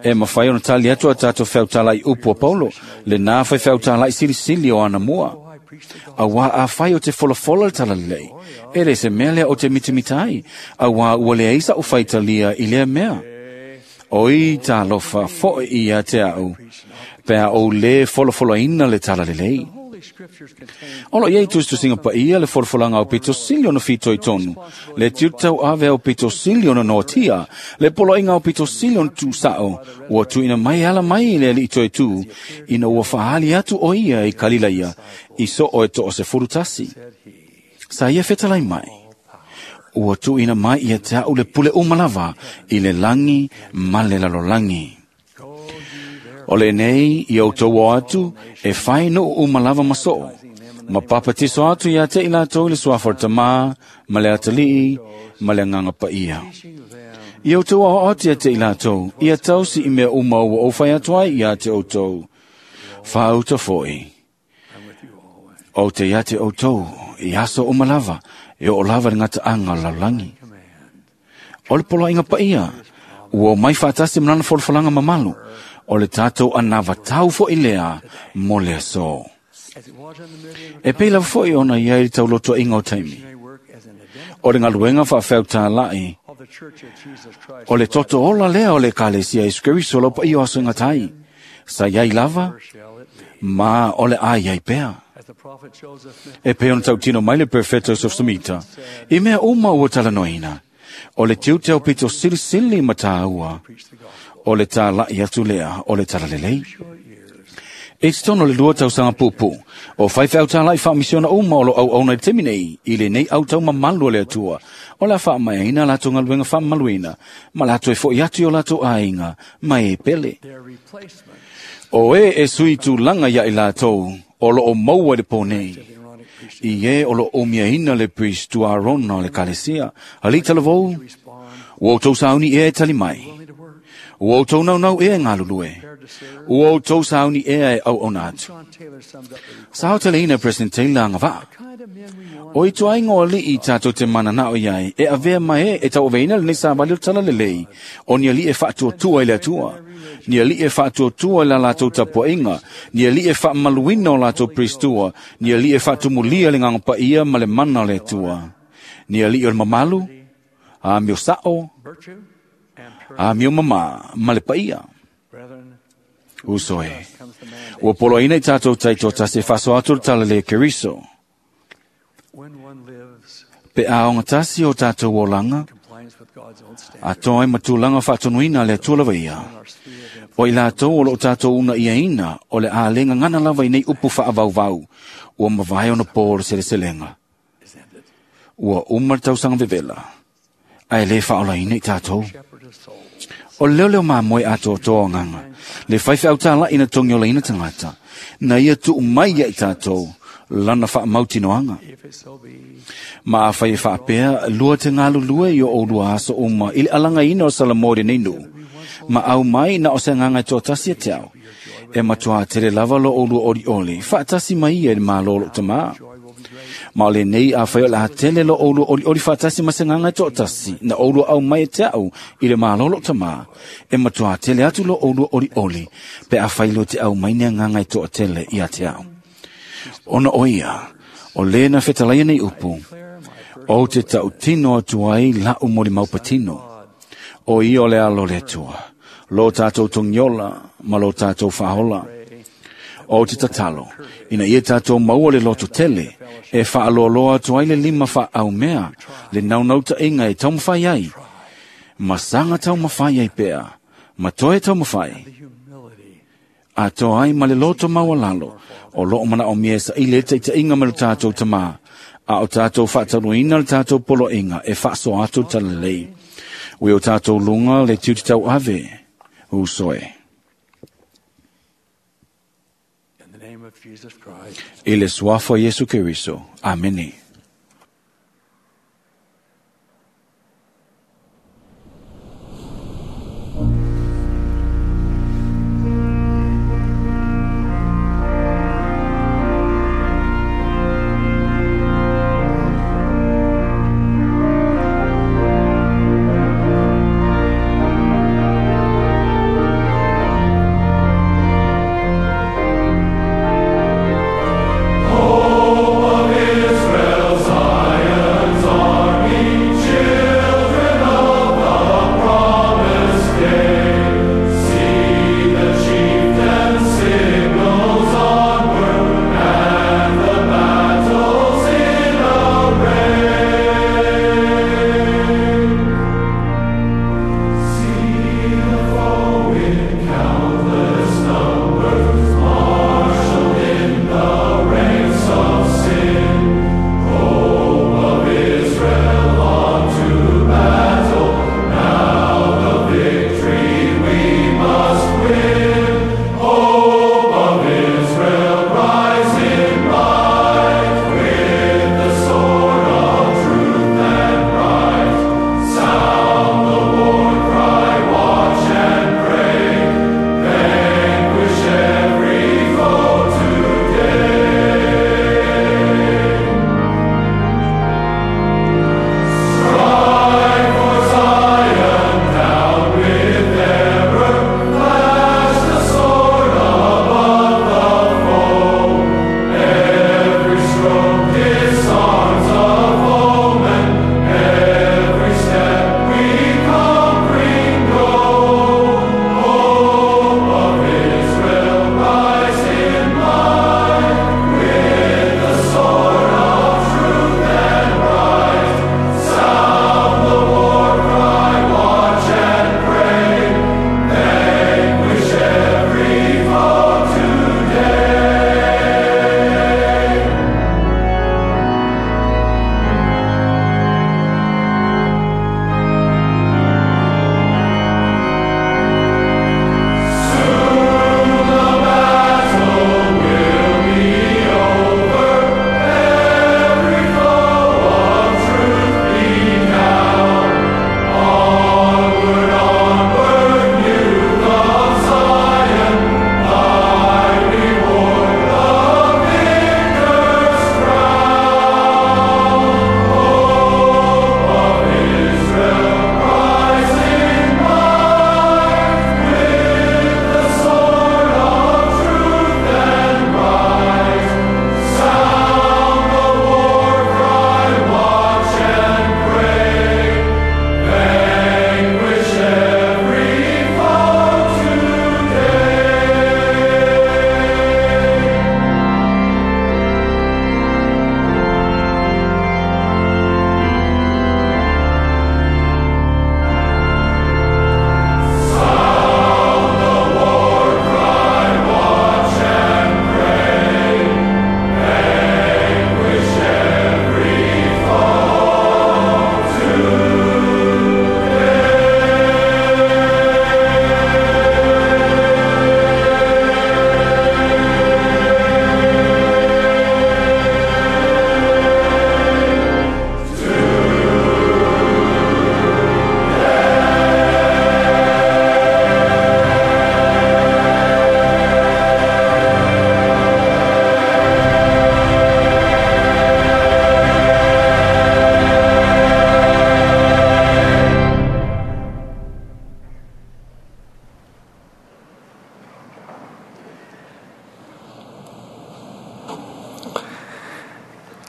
E mawhai ona tali atu a tātou wheutalai upu a Paulo, le nā whai wheutalai silisili o ana mua. A wā a whai o te folafola le talalei, e le se mea lea o te mitimitai, a wā ua le eisa o whaitalia i lea mea. Oi tālofa foe ia te au, pea o le folafolaina le talalelei. Olo iei tustusinga pa ia le folafolanga o pito sili ona fito i tonu, le tiutau ave o pito sili ona noatia, le poloinga o pito sili ona tūsao, ua tuina mai ala mai le ali ito e tū, ina ua whaali atu o ia i kalila ia, i so o e to o se furutasi. Sa ia fetalai mai, ua tuina mai ia te au le pule umalava i le langi ma le lalolangi. O le nei, i au tau atu, e whai no umalava maso. Ma papatiso atu ia te ila tau le suafa tamā, ma le atalii, ma le nganga pa ia. I au tau ao atu ia te ila tau, ia tau si i mea uma ua o whai atu ai ia te o tau. Whauta foi. O te ia te o tau, i aso umalava, e o lava le ngata anga laulangi. O le polo inga pa ia, ua mai whaatasi mlana folfolanga mamalu, o le tātou anava tau fo i lea, mo lea so. E pēla fo i ona ia i tau loto inga o taimi. O le ngaluenga whaawheu tā lai, o le toto ola lea o le kalesia i skeriso laupa i o aso inga tai. Sa iai lava, ma o le ai ai pea. E pē ona tautino mai le perfecto Joseph Smith. I mea uma ua talanoina. O le tiu teo pito silisili mataua. O le tā lai atu lea, o le talalelei. E te tono le lua tausanga pupu. O whaiwhau tā lai whaamisiona uma o lo au au nei temi nei, i le nei au tau mamalu o le atua. O la whaamaina lato ngaluenga whaamaluina, ma lato e fo i atu o lato ainga, mai e pele. O e e sui tūlanga ia i latou, o lo o maua le pōnei. I e o lo o miaina le priest tu Arona le kalesia, alita le vou, ua o tau sauni e e tali mai. Ua o tau nau nau e ngalulue. Ua o tau sauni e e au ona atu. Sao tele ina President Taylor anga vaa. O i tuai ngō li i tātou te mana nao iai, e avea mai e e tau aveina le nisa wali o tala lelei, o nia li e whaatua i le atua. Nia li e whaatua i la lātou tapuainga, nia li e whaamaluina o lātou priestua, nia li e whaatumulia le nganga paia ma le mana le atua. Nia li o le mamalu, a mio sao, a mio mama ma le paia. Uso e, ua polo ina i tātou taito tase whaso atu le tala le Keriso. Pe aonga tasi o tātou olanga, a toi matulanga whaatonuina le atua lava ia. O i lātou o lo tātou una ia ina, o le ālenga ngana lava i nei upu whaavauvau, ua mawai ona pō le seleselenga. Ua umar tausanga vevela, ai le whaola ina i tātou. O leo leo mā moe ato toa nganga, le whaiwhau tāla ina tongi o leina tangata, na ia tu mai ia i tātou, lana wha mautinoanga. Ma a whai e whaapea, lua te ngalu lua i o o lua aso uma, i le alanga ina o Salamore nei nu. Ma au mai na o se nganga i tōtasi e te au. E matua tere lava lo o lua ori oli, whaatasi mai ia i le mālolo tamā. Ma o le nei a whai o la tele lo o lua ori ori whaatasi ma se nganga i tōtasi, na o lua au mai e te au i le mālolo tamā. E matua tele atu lo o lua ori oli, pe a whai lo te au mai nea nganga i tōtele i a te au. Ona o ia, o lena whetalaia nei upu, o te tautino atu ai la umori maupatino, o ia o le alo le atua, lo tātou tongiola, ma lo tātou whahola. O te tatalo, ina ia tātou maua le loto tele, e whaaloaloa atu ai le lima whaaumea, le naunauta inga e taumawhai ai, masanga taumawhai ai pea, ma toe taumawhai. A toa ai ma le loto maualalo, o loo mana o mea sa ile te te inga me lo tātou tamā, a o tātou whaataruina le tātou polo inga e whaaso atu talalei. Ui o tātou lunga le tiuti tau ave, usoe. I le suafo Yesu Keriso. Amene.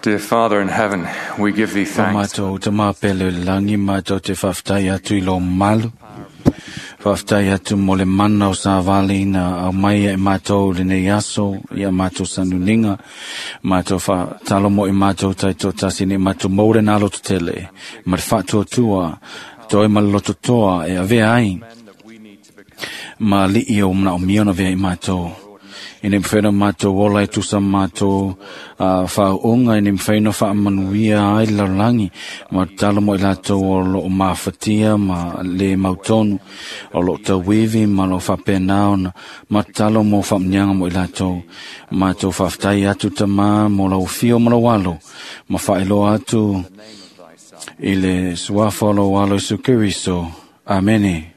Dear Father in heaven, we give thee O thanks. mātou te māpele o le langi, mātou te whawhtai atu i lo malu. Whawhtai atu mo le mana o sa vali na au mai e mātou le nei aso, i a mātou sanuninga, mātou wha mo i mātou tai tō tasi ni mātou maure nā loto tele, ma te whātua tua, toi ma le loto toa e avea ai, ma li i o mana o miona vea i mātou. Ine mwhaina mātou ola e tusa mātou uh, whaonga, ine mwhaina whaamanuia ai le lalolagi, ma talo mo i latou o loo mafatia ma le mautonu, o loo tauivi ma loo faapena ona, ma talo mo faamaniaga mo i latou. Mātou faafetai atu tamā mo lau fio ma lau alo, ma faailoa atu i le suafa o lau alo Iesu Keriso. Amene.